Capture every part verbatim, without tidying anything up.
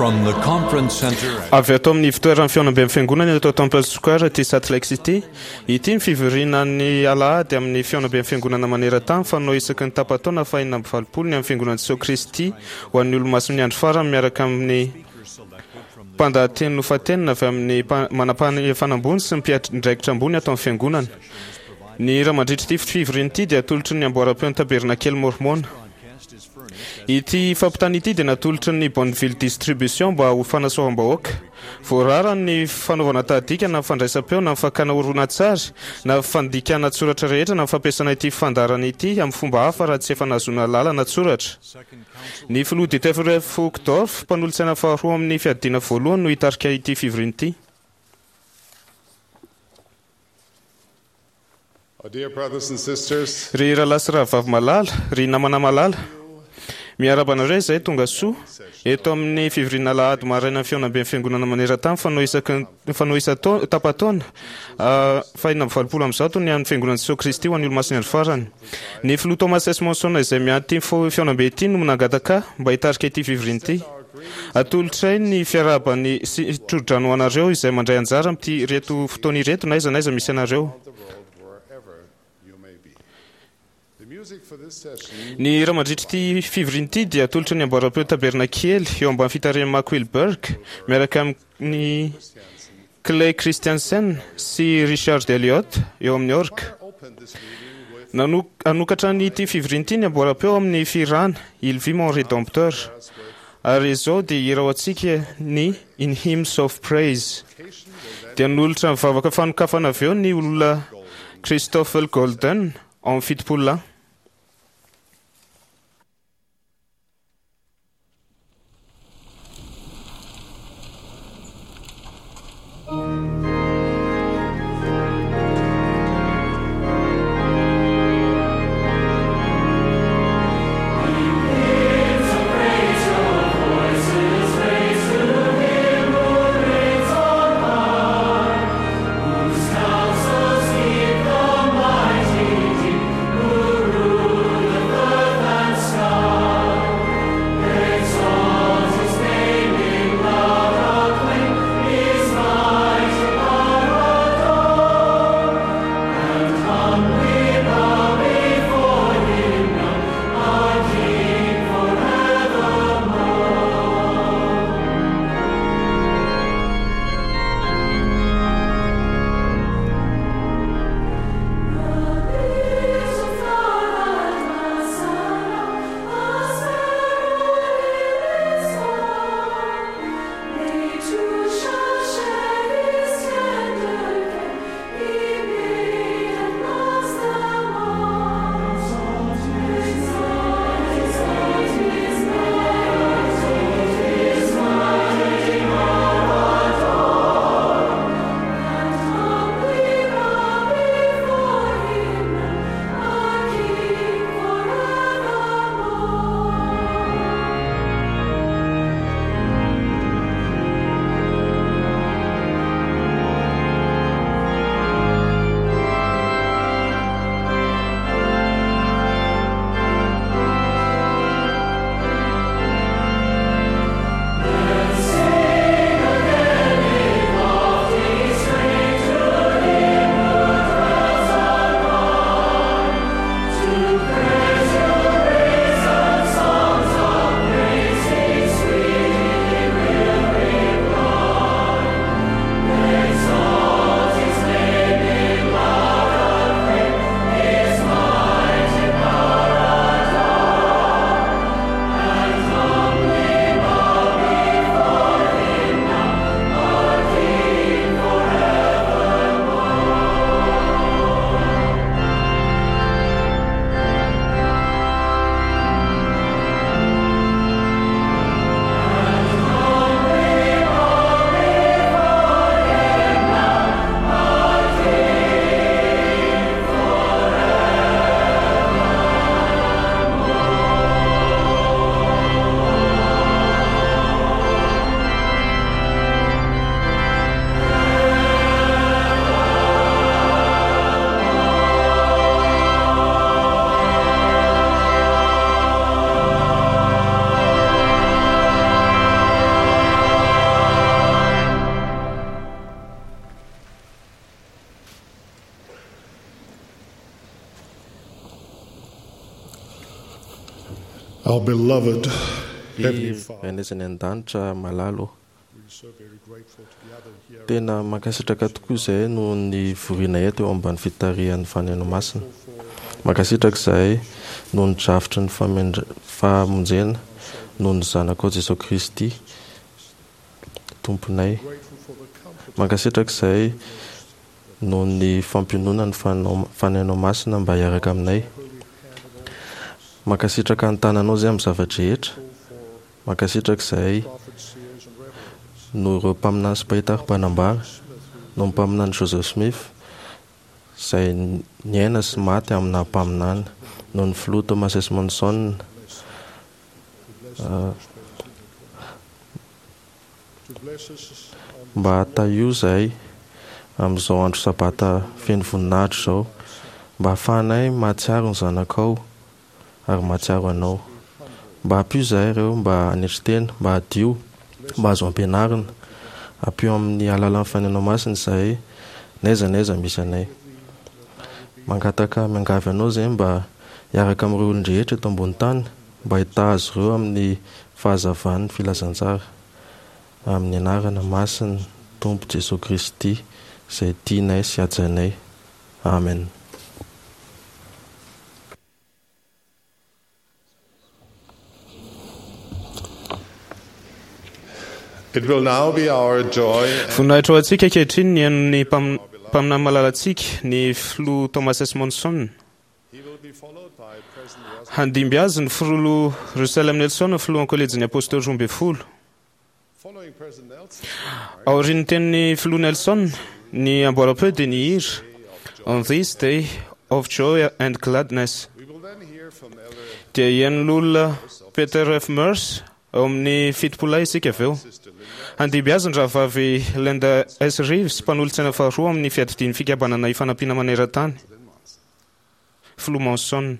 From the conference center at Avy ato amin'ny fitoeran'ny fihaonamben'ny fiangonana eto Temple Square ity Salt Lake City. Ity ny fivorian'ny alahady amin'ny fihaonamben'ny fiangonana maneran-tany fanao isaky ny tapa-taona fahenina amby valopolo ny amin'ny fiangonan'i Jesoa Kristy ho an'ny olomasin'ny andro farany miaraka amin'ny mpandahateny nofantenina avy amin'ny mpa- manam-pahefana ambony sy ny mpiandraikitra ambony ato amin'ny fiangonana. Ny hira mandritra ity fivoriana ity dia atolotry ny amboaram-peon'ny Tabernakely Mormona. Ity fampitana ity dia natolotry ny Bonneville Distribution mba ho fanasoavam-bahoaka. Voarara ny fanaovana tahadika na fandraisam-peo na fakana horonantsary na fandikana an-tsoratra rehetra na fampiasana ity fandaharana ity amin'ny fomba hafa raha tsy efa nahazoana lalana an-tsoratra. Ny filoha Dieter F. Uchtdorf, mpanolotsaina faharoa amin'ny fiadiana voalohany no hitarika ity fivoriana ity. Our dear brothers and sisters, Ry rahalahy sy rahavavy malala, ry namana malala, miarahaba anareo izay tonga soa eto amin'ny fivoriana alahady maraina fihaonamben'ny fiangonana maneran-tany fanao isaky ny- fanao isan-taona tapa-taona ah, fahenina amby valopolo amby zato ny an'ny fiangonan'i Jesoa Kristy ho an'ny olomasin'ny andro farany. Ny filoha Thomas S. Monson izay mianty ity fo- fihaonambe ity no nangataka mba hitarika ity fivoriana ity. Atolotray ny fiarahabany sy tsodrano ho anareo izay mandray anjara amin'ity reto fotoana ireto na aiza na aiza misy anareo. the world, wherever you may be. The music for this session Ny hira mandritra ity fivoriana ity dia atolotry ny amboaram-peo Tabernakely eo ambany fitarihan'i Mark Wilberg miaraka amin'ny Clay Christensen sy Richard Elliott eo amin'ny orga. opened this meeting with Nano- Hanokatra ny ity fivoriana ity ny amboaram-peo amin'ny fihirana Il vit mon rédempteur. Ary izao dia hira ho antsika ny In Hymns of Praise. Dia nolotra ny vavaka fanokafana avy eo ny olona Christopher Golden ao amin'ny fitopolo lahy. Counsels keep the mighty deep, who Our beloved Heavenly Father, Rainay izay any an-danitra malala ô. we are so very grateful to gather here Tena mankasitraka tokoa izahay noho ny fivoriana eto eo ambany fitarihan'ny Fanahy Masina. Mankasitraka izahay noho ny drafitry ny famendra- famonjena noho ny Zanakao Jesoa Kristy Tomponay. grateful for the comfort Mankasitraka izahay noho ny fampiononana ny Fanao- Fanahinao Masina mba hiaraka aminay. Mankasitraka ny tananao izay amin'ny zava-drehetra. Mankasitraka izahay prophets, seers, and revelators. noho ireo mpaminany sy mpahita ary mpanambara, noho ny mpaminany Joseph Smith izay niaina sy maty amina mpaminany, noho ny filoha Thomas S. Monson, ah, To bless us on mba tahio izahay amin'izao andro sabata feno voninahitra izao, mba hahafahanay mahatsiaro ny zanakao ary mahatsiaro anao. Mba ampio izahay ireo mba hanetry tena, mba hadio, mba azo ampianarina. Ampio amin'ny alalan'ny Fanahinao Masina izahay, n'aiza n'aiza misy anay. Mangataka miangavy anao izahay mba hiaraka amin'ireo olon-drehetra eto ambony tany, mba hitaha azy ireo amin'ny fahazavan'ny filazantsara. Amin'ny anarana masina Tompo Jesoa Kristy izay tianay sy hajainay. Amen. It will now be our joy and Voninahitra ho antsika ankehitriny ny hainon'ny mpam- mpaminany malalantsika ny filoha Thomas S. Monson. he will be followed by President Russell. Handimby azy ny filoha Russell M. Nelson, filohan'ny kolejin'ny apôstôly roa ambin'ny folo. Following President Nelson, Aorian'ny tenin'ny filoha Nelson, ny amboaram-peo dia nihira On this day of joy and gladness. we will then hear from Elder Dia hihaino olona Peter F. Mers ao amin'ny fitopolay isika avy eo. Sister Linda Handimby azy ny rahavavy Linda S. Reeves, mpanolotsaina faharoa amin'ny fiadidian'ny fikambanana ifanampiana maneran-tany. Filoha Monson.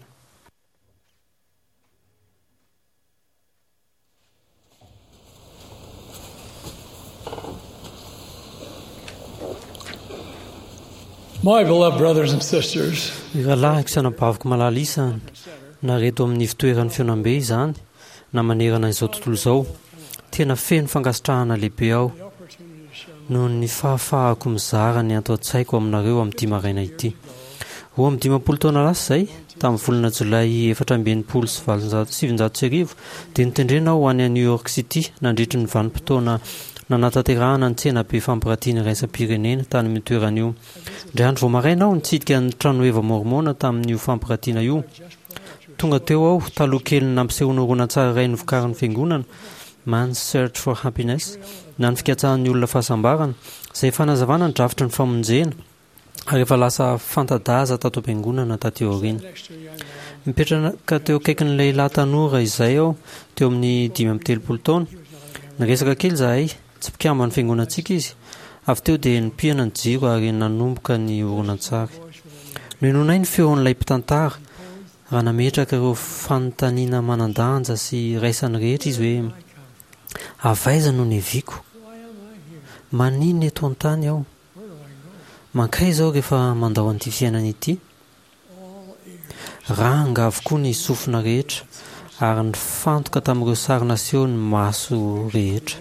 My beloved brothers and sisters, Ny rahalahiko sy anabaviko malala isany, na reto amin'ny fitoeran'ny fihaonambe izany, na manerana izao tontolo izao, tena feno fankasitrahana lehibe aho noho ny fahafahako mizara ny ato an-tsaiko aminareo amin'ity maraina ity. Roa amby dimampolo taona lasa izay, tamin'ny volana jolay efatra amby enimpolo sy valonjato sivinjato sy arivo, dia notendrena aho ho any New York City nandritry ny vanim-potoana nanatanterahana ny tsenabe fampiratiana iraisam-pirenena tany amin'ny toerana io. Indray andro vao maraina aho nitsidika ny tranoheva mormona tamin'io fampiratiana io. Tonga teo aho taloha kely nampisehoana horonantsary iray novokarin'ny fiangonana Man's Search for Happiness na ny fikatsahan'ny olona fahasambarana izay fanazavana ny drafitry ny famonjena ary efa lasa fanta-daza tato am-piangonana taty aoriana. Mipetraka teo akaikin'ny lehilahy tanora izay aho teo amin'ny dimy amby telopolo taona. Niresaka kely izahay, tsy mpikamban'ny fiangonantsika izy. Avy teo dia nipihana ny jiro ary nanomboka ny horonantsary. Nohenoinay ny feon'ilay mpitantara raha nametraka ireo fanontaniana manan-danja sy iraisan'ny rehetra izy hoe avy aiza no niaviako? Maninona eto an-tany aho? Mankaiza aho rehefa mandao an'ity fiainana ity? Ranga avokoa ny sofina rehetra ary nifantoka tamin'ireo sary naseho ny maso rehetra.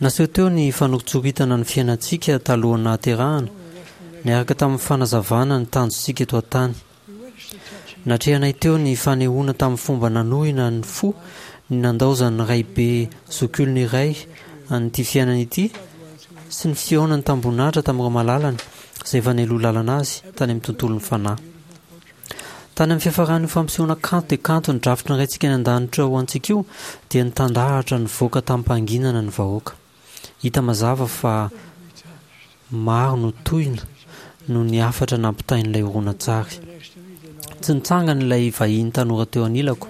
Naseho teo ny fanoritsoritana ny fiainantsika talohan'ny nahaterahana, niaraka tamin'ny fanazavana ny tanjontsika eto an-tany. Natrehanay teo ny fanehoana tamin'ny fomba nanohina ny fo ny nandaozan'ny raibe zokiolona iray an'ity fiainana ity sy ny fihaonany tamboninahitra tamin'ireo malalany izay efa nialoha lalana azy tany amin'ny tontolon'ny fanahy. Tany amin'ny fiafaran'io fampisehoana kanto dia kanto ny drafitry ny Raintsika any an-danitra ho antsika io dia nitandahatra nivoaka tamim-pahanginana ny vahoaka. Hita mazava fa maro no tohina noho ny hafatra nampitain'ilay horonantsary. Tsy nitsangana ilay vahiny tanora teo anilako.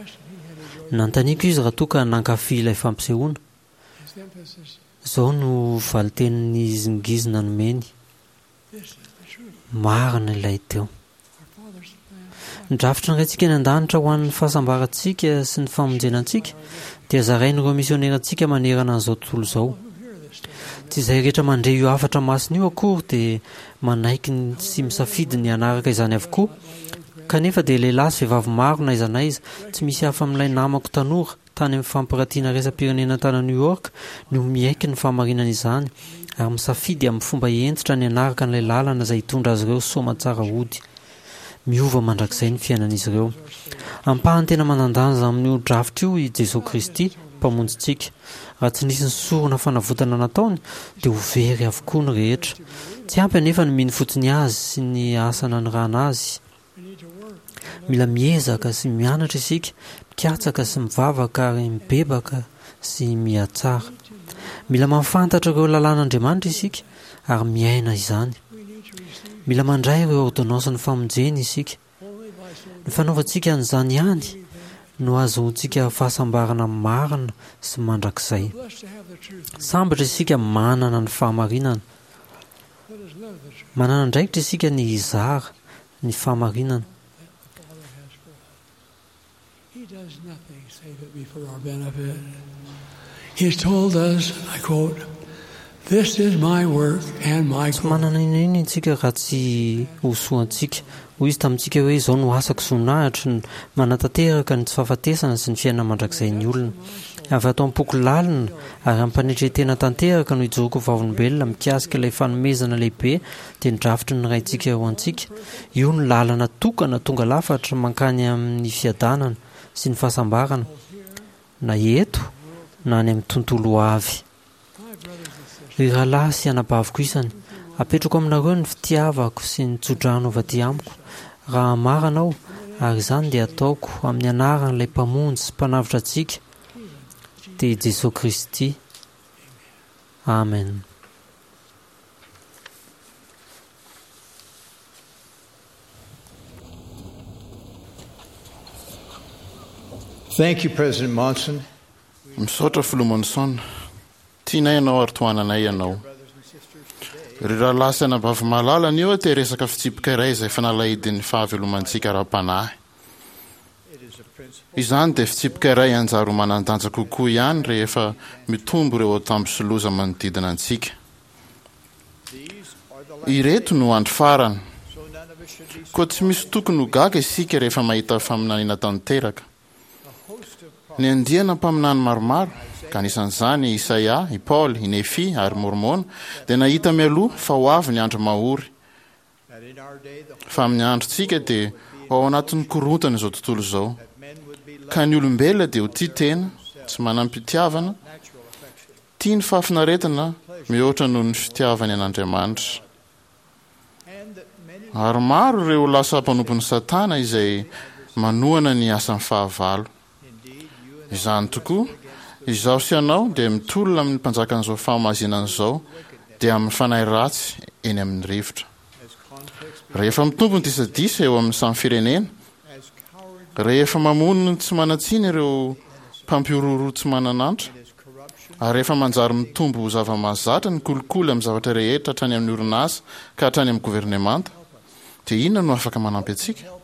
Nanontaniako izy raha toa ka nankafy ilay fampisehoana. Izao no valin-tenin'ny nihizingizina nomeny. Marina ilay teo. Ny drafitry ny Raintsika any an-danitra ho an'ny fahasambarantsika sy ny famonjena antsika dia zarain'ireo misionerantsika manerana an'izao tontolo izao. Tsy izay rehetra mandre io hafatra masina io akory dia manaiky ny- sy misafidy ny hanaraka izany avokoa, Kanefa dia lehilahy sy vehivavy maro na aiza na aiza, tsy misy hafa amin'ilay namako tanora tany amin'ny fampiratiana iraisam-pirenena tany New York no miaiky ny fahamarinana izany ary misafidy amin'ny fomba hentitra ny hanaraka an'ilay lalana izay hitondra azy ireo soamantsara hody. Miova mandrakizay ny fiainan'izy ireo. Ampahany tena manan-danja amin'io drafitra io i Jesoa Kristy, Mpamonjintsika. Raha tsy nisy ny sorona fanavotana nataony, dia ho very avokoa ny rehetra. Tsy ampy anefa ny mino fotsiny Azy sy ny asa nanirahana Azy. Mila miezaka sy mianatra isika, mikatsaka sy mivavaka ary mibebaka sy mihatsara. Mila mahafantatra ireo lalàn'Andriamanitra isika ary miaina izany. Mila mandray ireo ôrdônansin'ny famonjena isika. Ny fanaovantsika an'izany ihany no ahazoantsika fahasambarana marina sy mandrakizay. Sambatra isika manana ny fahamarinana. Manana andraikitra isika ny hizara ny fahamarinana. He does nothing save it be for our benefit. He has told us, I quote, This is my work and my Tsy manana inona inona isika raha tsy ho soantsika. Hoy izy tamintsika hoe, Izao no asako sy voninahitro, ny manatanteraka ny tsy fahafatesana sy ny fiainana mandrakizain'ny olona. Avy ato am-poko lalina ary amim-panetren-tena tanteraka no ijoroako ho vavolombelona mikasika ilay fanomezana lehibe dia ny drafitry ny Raintsika ho antsika. Io no lalana tokana tonga lafatra mankany amin'ny fiadanana sy ny fahasambarana, na eto na any amin'ny tontolo ho avy. Ry rahalahy sy anabaviko isany, apetrako aminareo ny fitiavako sy ny tsodrano avy aty amiko, raha marina aho, ary izany dia ataoko amin'ny anaran'ilay Mpamonjy sy Mpanavotra antsika, dia i Jesoa Kristy. Amen. Thank you, President Monson. Misaotra Filoha Monson. Tianay ianao ary tohananay ianao. Ry rahalahy sy anabavy malala, anio aho te hiresaka fitsipika iray izay fanalahidin'ny fahavelomantsika ara-panahy. Izany dia fitsipika iray hanjary ho manan-danja kokoa ihany rehefa mitombo ireo antambo sy loza manodidina antsika. Ireto no andro farany. Koa tsy misy tokony ho gaga isika rehefa mahita faminaniana tanteraka. Ny andiana mpaminany maromaro, ka anisan'izany i Isaia, i Paoly, i Nefia ary Môrmôna, dia nahita mialoha fa ho avy ny andro mahory, fa amin'ny androntsika dia ho ao anatin'ny korontana izao tontolo izao, ka ny olombelona dia ho tia tena, tsy manam-pitiavana, tia ny fahafinaretana mihoatra noho ny fitiavany an'Andriamanitra. Ary maro ireo lasa mpanompon'i Satana izay manohana ny asan'ny fahavalo. Izany tokoa, izaho sy ianao dia mitolona amin'ny mpanjakan'izao fahamazinana izao, dia amin'ny fanahy ratsy eny amin'ny rivotra. Rehefa mitombo ny disadisa eo amin'ny samy firenena, rehefa mamono ny tsy manan-tsiny ireo mpampihorohoro tsy manan'antra, ary rehefa manjary mitombo ho zava-mahazatra ny kolikoly amin'ny zavatra rehetra hatrany amin'ny orinasa ka hatrany amin'ny governemanta, dia inona no afaka manampy antsika?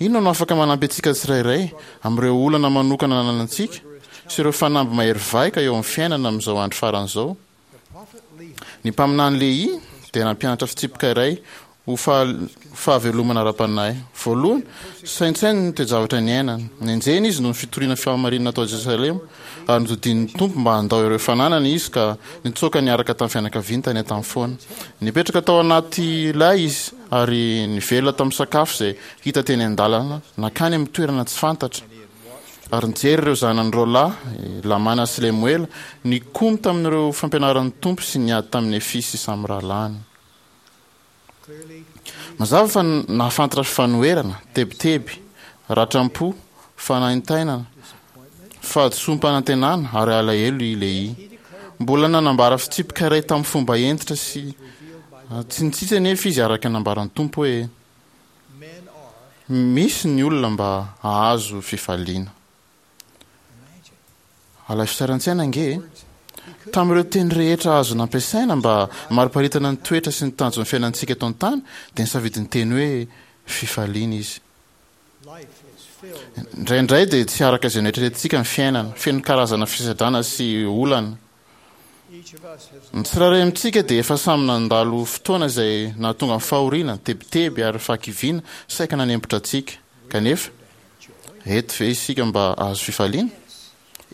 Inona no afaka manampy antsika tsirairay amin'ireo olana manokana ananantsika sy ireo fanamby mahery vaika eo amin'ny fiainana amin'izao andro farany izao? Ny mpaminany Lehia dia nampianatra fitsipika iray ho fahavelomana ara-panahy. Voalohany, saintsaino ny toe-javatra niainany. Nenjehina izy noho ny fitoriana fahamarinana tao Jerosalema, ary nodidian'ny Tompo mba handao ireo fananany izy ka nitsoaka niaraka tamin'ny fianakaviany tany an-tany foana. Nipetraka tao anaty lay izy ary nivelona tamin'ny sakafo izay hita teny an-dalana nankany amin'ny toerana tsy fantatra. Ary nijery ireo zanany roa lahy, i Lamàna sy Lemoela, nikomy tamin'ireo fampianaran'ny Tompo sy niady tamin'i Nefia sy samy rahalahiny. Mazava fa nahafantatra fanoherana, tebiteby, ratram-po, fanaintainana, fahadisoam-panantenana ary alahelo i Lehia. Mbola nanambara fitsipika iray tamin'ny fomba hentitra sy tsy nitsitsy anefa izy araka ny nambaran'ny Tompo hoe, Misy ny olona mba hahazo fifaliana. Alaivo sary an-tsaina ange e! Tamin'ireo teny rehetra azo nampiasaina mba hamariparitana ny toetra sy ny tanjon'ny fiainantsika eto an-tany, dia nisafidy ny teny hoe fifaliana izy. Indraindray dia tsy araka izay noeritreretintsika ny fiainana, feno karazana fisedrana sy olana. Ny tsirairay amintsika dia efa samy nandalo fotoana izay nahatonga ny fahoriana, tebiteby ary fahakiviana saika nanempotra antsika. Kanefa, eto ve isika mba hahazo fifaliana?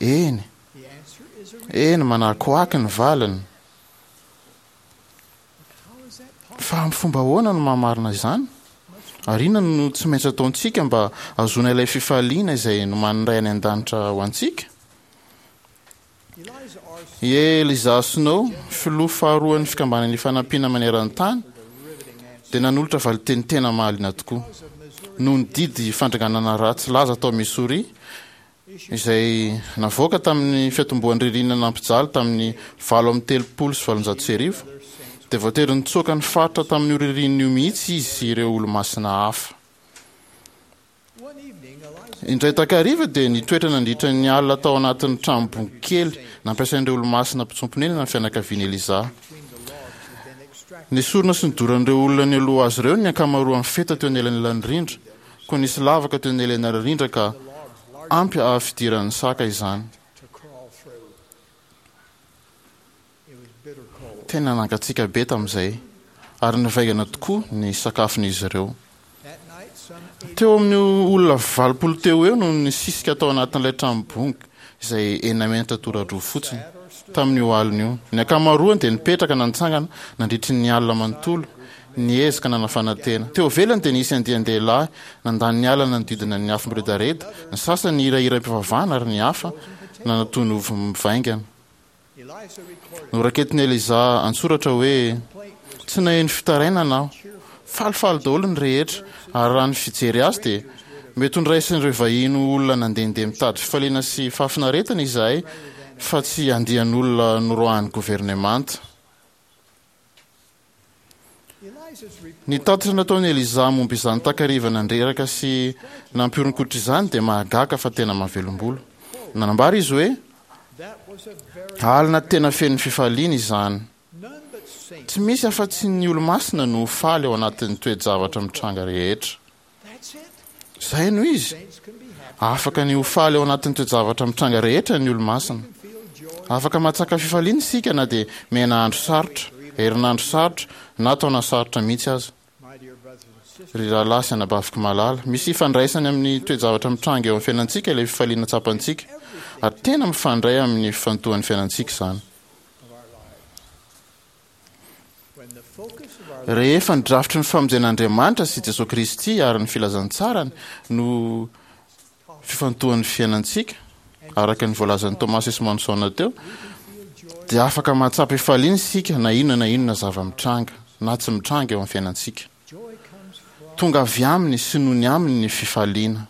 Eny! Eny, manakoako ny valiny. Fa amin'ny fomba ahoana no maha-marina izany? Ary inona no tsy maintsy ataontsika mba hahazoana ilay fifaliana izay nomanin'ny Ray any An-danitra ho antsika? I Eliza Snow, filoha faharoan'ny Fikambanana Ifanampiana Maneran-tany, dia nanolotra valinteny tena mahaliana tokoa. Noho ny didy fandringanana ratsy laza tao Missouri, izay navoaka tamin'ny fiatombohan'ny ririnina nampijaly tamin'ny valo amby telopolo sy valonjato sy arivo, dia voatery nitsoaka ny faritra tamin'io ririnina io mihitsy izy sy ireo Olomasina hafa. Indray takariva dia nitoetra nandritra ny alina tao anatin'ny tranom-bongo kely nampiasain'ireo Olomasina mpitsoa-ponenana ny fianakavian'i Eliza. Nesorina sy nodoran'ireo olona nialoha azy ireo ny ankamaroan'ny feta teo anelanelan'ny rindra, Koa nisy lavaka teo anelanelan'ny rindra ka ampy hahafidiran'ny saka izany. Tena nangatsiaka be tamin'izay, ary nivaingana tokoa ny sakafon'izy ireo. Teo amin'ny olona valopolo teo ho eo no nisisika tao anatin'ilay trano bongo, izay enina metatra tora-droa fotsiny, tamin'io alina io. Ny ankamaroany dia nipetraka na nitsangana nandritry ny alina manontolo, niezaka nanafana tena. Teo ivelany dia nisy andian-dehilahy nandany ny alina nanodidina ny afo miredareda, ny sasany nihira hiram-pivavahana ary ny hafa nanatono ovy mivaingana. Noraketin'i Eliza an-tsoratra hoe, Tsy naheno fitarainana aho. Falifaly daholo ny rehetra, ary raha ny fijery azy dia mety ho noraisin'ireo vahiny ho olona nandehandeha mitady fifaliana sy fahafinaretana izahay fa tsy andian'olona noroahan'ny governemanta. Ny tatitra nataon'i Eliza momba izany takariva nandreraka sy nampihoron-koditra izany dia mahagaga fa tena mahavelom-bolo. Nanambara izy hoe, Alina tena feno fifaliana izany. Tsy misy afa-tsy ny olo-masina no ho faly ao anatin'ny toe-javatra mitranga rehetra. Izay no izy. Afaka ny ho faly ao anatin'ny toe-javatra mitranga rehetra ny olo-masina. Afaka mahatsaka fifaliana isika na dia miaina andro sarotra, herinandro sarotra, na taona sarotra mihitsy aza. Ry rahalahy sy anabaviko malala, misy ifandraisany amin'ny toe-javatra mitranga eo amin'ny fiainantsika ilay fifaliana tsapantsika, ary tena mifandray amin'ny fifantohan'ny fiainantsika izany. Rehefa ny drafitry ny famonjen'Andriamanitra sy Jesoa Kristy ary ny filazantsarany no fifantohan'ny fiainantsika, araka ny voalazan'i Thomas S. Monson teo, dia afaka mahatsapa hifaliana isika na inona na inona zava-mitranga na tsy mitranga eo amin'ny fiainantsika. Tonga avy aminy sy noho ny aminy ny fifaliana.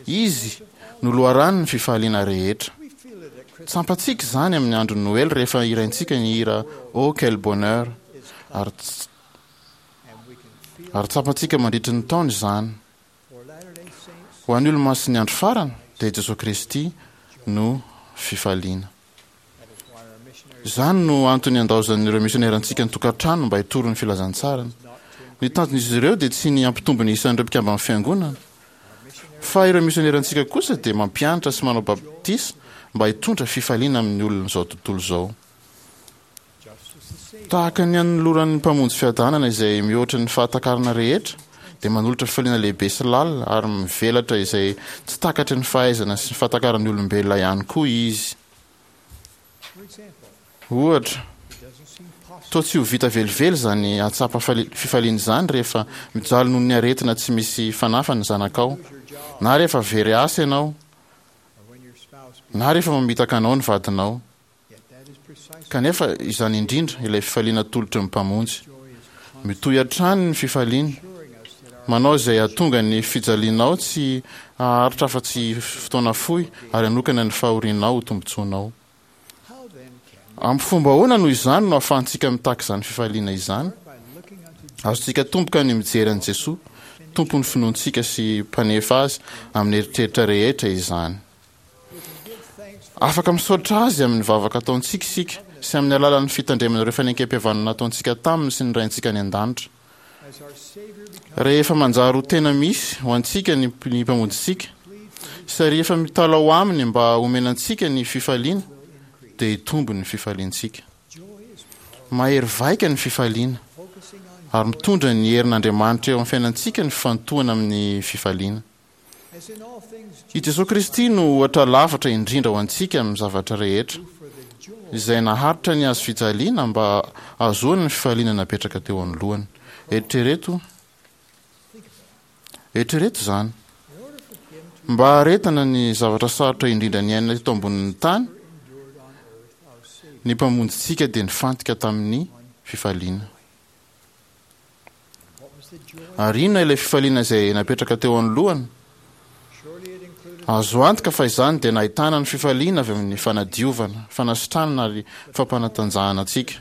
Izy no loharanon'ny fifaliana rehetra. Tsampantsika izany amin'ny andron'ny Noely rehefa hiraintsika ny hira Oh quel bonheur ary ary tsapantsika mandritry ny taona izany. Ho an'ny Olomasin'ny Andro Farany dia i Jesoa Kristy no fifaliana. Izany no antony andaozan'ireo misionerantsika ny tokantrano mba hitory ny filazantsarany. Ny tanjon'izy ireo dia tsy ny hampitombo ny isan'ireo mpikamban'ny fiangonana, fa ireo misionerantsika kosa dia mampianatra sy manao batisa mba hitondra fifaliana amin'ny olon'izao tontolo izao. Tahaka ny anoloran'ny Mpamonjy fiadanana izay mihoatra ny fahatakarana rehetra, dia manolotra fifaliana lehibe sy lalina ary mivelatra izay tsy takatry ny fahaizana sy ny fahatakaran'ny olombelona ihany koa Izy. Ohatra, toa tsy ho vita velively izany hahatsapa fifaliana izany rehefa mijaly noho ny aretina tsy misy fanafany ny zanakao, na rehefa very asa ianao, na rehefa mamitaka anao ny vadinao. Kanefa izany indrindra ilay fifaliana atolotry ny Mpamonjy. Mitohy hatrany ny fifaliany. Manao izay hahatonga ny fijalianao tsy haharitra afa-tsy fotoana fohy ary hanokana ny fahorianao ho tombontsoanao. Amin'ny fomba ahoana noho izany no ahafahantsika mitaky izany fifaliana izany? Azontsika atomboka ny mijery an'i Jesoa, Tompon'ny finoantsika sy Mpanefa azy amin'ny eritreritra rehetra izany. Afaka misaotra Azy amin'ny vavaka ataontsika isika sy amin'ny alalan'ny fitandremana ireo fanekempihavanana nataontsika taminy sy ny Raintsika any An-danitra. Rehefa manjary ho tena misy ho antsika ny ny Mpamonjintsika sy rehefa mitalaho Aminy mba homena antsika ny fifaliana, dia hitombo ny fifaliantsika. Mahery vaika ny fifaliana, ary mitondra ny herin'Andriamanitra eo amin'ny fiainantsika ny fifantohana amin'ny fifaliana. I Jesoa Kristy no ohatra lafatra indrindra ho antsika amin'ny zavatra rehetra, izay naharitra ny hazo fijaliana mba hahazoany ny fifaliana napetraka teo anoloany. Eritrereto, eritrereto izany. Mba haharetana ny zavatra sarotra indrindra niainana teto ambonin'ny tany, ny Mpamonjintsika dia nifantoka tamin'ny fifaliana. Ary inona ilay fifaliana izay napetraka teo anoloany? Azo antoka fa izany dia nahitana ny fifaliana avy amin'ny fanadiovana, fanasitranana ary fampanatanjahana antsika.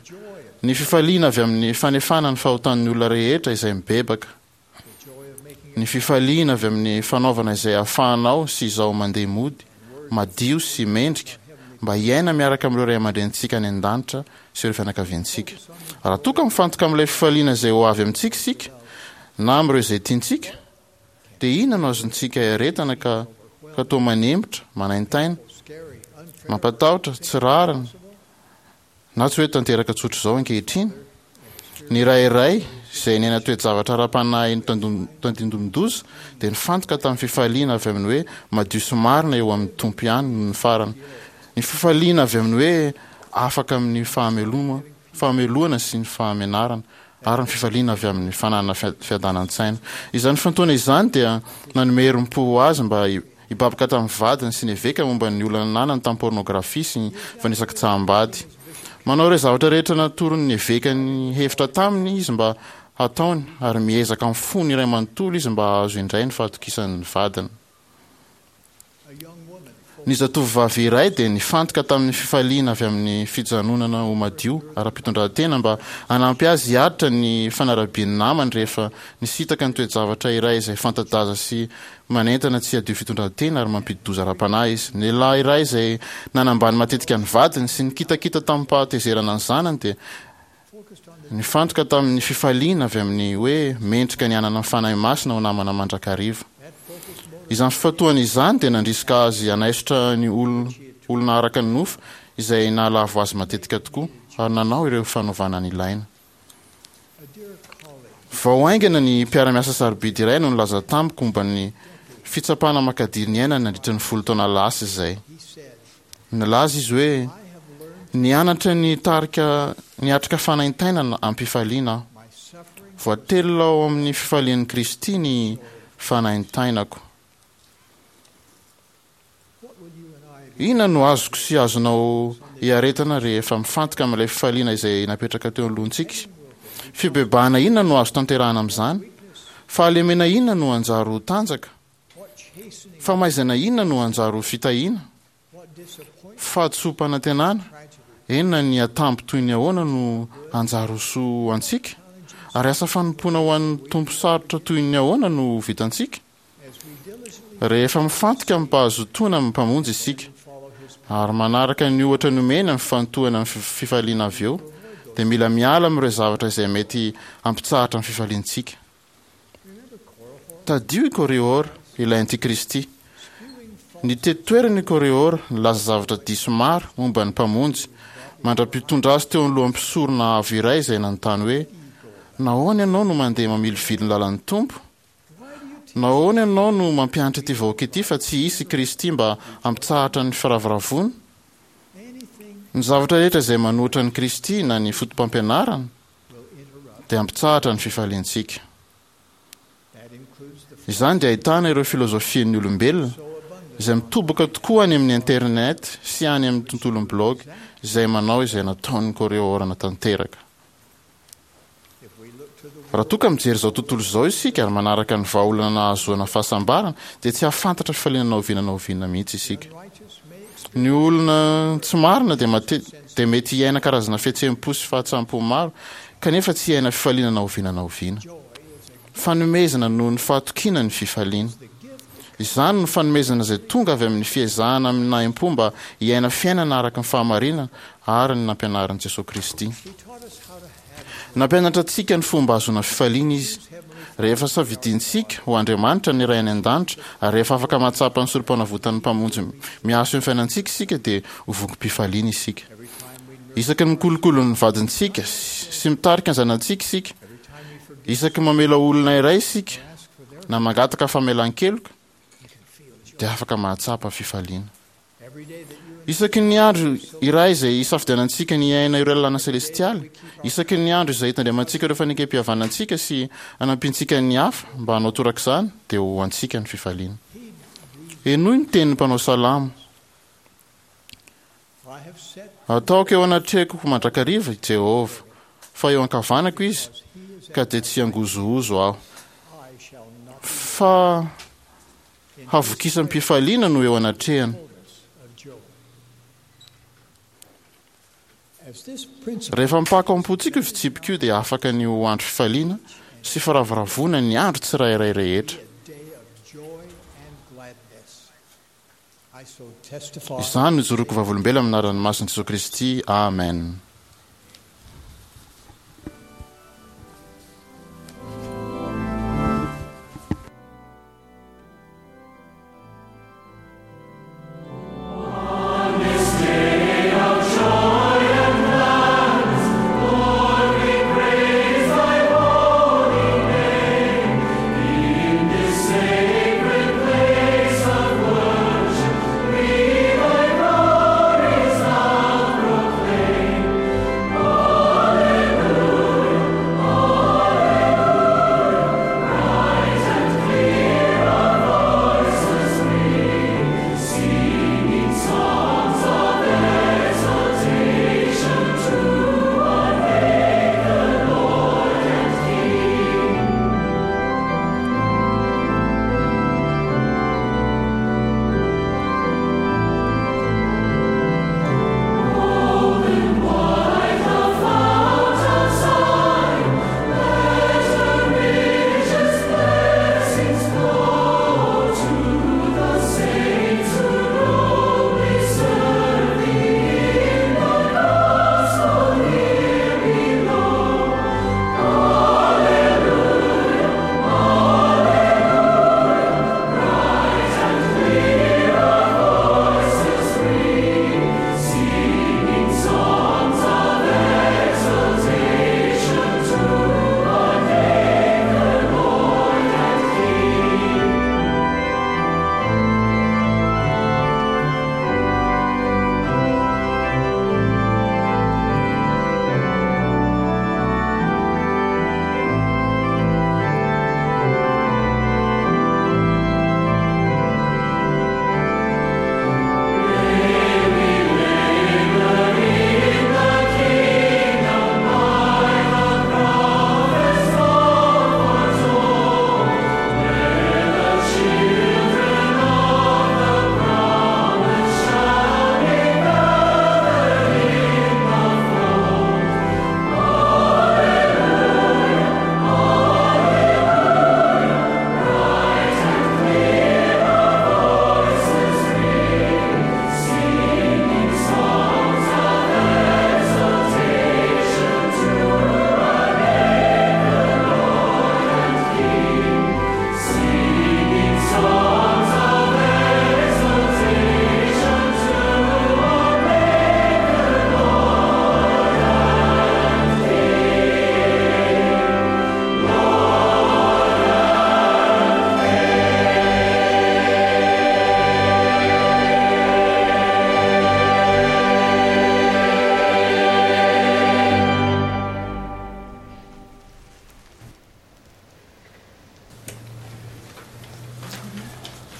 Ny fifaliana avy amin'ny fanefana ny fahotan'ny olona rehetra izay mibebaka. Ny fifaliana avy amin'ny fanaovana izay ahafahanao sy izaho mandeha mody, madio sy mendrika, mba hiaina miaraka amin'ireo ray aman-drenintsika any an-danitra sy ireo fianakaviantsika. Raha toa ka mifantoka amin'ilay fifaliana izay ho avy amintsika isika, na amin'ireo izay tiantsika, dia inona no azontsika iaretana ka ka toa manempotra, manaintaina, mampatahotra, tsy rariny, na tsy hoe tanteraka tsotr'izao ankehitriny? Ny ray iray izay niaina toe-javatra ara-panahy notandindomin-doza dia nifantoka tamin'ny fifaliana avy amin'ny hoe madio sy marina eo amin'ny Tompo ihany nony farany. Ny fifaliana avy amin'ny hoe afaka amin'ny fahameloma, fahamelohana sy ny fahamenarana, ary ny fifaliana avy amin'ny fananana fiadanan-tsaina. Izany fifantohana izany dia nanome herim-po ho azy mba hibaboka tamin'ny vadiny sy ny eveka momba ny olana nanany tamin'ny pôrnôgrafia sy ny fanisakitsaham-bady. Manao ireo zavatra rehetra natoron'ny eveka ny hevitra taminy izy mba hataony, ary miezaka amin'ny fony iray manontolo izy mba hahazo indray ny fahatokisan'ny vadiny. Ny zatovovavy iray dia nifantoka tamin'ny fifaliana avy amin'ny fijanonana ho madio ara-pitondrantena mba hanampy azy hiaritra ny fanarabian'ny namany rehefa nisintaka ny toe-javatra iray izay fanta-daza sy manentana tsy hadio fitondrantena ary mampidi-doza ara-panahy izy. Ny lehilahy iray izay nanambany matetika ny vadiny sy nikitakita tamim-pahatezerana ny zanany dia Nifantoka tamin'ny fifaliana avy amin'ny hoe mendrika ny hanana ny Fanahy Masina ho namana mandrakariva. Izany fifantohana izany dia nandrisika azy hanaisotra ny olona araka ny nofo izay nahalavo azy matetika tokoa, ary nanao ireo fanovana nilaina. Vao haingana ny mpiara-miasa sarobidy iray no nilaza tamiko momba ny fitsapana makadiry niainany nandritra ny folo taona lasa izay. Nilaza izy hoe, Nianatra nitarika niatrika fanaintainana am-pifaliana aho. Voatelina ao amin'ny fifalian'i Kristy ny fanaintainako. Inona no azoko sy azonao iaretana rehefa mifantoka amin'ilay fifaliana izay napetraka teo anoloantsika? Fibebahana inona no azo tanterahana amin'izany? Fahalemena inona no hanjary ho tanjaka? Famaizana inona no hanjary ho fitahiana? Fahadisoam-panantenana, eny na ny atambo toy ny ahoana no hanjary ho soa ho antsika? Ary asa fanompoana ho an'ny Tompo sarotra toy ny ahoana no ho vitantsika? Rehefa mifantoka amim-pahazotoana amin'ny Mpamonjy isika, ary manaraka ny ohatra nomeny amin'ny fifantohana amin'ny fifaliana avy eo, dia mila miala amin'ireo zavatra izay mety hampitsahatra ny fifaliantsika. Tadidio i Korihor, ilay antikristy. Nitety toerana i Korihor, nilaza zavatra diso maro momba ny Mpamonjy, mandra-pitondra azy teo anoloan'ny mpisorona avo iray izay nanontany hoe, Nahoana ianao no mandeha mamilivily ny lalan'ny Tompo? Nahoana ianao no mampianatra ity vahoaka ity fa tsy hisy i Kristy mba hampitsahatra ny firavoravoana? Ny zavatra rehetra izay manohitra an'i Kristy na ny fotopampianarany dia hampitsahatra ny fifaliantsika. Izany dia ahitana ireo filozofian'ny olombelona, izay mitoboka tokoa any amin'ny internet sy any amin'ny tontolon'ny blog, izay manao izay nataon'ny Koreorana tanteraka. Raha toa ka mijery izao tontolo izao isika ary manaraka ny vahaolana nahazoana fahasambarana, dia tsy hahafantatra fifaliana na oviana na oviana mihitsy isika. Ny olona tsy marina dia mate dia mety hiaina karazana fihetseham-po sy fahatsampom maro, kanefa tsy hiaina fifaliana na oviana na oviana. Fanomezana noho ny fahatokiana ny fifaliana. Izany no fanomezana izay tonga avy amin'ny fiezahana amin'ny nahim-po mba hiaina fiainana araka ny fahamarinana ary ny nampianarin'i Jesoa Kristy. Nampianatra antsika ny fomba hahazoana fifaliana Izy. Rehefa safidintsika ho Andriamanitra ny Ray any an-danitra ary rehefa afaka mahatsapa ny sorompanavotan'ny Mpamonjy miasa eo amin'ny fiainantsika isika dia ho vokim-pifaliana isika. Isaky ny mikolokolo ny vadintsika sy mitarika ny zanatsika isika, isaky ny mamela olona iray isika na mangataka famelan-keloka dia afaka mahatsapa fifaliana. Isaky ny andro iray izay isafidianantsika ny hiaina ireo lalàna selestialy, isaky ny andro izay itandremantsika ireo fanekem-pihavanantsika sy anampiantsika ny hafa mba hanao torak'izany, dia ho antsika ny fifaliana. Henoy ny tenin'ny mpanao salamo, Ataoko eo anatrehako mandrakariva i Jehovah, fa eo ankavanako Izy, ka dia tsy hangozohozo aho. Fa havokisam-pifaliana no eo anatrehany. Rehefa mipaka ao am-pontsika io fitsipika io dia afaka ny ho andro fifaliana sy firavoravoana ny andro tsirairay rehetra. Izany no ijoroako vavolombelona amin'ny anaran'ny masin'i Jesoa Kristy, amen.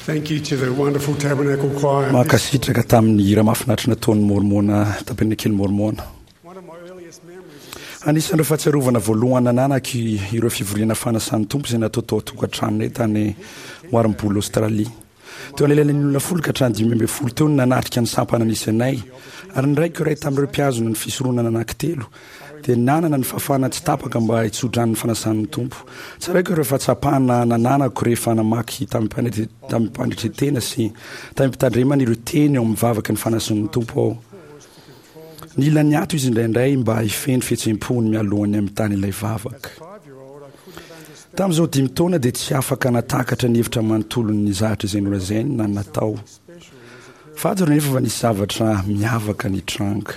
Thank you to the wonderful Tabernacle Choir. Mankasitraka tamin'ny hira mahafinaritra nataon'ny Mormona, Tabernakely Mormona. One of my earliest memories is Anisan'ireo fahatsiarovana voalohany nananako ireo fivoriana fanasan'ny Tompo izay natao tao an-tokantranonay tany Warrnambool, Australie. Teo anelanelan'ny olona folo ka hatrany dimy ambin'ny folo teo no nanatrika ny sampana nisy anay, ary ny raiko iray tamin'ireo mpihazona ny fisoronana anankitelo dia nanana ny fahafahana tsy tapaka mba hitsodrano ny fanasan'ny Tompo. Tsaraiko ireo fahatsapana nananako rehefa namaky tamim-panetren-tena sy tamim-pitandremana ireo teny ao amin'ny vavaky ny fanasan'ny Tompo aho. Nila niato izy indraindray mba hifehy ny fihetseham-pony mialohan'ny hamitany ilay vavaka. Tamin'izao dimy taona dia tsy afaka natakatra ny hevitra manontolon'ny zavatra izay nolazainy na natao. Fantaro nefa fa nisy zavatra miavaka nitranga.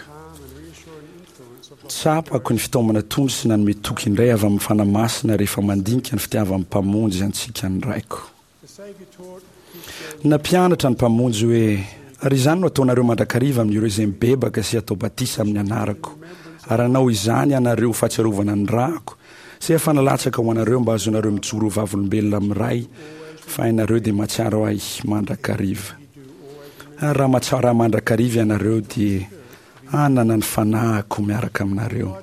Tsapako ny fitaomana tony sy nanome toky indray avy amin'ny Fanahy Masina rehefa mandinika ny fitiavan'ny Mpamonjy antsika ny Raiko. Nampianatra ny Mpamonjy hoe: "Ary izany no ataonareo mandrakariva amin'ireo izay mibebaka sy atao batisa amin'ny anarako, ary hanao izany ianareo ho fahatsiarovana ny rako, izay efa nalatsaka ho anareo mba hahazoanareo mijoro ho vavolombelona amin'ny Ray, fa ianareo dia mahatsiaro ahy mandrakariva. Ary raha mahatsiaro ahy mandrakariva ianareo, dia hanana ny fanahiko miaraka aminareo."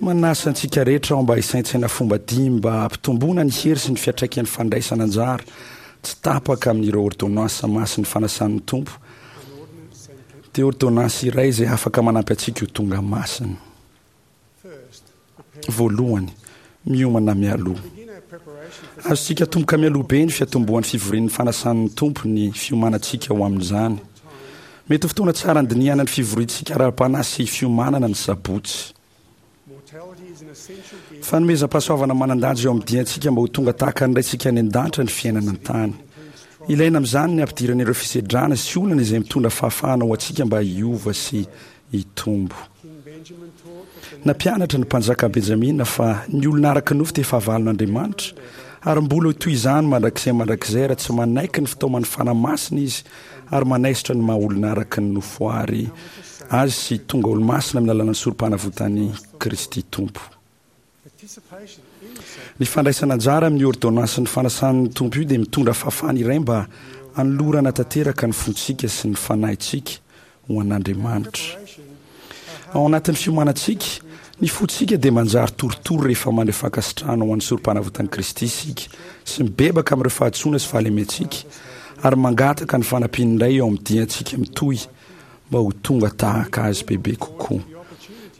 Manasa antsika rehetra aho mba hisaintsaina fomba dimy mba hampitomboana ny hery sy ny fiantraikan'ny fandraisana anjara tsy tapaka amin'ireo ôrdônansa masin'ny fanasan'ny Tompo, dia ôrdônansy iray izay afaka manampy antsika ho tonga masina. Voalohany, miomana mialoha. Azontsika atomboka mialoha be ny fiatombohan'ny fivorian'ny fanasan'ny Tompo ny fiomanantsika ho amin'izany. Mety ho fotoana tsara handinihana ny fivoriantsika ara-panahy sy fiomanana ny sabotsy. Fanomezam-pahasoavana manan-danja eo amin'ny diantsika mba ho tonga tahaka ny Raintsika any an-danitra ny fiainana an-tany. Ilaina amin'izany ny hampidirana ireo fisedrana sy olana izay mitondra fahafahana ho antsika mba hiova sy hitombo. Nampianatra ny mpanjaka Benjamina fa ny olona araka ny nofo dia fahavalon'Andriamanitra, ary mbola ho toy izany mandrakizay mandrakizay raha tsy manaiky ny fitaoman'ny Fanahy Masina izy ary manaisotra ny maha olona araka ny nofo ary azy sy tonga olo-masina amin'ny alalan'ny sorom-panavotan'i Kristy Tompo. Ny fandraisana anjara amin'ny ôrdônansin'ny fanasan'ny Tompo io dia mitondra fahafahana iray mba hanolorana tanteraka ny fontsika sy ny fanahintsika ho an'Andriamanitra. Ao anatin'ny fiomanantsika, ny fontsika dia manjary torotoro rehefa mandray fankasitrahana ho an'ny sorom-panavotan'i Kristy isika sy mibebaka amin'ireo fahadisoana sy fahalementsika ary mangataka ny fanampiany indray eo amin'ny diantsika mitohy mba ho tonga tahaka Azy bebe kokoa.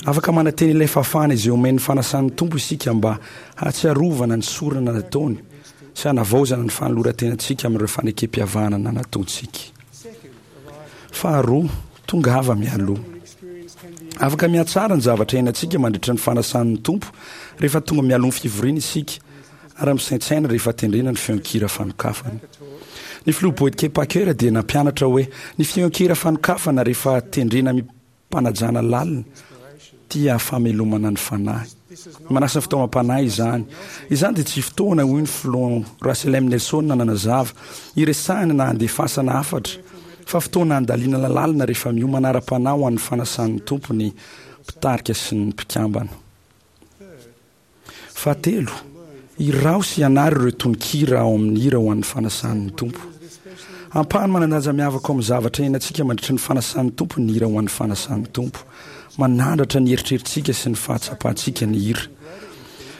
Afaka manantena ilay fahafahana izay omen'ny fanasan'ny Tompo isika mba hahatsiarovana ny sorona nataony sy hanavaozana ny fanoloran-tenantsika amin'ireo fanekem-pihavanana nataontsika. Faharoa, tongava mialoha. Afaka mihatsara ny zavatra iainantsika mandritra ny fanasan'ny Tompo rehefa tonga mialoha ny fivoriana isika ary misaintsaina rehefa tendrena ny feon-kira fanokafana. Ny filoha Boyd K. Packer dia nampianatra hoe ny feon-kira fanokafana rehefa tendrena amim-panajana lalina dia famelomana ny fanahy. Manasa fitaomam-panahy izany. Izany dia tsy fotoana, hoy ny filoha Russell M. Nelson nanazava, hiresahana na handefasana hafatra, fa fotoana handalinana lalina rehefa miomana ara-panahy ho an'ny fanasan'ny Tompo ny mpitarika sy ny mpikambana. Fahatelo, iraho sy ianaro ireo tononkira ao amin'ny hira ho an'ny fanasan'ny Tompo. Ampahany manan-danja miavaka ao amin'ny zavatra iainantsika mandritra ny fanasan'ny Tompo ny hira ho an'ny fanasan'ny Tompo. Manandratra ny eritreritsika sy ny fahatsapantsika ny hira.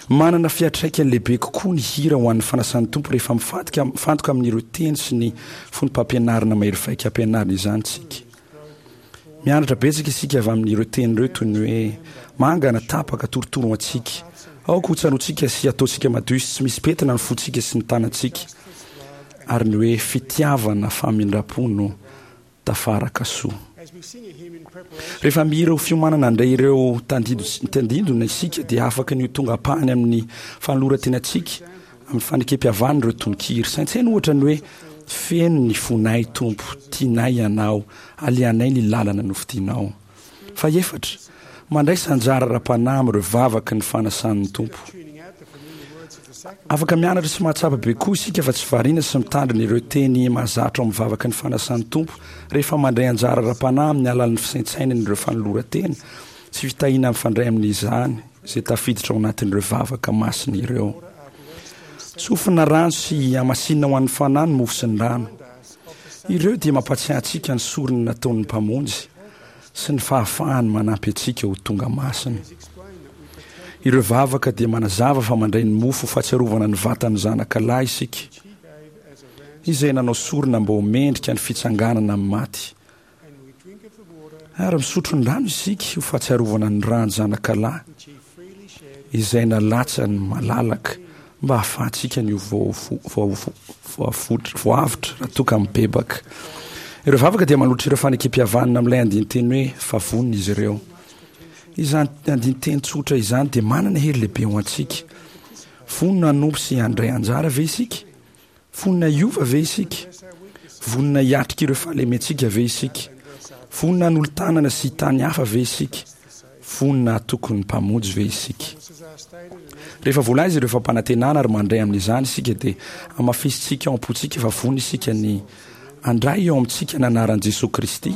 Manana fiantraikany lehibe kokoa ny hira ho an'ny fanasan'ny Tompo rehefa mifantoka mifantoka amin'ireo teny sy ny fonom-pampianarana mahery vaika ampianarina izany isika. Mianatra betsaka isika avy amin'ireo teny ireo toy ny hoe mangana, tapaka, torotoro ho antsika. Aoka ho tsaroantsika sy hataontsika madio sy tsy misy pentina ny fontsika sy ny tanantsika, ary ny hoe fitiavana famindram-po no tafaraka soa. Rehefa mihira ho fiomanana handray ireo tandindona isika dia afaka ny ho tonga ampahany amin'ny fanoloran-tenantsika amin'ny fanekem-pihavanana ireo tononkira. Saintsaino ohatra ny hoe Feno ny fonay Tompo, tianay Ianao, alehanay ny lalana nofidinao. Fahefatra, mandraisa anjara ara-panahy amin'ireo vavaky ny fanasan'ny Tompo. Afaka mianatra sy mahatsapa be koa isika fa tsy variana sy mitandrina ireo teny mahazatra ao amin'ny vavaky ny fanasan'ny Tompo rehefa mandray anjara ara-panahy amin'ny alalan'ny fisaintsainana ireo fanoloran-tena sy fitahiana mifandray amin'izany izay tafiditra ao anatin'ireo vavaka masina ireo. Tsofina rano sy hamasinina ho an'ny fanahy ny mofo sy ny rano. Ireo dia mampahatsiahy antsika ny sorona nataon'ny Mpamonjy sy ny fahafahany manampy antsika ho tonga masina. Ireo vavaka dia manazava fa mandray ny mofo ho fahatsiarovana ny vatan'ny Zanaka lahy isika, izay nanao sorona mba ho mendrika ny fitsanganana amin'ny maty. Ary misotro ny rano isika ho fahatsiarovana ny ràn'ny Zanakalahy izay nalatsany malalaka mba hahafahantsika ny ho voavotra raha toa ka mibebaka. Ireo vavaka dia manolotra ireo fanekem-pihavanana amin'ilay andinin-teny hoe fa vonona izy ireo. Izany andinin-teny tsotra izany dia manana hery lehibe ho antsika. Vonona hanompo sy handray anjara ve isika? Vonona hiova ve isika? Vonona hiatrika ireo fahalementsika ve isika? Vonona hanolo-tanana sy hitany hafa ve isika? Vonona hatoky ny Mpamonjy ve isika? Rehefa voalaza ireo fampanantenana ary mandray amin'izany isika dia hamafisintsika ao am-pontsika fa vonona isika ny handray eo amintsika ny anaran'i Jesoa Kristy,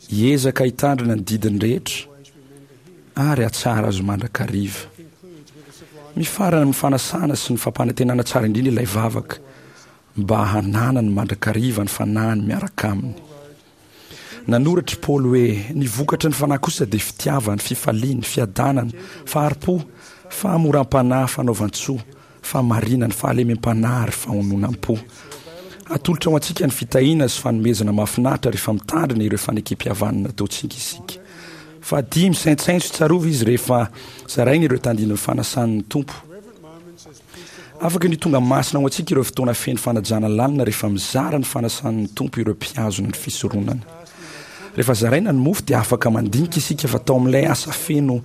hiezaka hitandrina ny didiny rehetra ary hahatsara azy mandrakariva. Mifarana amin'ny fanasana sy ny fampanantenana tsara indrindra ilay vavaka mba hananany mandrakariva ny fanahiny miaraka aminy. Nanoratra i Paoly hoe, Ny vokatry ny fanahy kosa dia fitiavana, fifaliana, fiadanana, fahari-po, fahamoram-panahy, fanaovan-tsoa, fahamarinana, fahalemem-panahy ary fahononam-po. Atolotra ho antsika ny fitahiana sy fanomezana mahafinaritra rehefa mitandrina ireo fanekempihavanana nataontsika isika. Fahadimy, saintsaino sy tsarovy izy rehefa zaraina ireo tandindon'ny fanasan'ny Tompo. Afaka ny ho tonga masina ho antsika ireo fotoana feno fanajana lalina rehefa mizara ny fanasan'ny Tompo ireo mpihazona ny fisoronana. Rehefa zaraina ny mofo dia afaka mandinika isika fa tao amin'ilay asa feno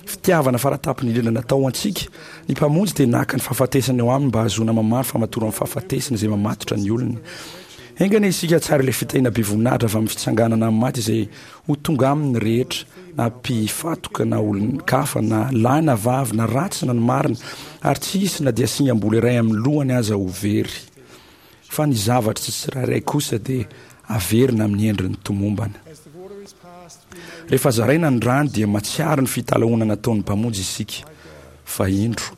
fitiavana faratampony indrindra natao ho antsika, ny Mpamonjy dia naka ny fahafatesana eo aminy mba hahazoana mamaly famatoran'ny fahafatesana izay mamatotra ny olony. Enga anie isika hahatsiaro ilay fitahiana be voninahitra avy amin'ny fitsanganana amin'ny maty izay ho tonga aminy ny rehetra, na mpifatoka na olon-kafa, na lahy na vavy, na ratsy na ny marina, ary tsy hisy na dia singam-bolo iray amin'ny lohany aza ho very. Fa ny zavatra tsirairay kosa dia averina amin'ny endriny tomombana. Rehefa zaraina ny rano dia matsiaro ny fitalahoana nataon'ny Mpamonjy isika, fa indro,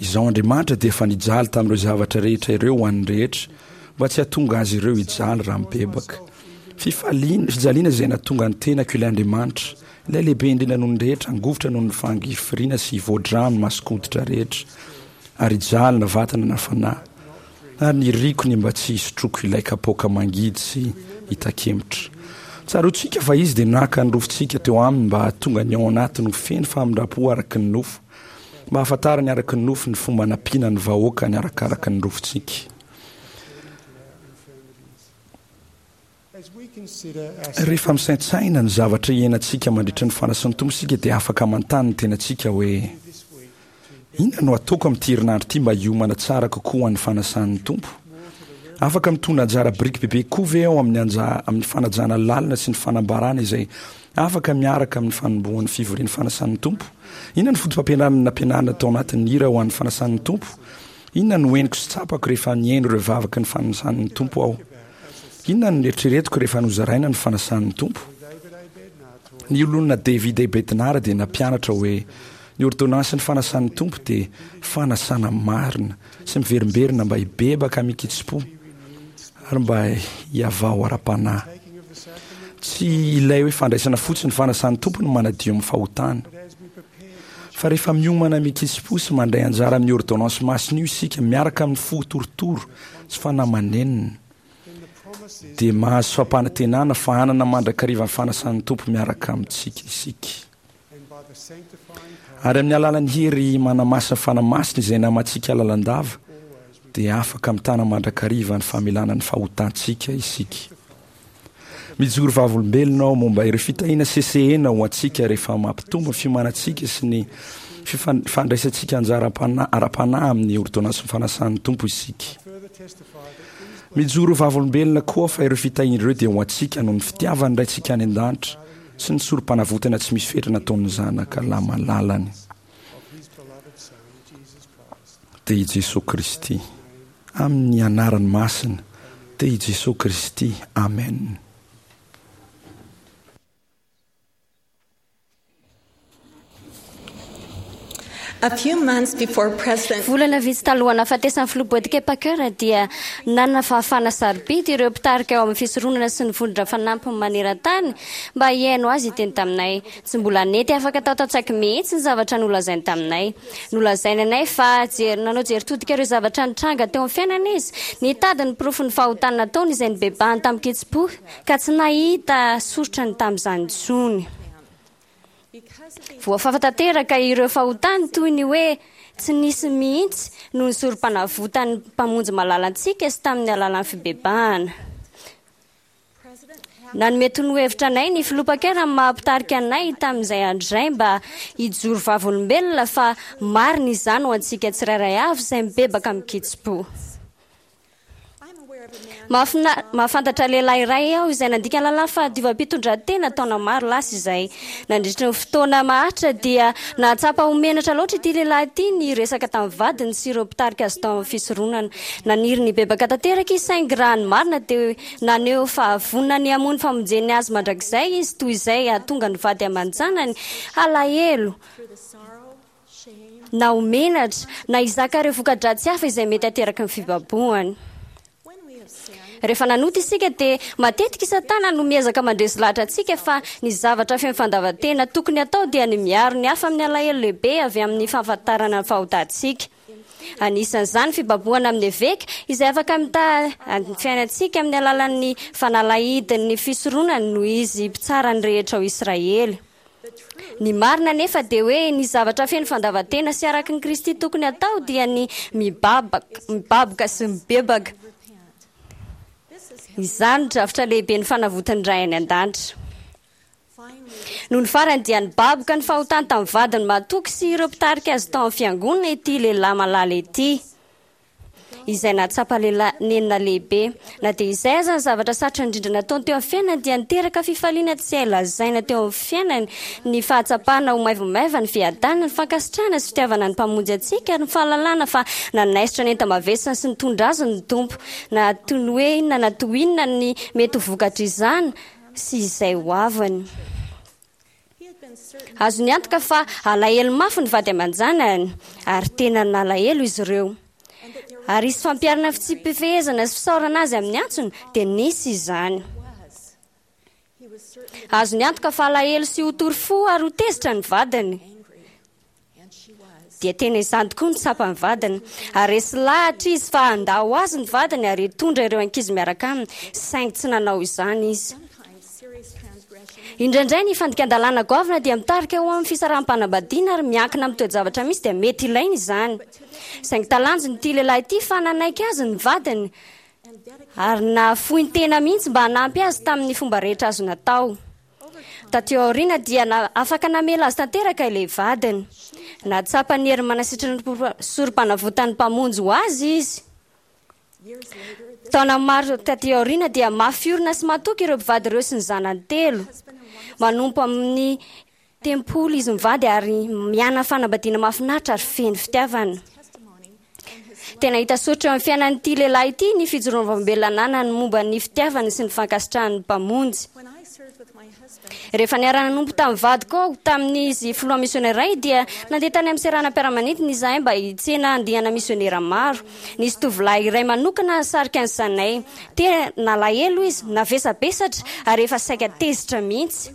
Izaho Andriamanitra dia efa nijaly tamin'ireo zavatra rehetra ireo ho an'ny rehetra, mba tsy hahatonga azy ireo hijaly raha mibebaka. Fifaliana, fijaliana izay nahatonga ny tenako ilay Andriamanitra, ilay lehibe indrindra noho ny rehetra, hangovitra noho ny fangirifiriana sy hivoa-drà ny mason-koditra rehetra, ary hijaly na vatana na fanahy. Ary niriko ny mba tsy hisotroako ilay kapoaka mangidy sy hitakemotra. Tsaroantsika fa Izy dia naka ny rofintsika teo Aminy mba hahatonga ny ao anatiny ho feno famindram-po araka ny nofo, mba hahafantarany araka ny nofo ny fomba hanampiana ny vahoakany arakaraka ny rofintsika. Rehefa misaintsaina ny zavatra iainantsika mandritra ny fanasan'ny Tompo isika dia afaka manontany ny tenantsika hoe, Inona no hataoko amin'ity herinandro ity mba hiomana tsara kokoa ho an'ny fanasan'ny Tompo? Afaka mitondra anjara biriky bebe kokoa ve aho amin'ny anja amin'ny fanajana lalina sy ny fanambarana izay afaka miaraka amin'ny fanombohan'ny fivorian'ny fanasan'ny Tompo? Inona no fotopampianarana nampianarina tao anatin'ny hira ho an'ny fanasan'ny Tompo? Inona no henoko sy tsapako rehefa nihaino ireo vavaky ny fanasan'ny Tompo aho? Inona no neritreretiko rehefa nozaraina ny fanasan'ny Tompo? Ny olona David A. Bednar dia nampianatra hoe ny ôrdônansin'ny fanasan'ny Tompo dia fanasana marina sy miverimberina mba hibebaka amin-kitsim-po ary mba hihavao ara-panahy. Tsy ilay hoe fandraisana fotsiny ny fanasan'ny Tompo no manadio amin'ny fahotana. Fa rehefa miomana amin-kitsim-po sy mandray anjara amin'ny ôrdônansy masina io isika miaraka amin'ny fo torotoro sy fanahy manenina, dia mahazo fampanantenana fa hanana mandrakariva ny fanasan'ny Tompo miaraka amintsika isika. Ary amin'ny alalan'ny hery manamasina Fanahy Masina izay namantsika lalandava, dia afaka mitana mandrakariva ny famelana ny fahotantsika isika. Mijoro vavolombelona aho momba ireo fitahiana sesehena ho antsika rehefa mampitombo ny fiomanantsika sy ny fandraisantsika anjara ara-panahy amin'ny ôrdônansin'ny fanasan'ny Tompo isika. Mijoro vavolombelona koa fa ireo fitahiana ireo dia ho antsika noho ny fitiavan'ny Raintsika any An-danitra sy ny sorompanavotana tsy misy fetra nataon'ny Zanaka Lamalalany, dia i Jesoa Kristy. Amin'ny anarany masina, dia i Jesoa Kristy. Amen. Volana vitsy talohan'ny nahafatesan'ny Filoha Boyd K. Packer dia nanana fahafahana sarobidy ireo mpitarika ao amin'ny fisoronana sy ny vondrona fanampiny maneran-tany mba hihaino azy hiteny taminay. Tsy mbola nety afaka tao an-tsaiko mihitsy ny zavatra nolazainy taminay. Nolazainy anay fa jery nanao jery todika ireo zavatra nitranga teo amin'ny fiainany izy, nitady ny porofon'ny fahotana nataony izay nibebahany tamin-kitsim-po, ka tsy nahita soritra ny tamin'izany intsony. Voafafa tanteraka ireo fahotany toy ny hoe tsy nisy mihitsy noho ny sorompanavotan'ny Mpamonjy malalantsika sy tamin'ny alalan'ny fibebahana. Nanome torohevitra anay ny filoha Packer amin'ny maha mpitarika anay tamin'izay andro izay mba hijoro vavolombelona fa marina izany ho antsika tsirairay avy izay mibebaka amin-kitsim-po. Mahafina- Mahafantatra lehilahy iray aho izay nandika ny lalàn'ny fahadiovam-pitondran-tena taona maro lasa izay. Nandritra ny fotoana maharitra dia nahatsapa ho menatra loatra ity lehilahy ity niresaka tamin'ny vadiny sy ireo mpitarika azy tao amin'ny fisoronana. Naniry nibebaka tanteraka izy saingy raha ny marina dia naneho fahavonona ny hamono famonjeny azy mandrakizay izy toy izay hahatonga ny vady aman-janany halahelo na ho menatra na hizaka ireo voka-dratsy hafa izay mety hateraky ny fibabohany. Rehefa nanota isika dia matetika i Satana no miezaka mandresy lahatra antsika fa ny zavatra feno fandavan-tena tokony atao dia ny miaro ny hafa amin'ny alahelo lehibe avy amin'ny fahafantarana ny fahotantsika. Anisan'izany ny fibabohana amin'ny eveka izay afaka mitaha ny fiainantsika amin'ny alalan'ny fanalahidin'ny fisoronany noho izy mpitsara ny rehetra ao Israely. Ny marina nefa dia hoe ny zavatra feno fandavan-tena sy araky ny Kristy tokony atao dia ny mibabaka, mibaboka sy mibebaka. Izany no drafitra lehibe ny fanavotan'ny Ray any an-danitra. Nony farany dia nibaboka ny fahotany tamin'ny vadiny mahatoky sy ireo mpitarika azy tao amin'ny fiangonana ity lehilahy malala ity, izay nahatsapa lehilahy nenina lehibe. Na dia izay aza ny zavatra sarotra indrindra nataony teo amin'ny fiainany dia niteraka fifaliana tsy hay lazaina teo amin'ny fiainany ny fahatsapana ho maivomaivana ny fiadanana, ny fankasitrahana sy fitiavana ny Mpamonjy antsika ary ny fahalalana fa nanaisotra ny enta-mavesany sy nitondra azy ny Tompo. Na toy ny hoe inona na toy inona ny mety ho vokatr'izany sy izay ho aviny. Azony antoka fa alahelo mafy ny vady aman-janany ary tena nalahelo izy ireo. Ary hisy fampiharana fitsipi-pifehezana sy fisaorana azy amin'ny antsony dia nisy izany. Azony antoka fa alahelo sy ho tory fo ary ho tezitra ny vadiny. Dia tena izany tokoa no tsapan'ny vadiny. Ary resy lahatra izy fa handao azy ny vadiny ary hitondra ireo ankizy miaraka aminy, saingy tsy nanao izany izy. Indraindray ny fandikan-dalàna goavana dia mitarika ho amin'ny fisaraham-panambadiana ary miankina amin'ny toe-javatra misy dia mety ilaina izany. Saingy talanjona ity lehilahy ity fa nanaiky azy ny vadiny ary nahafoy ny tena mihitsy mba hanampy azy tamin'ny fomba rehetra azo natao. Taty aoriana dia na, afaka namela azy tanteraka ilay vadiny. Nahatsapa ny hery manasitrana ny sorom-panavotan'ny Mpamonjy ho azy izy. Taona maro taty aoriana dia mafy orina sy matoky ireo mpivady ireo sy ny zanany telo. Manompo amin'ny tempoly izy mivady ary miaina fanambadiana mahafinaritra ary feno fitiavana. Tena hita soritra eo amin'ny fiainan'ity lehilahy ity ny fijoroan'ny vavolombelona ananany momba ny fitiavany sy ny fankasitrahan'ny Mpamonjy. Rehefa niara-nanompo tamin'ny vadiko aho tamin'izy filoha misionera iray dia nandeha tany amin'ny seranam-piaramanidina izahay mba hitsena andiana misionera maro. Nisy tovolahy iray manokana nisarika ny sainay. Tena nalahelo izy, navesabesatra ary efa saika tezitra mihitsy.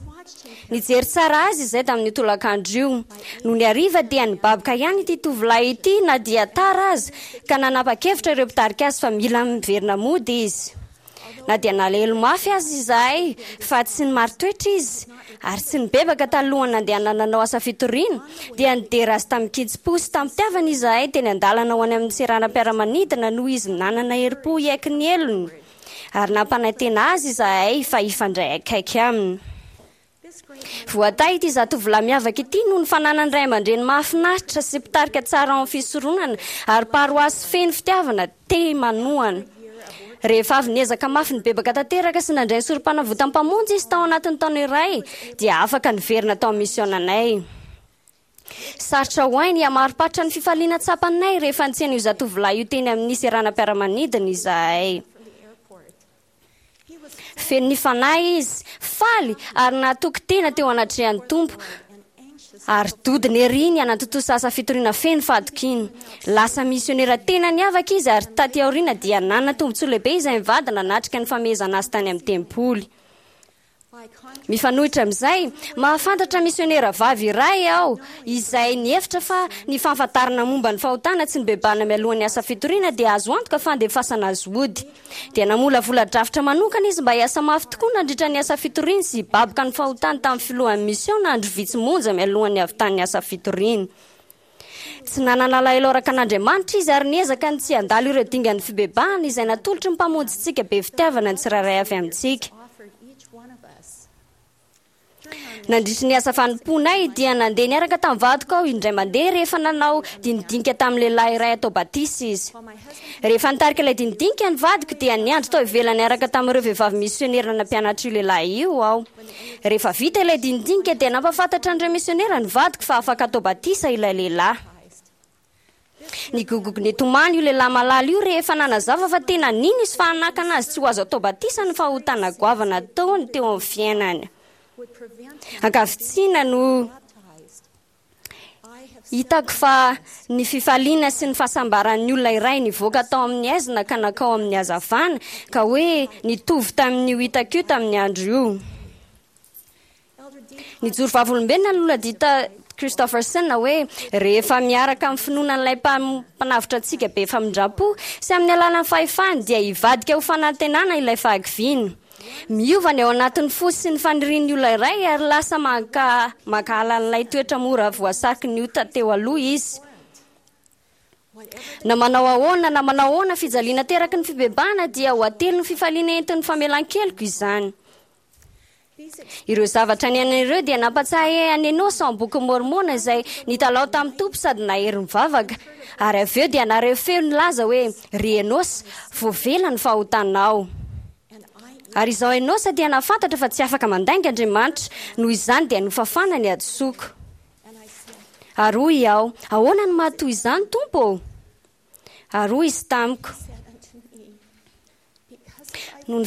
Nijery tsara azy izay tamin'io tolakandro io. Nony hariva dia nibaboka ihany ity tovolahy ity na dia tara aza, ka nanapa-kevitra ireo mpitarika azy fa mila miverina mody izy. Na dia nalahelo mafy aza izahay fa tsy nimarin-toetra izy ary tsy nibebaka talohan'ny nandehanana nanao asa fitoriana, dia nidera azy tamin-kitsim-po sy tamim-pitiavana izahay teny an-dalana ho any amin'ny seranam-piaramanidina noho izy nanana herim-po hiaiky ny helony. Ary nampanantena azy izahay fa hifandray akaiky aminy. Voatahy ity zatovolahy miavaka ity noho ny fananany ray aman-dreny mahafinaritra sy mpitarika tsara ao amin'ny fisoronana ary paroasy feno fitiavana te manohana. Rehefa avy niezaka mafy nibebaka tanteraka sy nandray ny sorom-panavotan'ny Mpamonjy izy tao anatin'ny taona iray, dia afaka niverina tao amin'ny misionanay. Sarotra ho ahy ny hamarim-paritra ny fifaliana tsapanay rehefa nitsena io zatovolahy io teny amin'ny seranam-piaramanidina izahay. Feno ny Fanahy izy, faly ary nahatoky tena teo anatrehan'ny Tompo, ary dodona ery ny hanatontosa asa fitoriana feno fahatokiana. Lasa misionera tena niavaka izy ary taty aoriana dia nanana tombontsoa lehibe izay mivady nanatrika ny famehezana azy tany amin'ny tempoly. Mifanohitra amin'izay, mahafantatra misionera vavy iray aho izay nihevitra fa ny fahafantarana momba ny fahotana tsy nibebahana mialohan'ny asa fitoriana dia azo antoka fa handefasana azy hody. Dia namolavola drafitra manokana izy mba hiasa mafy tokoa nandritra ny asa fitoriany sy hibaboka ny fahotany tamin'ny filohan'ny misiona andro vitsy monja mialohan'ny havitan'ny asa fitoriany. Tsy nanana alahelo araka an'Andriamanitra izy ary niezaka ny tsy handalo ireo dingan'ny fibebahana izay natolotry ny Mpamonjintsika be fitiavana ny tsirairay avy amintsika. Nandritry ny asa fanompoanay dia nandeha niaraka tamin'ny vadiko aho indray mandeha rehefa nanao dinidinika tamin'ny lehilahy iray atao batisa izy. Rehefa nitarika ilay dinidinika ny vadiko dia niandry tao ivelany niaraka tamin'ireo vehivavy misionera nampianatra io lehilahy io aho. Rehefa vita ilay dinidinika dia nampahafantatra an'ireo misionera ny vadiko fa afaka atao batisa ilay lehilahy. Nigogogo nitomany io lehilahy malala io rehefa nanazava fa tena nino izy fa hanakana azy tsy ho azo atao batisa ny fahotana goavana ataony teo amin'ny fiainany. Ankavitsiana no hitako fa ny fifaliana sy ny fahasambaran'ny olona iray nivoaka tao amin'ny haizina ka nankao amin'ny hazavana, ka hoe nitovy tamin'io hitako io tamin'ny andro io. Nijoro vavolombelona ny Loholona Dieter Christofferson hoe rehefa miaraka amin'ny finoana an'ilay mpanavotra antsika be famindram-po sy amin'ny alalan'ny fahefany dia hivadika ho fanantenana ilay fahakiviana. Miova ny ao anatin'ny fo sy ny fanirian'ny olona iray ary lasa manka, mankahala an'ilay toetra mora voasariky ny ota teo aloha izy. Na manao ahoana na manao ahoana fijaliana teraky ny fibebahana dia ho atelin'ny fifaliana entin'ny famelan-keloka izany. Ireo zavatra niainana ireo dia nampatsiahy an'i Enôsa ao amin'ny bokin'i Môrmôna izay nitalao tamin'ny Tompo sady nahery nivavaka. Ary avy eo dia nareho feo nilaza hoe, Ry Enôsa, voavela ny fahotanao. Ary izao Enôsa dia nahafantatra fa tsy afaka mandainga Andriamanitra, noho izany dia nofafana ny hadisoako. Ary hoy aho, Ahoana no maha toy izany, Tompo ô? Ary hoy Izy tamiko, Noho ny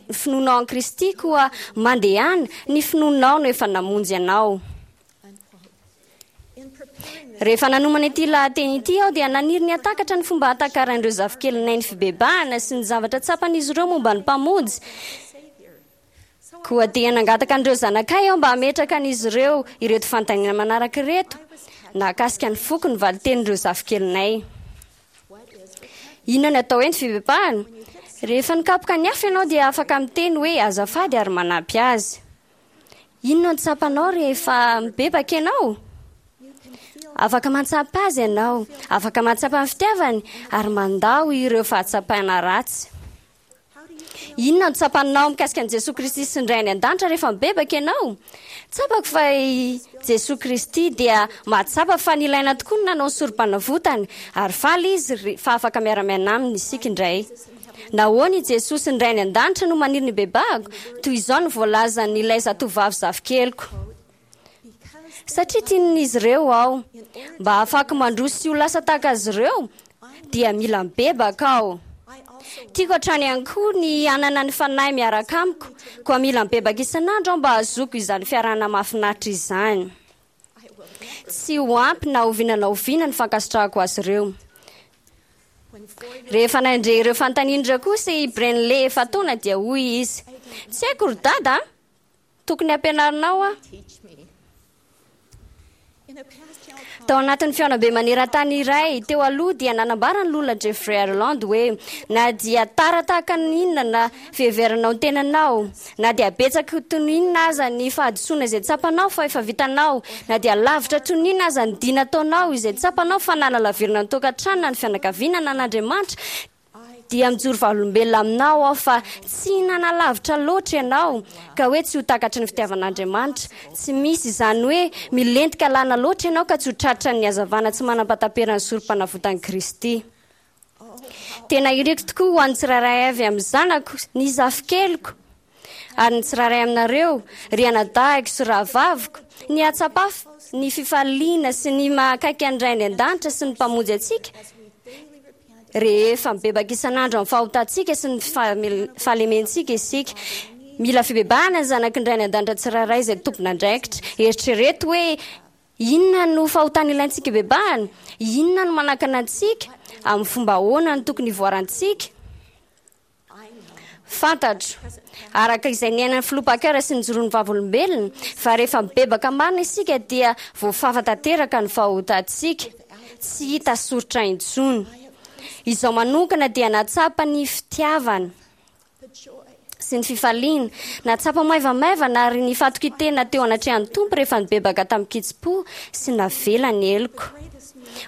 finoanao an'i Kristy, koa mandehana, ny finoanao no efa namonjy anao. Rehefa nanomana ity lahateny ity aho dia naniry ny hahatakatra ny fomba hahatakaran'ireo zafikelinay ny fibebahana sy ny zavatra tsapan'izy ireo momba ny Mpamonjy. Koa dia nangataka an'ireo zanakay aho mba hametraka an'izy ireo ireto fanontaniana manaraka ireto, nahakasika ny foko ny valin-tenin'ireo zafikelinay. Inona ny atao hoe ny fibebahana? Rehefa nikapoka ny hafa ianao dia afaka miteny hoe azafady ary manampy azy. Inona no tsapanao rehefa mibebaka ianao? Afaka mahatsapa azy ianao, afaka mahatsapa ny fitiavany ary mandao ireo fahatsapana ratsy. Inona no tsapanao mikasika an'i Jesoa Kristy sy ny Ray any An-danitra rehefa mibebaka ianao? Tsapako fa i Jesoa Kristy dia mahatsapa fa nilaina tokoa ny nanao ny sorompanavotany, ary faly Izy fa afaka miara-miaina Aminy isika indray. Nahoana i Jesoa sy ny Ray any An-danitra no maniry ny hibebahako? Toy izao no voalazan'ilay zatovavy zafikeliko. Satria tian'izy ireo aho. Mba hahafahako mandroso sy ho lasa tahaka azy ireo, dia mila mibebaka aho. Tiako hatrany ihany koa ny hanana ny Fanahy miaraka amiko, koa mila mibebaka isan'andro aho mba hahazoako izany fiarahana mahafinaritra izany. Tsy ho ampy na oviana na oviana ny fankasitrahako azy ireo. Rehefa nandre ireo fanontaniana ireo kosa i Brenley efa-taona dia hoy izy, Tsy haiko ry Dada a! Tokony hampianarinao aho. Tao anatin'ny fihaonambe maneran-tany iray teo aloha dia nanambara ny Loholona Jeffrey Ireland hoe, Na dia tara tahaka ny inona na fiheveranao ny tenanao, na dia betsaka toy ny inona aza ny fahadisoana izay tsapanao fa efa vitanao, na dia lavitra toy ny inona aza ny dia nataonao izay tsapanao fa nanalavirana ny tokantrano na ny fianakaviana na an'Andriamanitra, dia mijoro vavolombelona aminao aho fa tsy nanalavitra loatra ianao ka hoe tsy ho takatry ny fitiavan'Andriamanitra. Tsy misy izany hoe milentika lana loatra ianao ka tsy ho tratran'ny hazavana tsy manam-pahataperan'ny sorompanavotan'i Kristy. Tena iriko tokoa ho an'ny tsirairay avy amin'ny zanako, ny zafikeliko, ary ny tsirairay aminareo, ry anadahiko sy rahavaviko, ny hahatsapa ny fifaliana sy ny maha akaiky an'ny Ray any An-danitra sy ny Mpamonjy antsika rehefa mibebaka isan'andro amin'ny fahotantsika sy ny fahalementsika isika. Mila fibebahana ny zanaky ny Ray any An-danitra tsirairay izay tompon'andraikitra. Eritrereto hoe inona no fahotana ilaintsika hibebahana? Inona no manakana antsika? Amin'ny fomba ahoana no tokony hivoarantsika? Fantatro, araka izay niainan'ny Filoha Packer sy nijoroan'ny Vavolombelona, fa rehefa mibebaka marina isika dia voafafa tanteraka ny fahotantsika, tsy hita soritra intsony. Izaho manokana dia nahatsapa ny fitiavana sy ny fifaliana, nahatsapa maivamaivana ary ny fatokian-tena teo anatrehan'ny Tompo rehefa nibebaka tamin-kitsim-po sy navela ny heloko.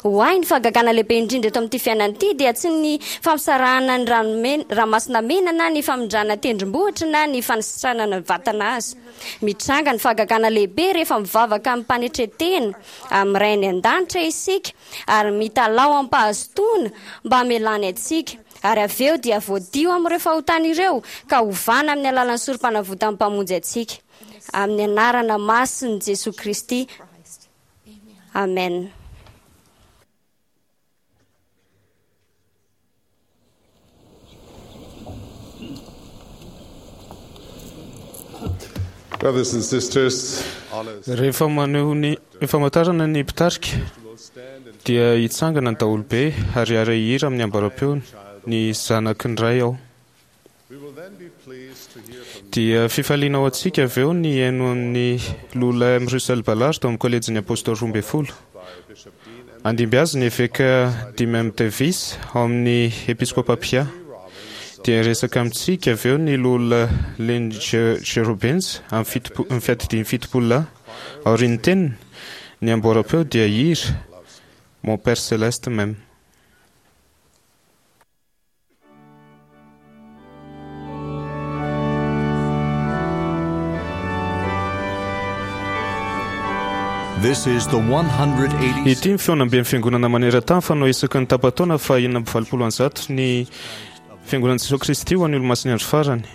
Ho ahy, ny fahagagana lehibe indrindra eto amin'ity fiainana ity dia tsy ny fampisarahana ny ranomasina mena na ny famindrana tendrombohitra na ny fanasitranana vatana aza. Mitranga ny fahagagana lehibe rehefa mivavaka amim-panetren-tena amin'ny Ray any an-danitra isika ary mitalaho amim-pahazotoana mba hamelany antsika, ary avy eo dia voadio amin'ireo fahotana ireo ka hovana amin'ny alalan'ny sorom-panavotan'ny Mpamonjy antsika. Amin'ny anarana masin'i Jesoa Kristy. Amen. Brothers and sisters, Rehefa maneho ny famantarana ny mpitarika dia hitsangana ny daholobe ary hiara-hihira amin'ny ambaram-peony ny zanaky ny Ray aho. Dia fifaliana ho antsika avy eo ny haino amin'ny Lola M. Russell Ballard tao amin'ny kolejin'ny Apôstôly roa ambin'ny folo. Handimby azy ny eveka Dean M. Davis ao amin'ny Episkopa Pia. Dia hiresaka amintsika avy eo ny Lola Lynn G. Robbins amin'ny fiadidian'ny fitopolo lahy. Aorian'ny teniny, ny amboaram-peo dia hihira Mon Père Céleste m'aime. This is the one hundred eighty Ity ny fihaonamben'ny Fiangonana maneran-tany fanao isaky ny tapa-taona faha enina amby valopolo amby zato ny Fiangonan'i Jesoa Kristy ho an'ny Olomasin'ny Andro Farany.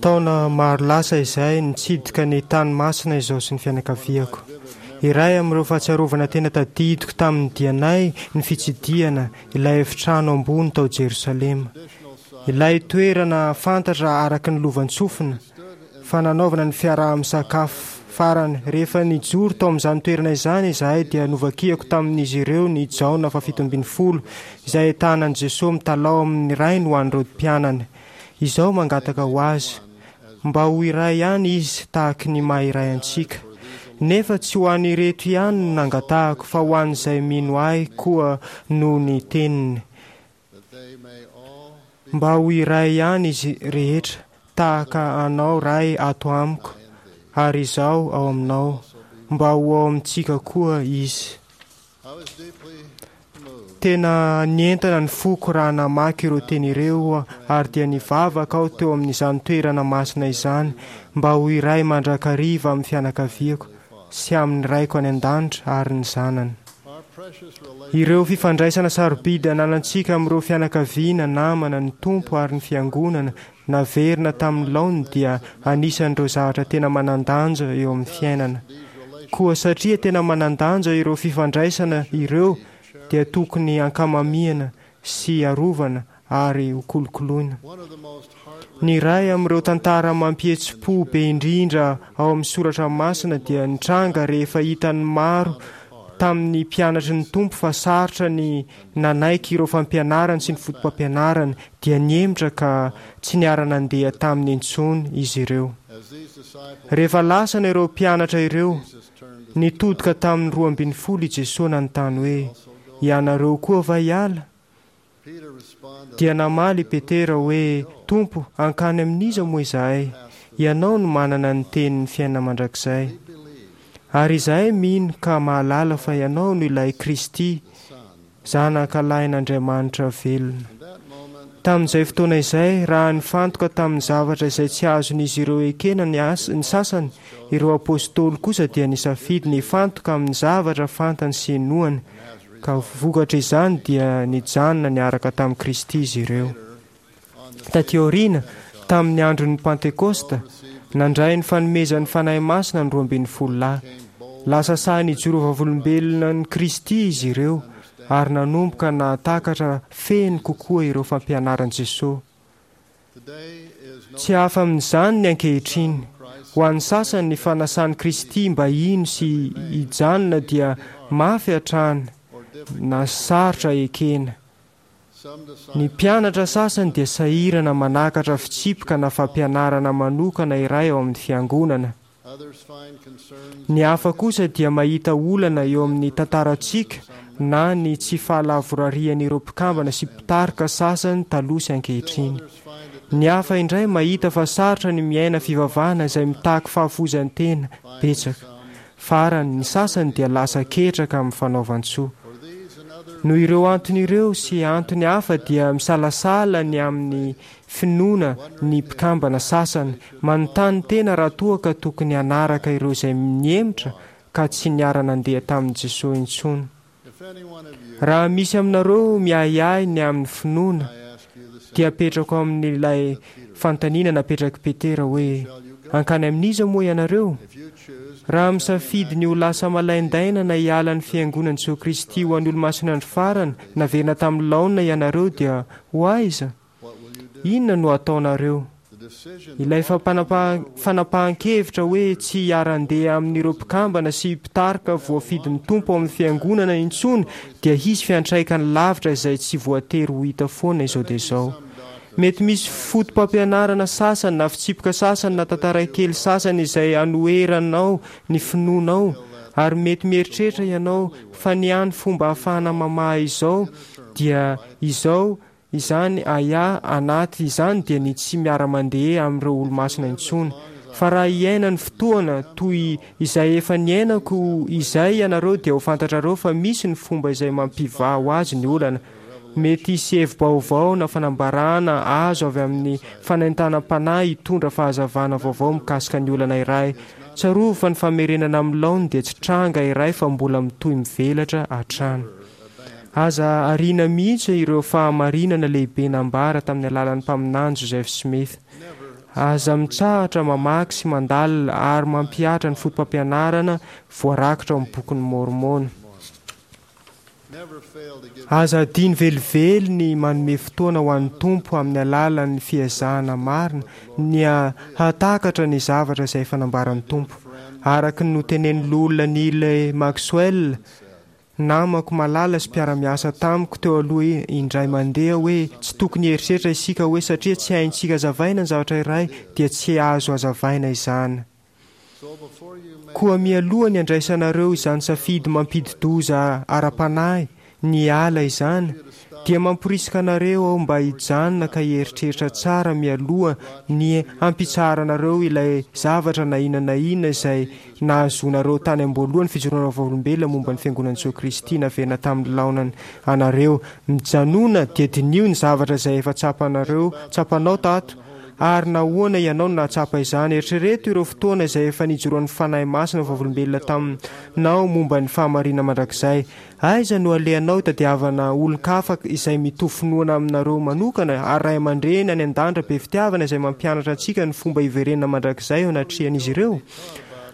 Taona maro lasa izay nitsidika ny tany masina izao sy ny fianakaviako. Iray amin'ireo fahatsiarovana tena tadidiko tamin'ny dianay ny fitsidihana ilay efitrano ambony tao Jerosalema. Ilay toerana fantatra araka ny lovantsofina fa nanaovana ny fiaraha-misakafo farany. Rehefa nijoro tao amin'izany toerana izany izahay dia novakiako tamin'izy ireo ny Jaona fahafito ambin'ny folo izay ahitana an'i Jesoa mitalaho amin'ny Rainy ho an'ireo mpianany. Izao mangataka ho azy mba ho iray ihany izy tahaky ny maha iray antsika. Nefa tsy ho an'ireto ihany no nangatahako fa ho an'izay mino ahy koa noho ny teniny. Mba ho iray ihany izy rehetra tahaka anao Ray ato amiko ary izaho ao aminao, mba ho ao amintsika koa izy. Tena nientana ny foko raha namaky ireo teny ireo ary dia nivavaka aho teo amin'izany toerana masina izany mba ho iray mandrakariva amin'ny fianakaviako sy amin'ny Raiko any an-danitra ary ny zanany. Ireo fifandraisana sarobidy ananantsika amin'ireo fianakaviana, namana, ny Tompo ary ny fiangonana naverina tamin'ny laoniny dia anisan'ireo zavatra tena manan-danja eo amin'ny fiainana. Koa satria tena manan-danja ireo fifandraisana ireo dia tokony ankamamiana sy arovana ary hokolokoloina. Ny iray amin'ireo tantara mampihetsi-po be indrindra ao amin'ny soratra masina dia nitranga rehefa hitan'ny maro tamin'ny mpianatry ny Tompo fa sarotra ny nanaiky ireo fampianarany sy ny fotopampianarany dia nihemotra ka tsy niara-nandeha taminy intsony izy ireo. Rehefa lasana ireo mpianatra ireo, nitodika tamin'ny roa ambin'ny folo i Jesoa nanontany hoe, Ianareo koa va hiala? Dia namaly i Petera hoe, Tompo, hankany amin'iza moa izahay? Ianao no manana ny tenin'ny fiainana mandrakizay. Ary izahay mino ka mahalala fa Ianao no ilay Kristy, Zanaka lahin'Andriamanitra velona. Tamin'izay fotoana izay, raha nifantoka tamin'ny zavatra izay tsy azon'izy ireo ekena ny ny sasany, ireo apôstôly kosa dia nisafidy ny hifantoka amin'ny zavatra fantany sy inoany, ka vokatr'izany dia nijanona niaraka tamin'i Kristy izy ireo. Taty aoriana, tamin'ny andron'ny Pantekosta, nandray ny fanomezan'ny Fanahy Masina ny roa ambin'ny folo lahy. Lasa sahy nijoro vavolombelona an'i Kristy izy ireo ary nanomboka nahatakatra feno kokoa ireo fampianaran'i Jesoa. Tsy hafa amin'izany ny ankehitriny. Ho an'ny sasany ny fanasan'i Kristy mba hino sy hijanona dia mafy hatrany na sarotra ekena. Ny mpianatra sasany dia sahirana manakatra fitsipika na fampianarana manokana iray ao amin'ny fiangonana. Ny hafa kosa dia mahita olana eo amin'ny tantarantsika na ny tsy fahalavorarian'ireo mpikambana sy mpitarika sasany taloha sy ankehitriny. Ny hafa indray mahita fa sarotra ny miaina fivavahana izay mitaky fahafoizan-tena betsaka. Farany, ny sasany dia lasa ketraka amin'ny fanaovan-tsoa. Noho ireo antony ireo sy antony hafa dia misalasala ny amin'ny finoana ny mpikambana sasany, manontany tena raha toa ka tokony hanaraka ireo izay nihemotra ka tsy niara-nandeha tamin'i Jesoa intsony. Raha misy aminareo miahiahy ny amin'ny finoana, dia apetrako amin'ilay fanontaniana napetrak'i Petera hoe, Hankany amin'iza moa ianareo? Raha misafidy ny ho lasa malaindaina na hiala ny Fiangonan'i Jesoa Kristy ho an'ny Olomasin'ny Andro Farany naverina tamin'ny laonina ianareo dia ho aiza? Inona no hataonareo? Ilay fanapahan-kevitra hoe tsy hiara-handeha amin'ireo mpikambana sy mpitarika voafidin'ny Tompo ao amin'ny Fiangonana intsony dia hisy fiantraikany lavitra izay tsy voatery ho hita foana izao dia izao. Mety misy fotopampianarana sasany na fitsipika sasany na tantara kely sasany izay anoheranao ny finoanao ary mety mieritreritra ianao fa ny hany fomba ahafahana mamaha izao dia izao Izany ahiahy anaty izany dia ny tsy miara-mandeha amin'ireo olomasina intsony. Fa raha hiaina ny fotoana toy izay efa niainako izay ianareo dia ho fantatrareo fa misy ny fomba izay mampivaha ho azy ny olana. Mety hisy hevi-baovao na fanambarana azo avy amin'ny fanentanam-panahy hitondra fahazavana vaovao mikasika ny olana iray. Tsarovy fa ny famerenana amin'ny laoniny dia tsy tranga iray fa mbola mitohy mivelatra hatrany. Aza ariana mihitsy ireo fahamarinana lehibe nambara tamin'ny alalan'ny mpaminany Joseph Smith. Aza mitsahatra mamaky sy mandalina ary mampihatra ny fotopampianarana voarakitra ao amin'ny Bokin'i Môrmôna. Aza adino velively ny manome fotoana ho an'ny Tompo amin'ny alalan'ny fiezahana marina ny hahatakatra ny zavatra izay efa nambaran'ny Tompo. Araka ny notenenin'ny loholona Neil Maxwell, namako malala sy mpiara-miasa tamiko teo aloha indray mandeha hoe tsy tokony hieritreritra isika hoe satria tsy haintsika hazavaina ny zavatra iray dia tsy azo hazavaina izany. Koa mialoha ny andraisanareo izany safidy mampidi-doza ara-panahy ny ala izany, dia mamporisika anareo aho mba hijanona ka hieritreritra tsara mialoha ny hampitsaharanareo ilay zavatra na inona na inona izay nahazoanareo tany am-boalohany fijoroana vavolombelona momba ny Fiangonan'i Jesoa Kristy naverina tamin'ny laonany anareo. Mijanona dia diniho ny zavatra izay efa tsapanareo, tsapanao tato, ary nahoana ianao no nahatsapa izany. Eritrereto ireo fotoana izay efa nijoroan'ny Fanahy Masina vavolombelona taminao momba ny fahamarinana mandrakizay. Aiza no alehanao hitadiavana olon-kafa izay mitovy finoana aminareo manokana, ary ray aman-dreny any an-danitra be fitiavana izay mampianatra antsika ny fomba hiverenana mandrakizay eo anatrehan'izy ireo?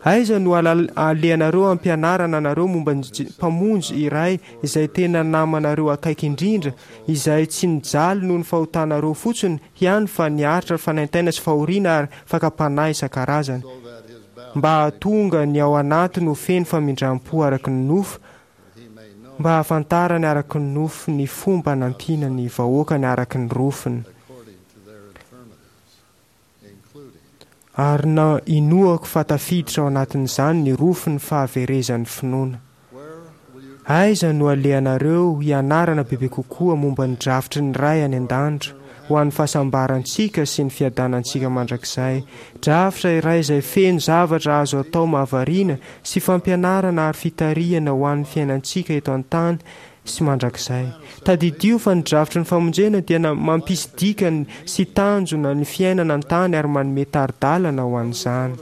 Aiza no alehanareo hampianarana anareo momba ny Mpamonjy iray izay tena namanareo akaiky indrindra, izay tsy nijaly noho ny fahotanareo fotsiny ihany fa niaritra fanaintaina sy fahoriana ary fakam-panahy isan-karazany, mba hahatonga ny ao anatiny ho feno famindram-po araka ny nofo, mba hahafantarany araka ny nofo ny fomba hanampiana ny vahoakany araka ny rofiny. Ary na inoako fa tafiditra ao anatin'izany ny rofin'ny fahaverezan'ny finoana. Aiza no alehanareo hianarana bebe kokoa momba ny drafitry ny Ray any an-danitra ho an'ny fahasambarantsika sy ny fiadanantsika mandrakizay, drafitra iray izay feno zavatra azo atao mahavariana sy fampianarana ary fitarihana ho an'ny fiainantsika eto an-tany sy mandrakizay. Tadidio fa ny drafitry ny famonjena dia mampisy dikany sy tanjona ny fiainana an-tany ary manome tari-dalana ho an'izany.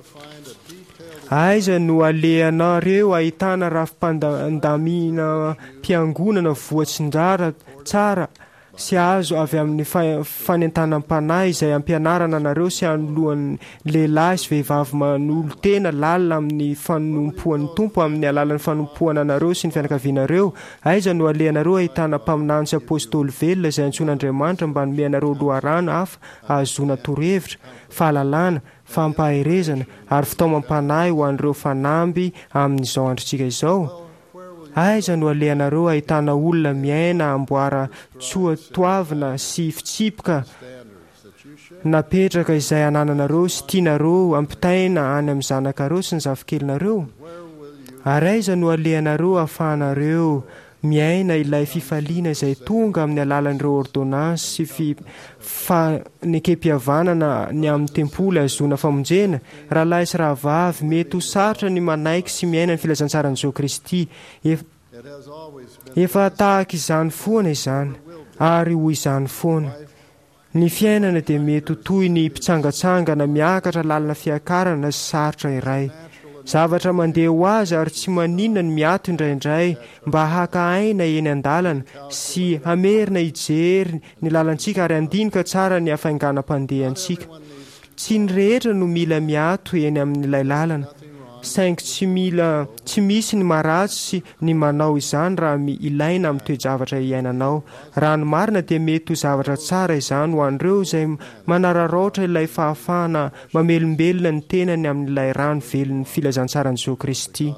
Aiza no alehanareo ahitana rafi-pandaminam-piangonana voatsinjara tsara sy azo avy amin'ny fanentanam-panahy izay ampianarana anareo sy anoloan'ny lehilahy sy vehivavy manolo-tena lalina amin'ny fanompoan'ny Tompo amin'ny alalan'ny fanompoana anareo sy ny fianakavianareo? Aiza no alehanareo ahitana mpaminany sy apostoly velona izay antsoin'Andriamanitra mba hanome anareo loharano hafa ahazoana torohevitra, fahalalana, fampaherezana ary fitaomam-panahy ho an'ireo fanamby amin'izao androntsika izao? Aiza no alehanareo ahitana olona miaina amboara tsoatoavina sy fitsipika napetraka izay anananareo sy tianareo ampitaina any amin'ny zanakareo sy ny zafikelinareo? Ary aiza no alehanareo ahafahanareo miaina ilay fifaliana izay tonga amin'ny alalan'ireo ôrdônansy sy fanekem-pihavanana ny amin'ny tempoly ahazoana famonjena? Rahalahy sy rahavavy, mety ho sarotra ny manaiky sy miaina ny filazantsaran'i Jesoa Kristy. Efa tahaka izany foana izany, ary ho izany foana. Ny fiainana dia mety ho toy ny mpitsangantsangana miakatra lalana fiakarana sy sarotra iray. Zavatra mandeha ho azy ary tsy maninona ny miato indraindray mba haka aina eny an-dalana sy hamerina hijery ny lalantsika ary handinika tsara ny hafainganam-pandehantsika. Tsy ny rehetra no mila miato eny amin'ilay lalana, saingy tsy mila tsy misy ny maharatsy ny manao izany raha ilaina amin'ny toe-javatra iainanao. Raha ny marina dia mety ho zavatra tsara izany ho an'ireo izay manararaotra ilay fahafahana mamelombelona ny tenany amin'ilay rano velon'ny filazantsaran'i Jesoa Kristy.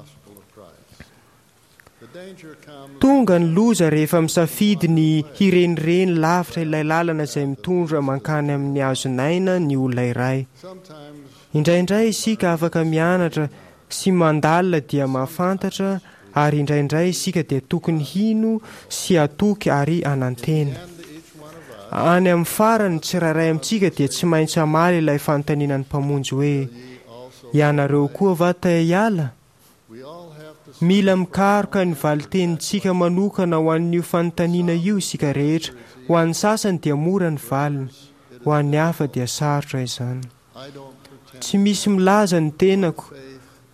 Tonga ny loza rehefa misafidy ny hirenireny lavitra ilay lalana izay mitondra mankany amin'ny hazon'aina ny olona iray. Indraindray isika afaka mianatra sy mandalina dia mahafantatra ary indraindray isika dia tokony hino sy hatoky ary hanantena. Any amin'ny farany, ny tsirairay amintsika dia tsy maintsy hamaly ilay fanontaniana ny Mpamonjy hoe, Ianareo koa va te hiala? Mila mikaroka ny valin-tenintsika manokana ho an'io fanontaniana io isika rehetra. Ho an'ny sasany dia mora ny valiny, ho an'ny hafa dia sarotra izany. Tsy misy milaza ny tenako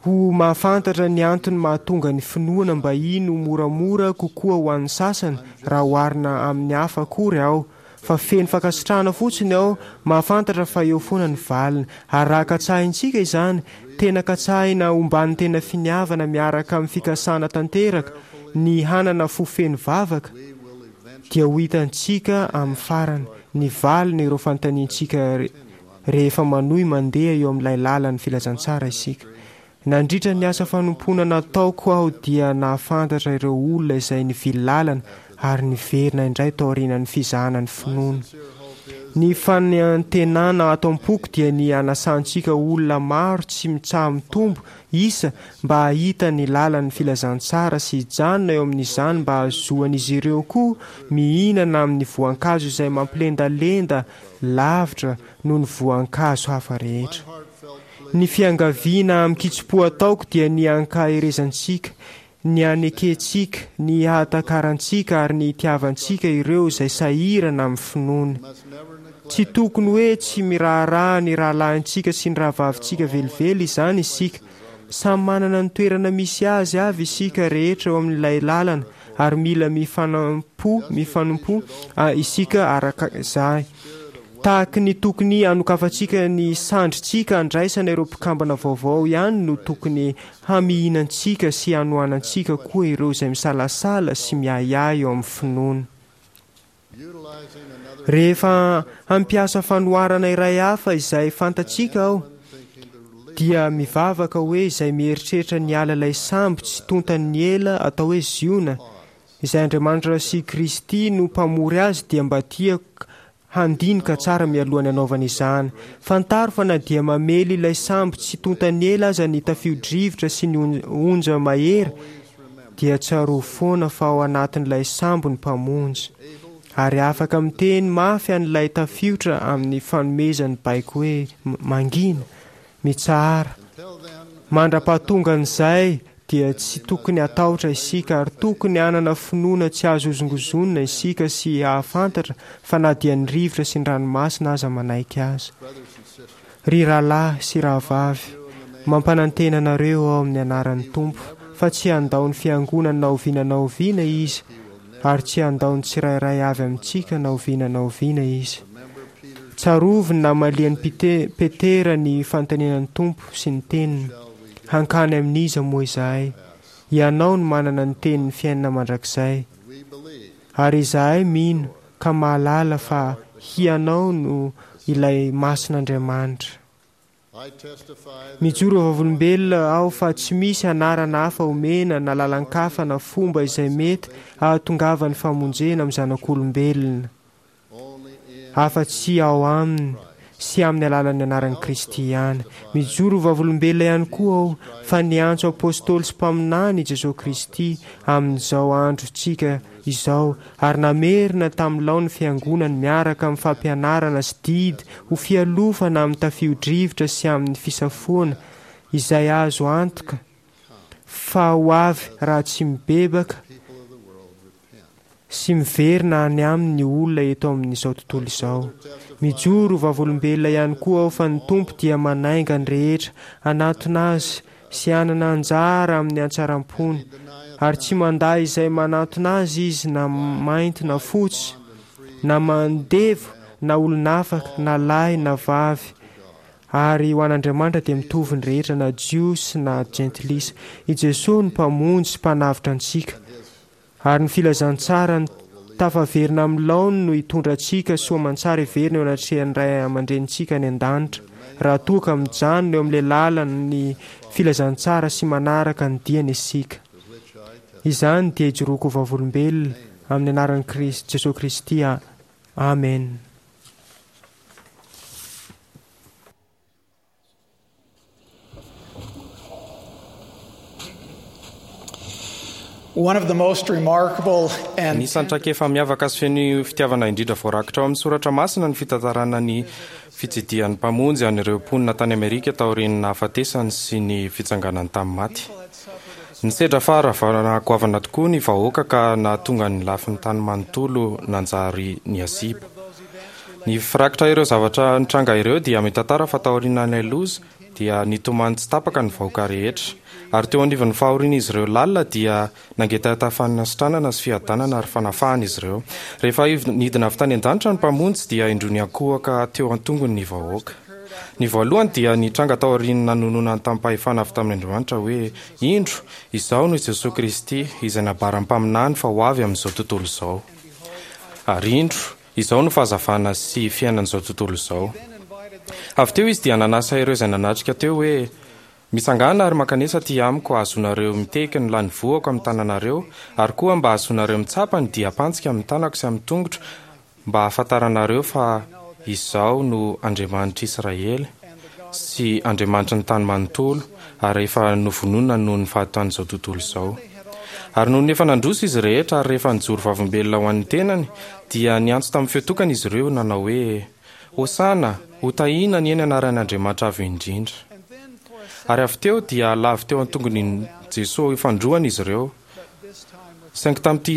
ho mahafantatra ny antony mahatonga ny finoana mba hino ho moramora kokoa ho an'ny sasany raha oharina amin'ny hafa akory aho, fa feno fankasitrahana fotsiny aho mahafantatra fa eo foana ny valiny. Ary raha katsahintsika izany, tena katsahina omban'ny tena finiavana miaraka amin'ny fikasana tanteraka, ny hanana fo feno vavaka, dia ho hitantsika amin'ny farany ny valin'ireo fanontaniantsika rehefa manohy mandeha eo amin'ilay lalan'ny filazantsara isika. Nandritra ny asa fanompoana nataoko aho dia nahafantatra ireo olona izay nivily lalana ary niverina indray taorian'ny fizahana ny finoana. Ny fanantenana ato am-poko dia ny hanasantsika olona maro tsy mitsaha-mitombo isa mba hahita ny lalan'ny filazantsara sy hijanona eo amin'izany mba hahazoan'izy ireo koa mihinana amin'ny voankazo izay mampilendalenda lavitra noho ny voankazo hafa rehetra. Ny fiangaviana amin-kitsim-po ataoko dia ny hankaherezantsika, ny hanekentsika, ny hahatakarantsika ary ny hitiavantsika ireo izay sahirana amin'ny finoana. Tsy tokony hoe tsy miraharaha ny rahalahintsika sy ny rahavavintsika velively izany isika. Samy manana ny toerana misy azy avy isika rehetra eo amin'ilay lalana ary mila mifanampo mifanompo isika araka izay. Tahaky ny tokony hanokafantsika ny sandrintsika handraisana ireo mpikambana vaovao ihany no tokony hamihinantsika sy hanohanantsika koa ireo izay misalasala sy miahiahy eo amin'ny finoana. Rehefa hampiasa fanoharana iray hafa izay fantatsika aho, dia mivavaka hoe izay mieritreritra ny hiala ilay sambo tsy tontan'ny ela atao hoe Ziona, izay Andriamanitra sy Kristy no mpamory azy dia mba tiako handinika tsara mialohan'ny hanaovana izany. Fantaro fa na dia mamely ilay sambo tsy tontan'ny ela aza ny tafio-drivotra sy ny onja mahery, dia tsarovy foana fa ao anatin'ilay sambo ny Mpamonjy, ary afaka miteny mafy an'ilay tafiotra amin'ny fanomezany baiko hoe, Mangina! Mitsahara! Mandra-pahatongan'izay dia tsy tokony hatahotra isika ary tokony hanana finoana tsy azo hozongozonina isika sy hahafantatra fa na dia ny rivotra sy ny ranomasina aza manaiky azy. Ry rahalahy sy rahavavy, mampanantena anareo aho amin'ny anaran'ny Tompo fa tsy handao ny Fiangonany na oviana na oviana Izy ary tsy handao ny tsirairay avy amintsika na oviana na oviana Izy. Tsarovy ny namalian'i Petera ny fanontaniana ny Tompo sy ny Teniny, Hankany amin'iza moa izahay? Ianao no manana ny tenin'ny fiainana mandrakizay. Ary izahay mino ka mahalala fa Hianao no ilay Masin'Andriamanitra. Mijoro ho vavolombelona aho fa tsy misy anarana hafa omena na lalan-kafa na fomba izay mety hahatongavan'ny famonjena amin'ny zanak'olombelona. afa-tsy ao Aminy sy amin'ny alalan'ny anaran'i Kristy ihany. Mijoro ho vavolombelona ihany koa aho fa niantso apôstôly sy mpaminany i Jesoa Kristy amin'izao androntsika izao ary namerina tamin'ny laon'ny Fiangonany miaraka amin'ny fampianarana sy didy ho fialofana amin'ny tafio-drivotra sy amin'ny fisafoana izay azo antoka fa ho avy raha tsy mibebaka sy miverina any aminy ny olona eto amin'izao tontolo izao. Mijoro ho vavolombelona ihany koa aho fa ny Tompo dia manainga ny rehetra hanatona Azy sy hanana anjara amin'ny hatsaram-pony, ary tsy mandà izay manatona Azy Izy na mainty na fotsy, na mandevo na olon'afaka, na lahy na vavy, ary ho an'Andriamanitra dia mitovy ny rehetra na Jiosy na Jentilisa. I Jesoa no Mpamonjy sy Mpanavotra antsika. Ary ny filazantsarany tafaverina amin'ny laoniny no hitondra antsika soa aman-tsara hiverina eo anatrehan'ny Ray aman-dRenintsika any an-danitra, raha toa ka mijanona eo amin'ilay lalan'ny filazantsara sy manaraka ny diany isika. Izany dia ijoroako ho vavolombelona amin'ny anaran'i Kristy, Jesoa Kristy. Amena. One of the most remarkable and Anisan'ny traikefa miavaka sy feno fitiavana indrindra voarakitra ao amin'ny Soratra Masina ny fitantarana ny fitsidihan'ny Mpamonjy an'ireo mponina tany Amerika taorian'ny nahafatesany sy ny fitsanganany tamin'ny maty. Nisedra faharavana goavana tokoa ny vahoaka ka nahatonga ny lafiny tany manontolo nanjary nihasimba. Ny firakitra ireo zavatra nitranga ireo dia mitantara fa taorian'ilay loza dia nitomany tsy tapaka ny vahoaka rehetra. Ary teo anivon'ny fahorian'izy ireo lalina dia nangetaheta fanasitranana sy fiadanana ary fanafahana izy ireo. Rehefa nidina avy tany an-danitra ny Mpamonjy dia indroa niankohoka teo an-tongony ny vahoaka. Ny voalohany dia nitranga taorian'ny nanononany tamim-pahefana avy tamin'Andriamanitra hoe, Indro, izaho no Jesoa Kristy, izay nambaran'ny mpaminany fa ho avy amin'izao tontolo izao. Ary indro, izaho no fahazavana sy fiainan'izao tontolo izao. Avy teo izy dia nanasa ireo izay nanatrika teo hoe, Mitsangàna ary mankanesa aty amiko hahazoanareo mitehiky ny lanivohako amin'ny tananareo, ary koa mba hahazoanareo mitsapa ny diam-pantsika amin'ny tanako sy amin'ny tongotro, mba hahafantaranareo fa Izaho no Andriamanitr'i Israely sy Andriamanitry ny tany manontolo, ary efa novonoina noho ny fahotan'izao tontolo izao. Ary nony efa nandroso izy rehetra ary rehefa nijoro vavolombelona ho an'ny tenany, dia niantso tamin'ny feo tokana izy ireo, nanao hoe, Hosana! Hotahina anie ny anaran' Andriamanitra Avo Indrindra! Ary avy teo dia lavo teo an-tongony Jesoa fandroana izy ireo. Saingy tamin'ity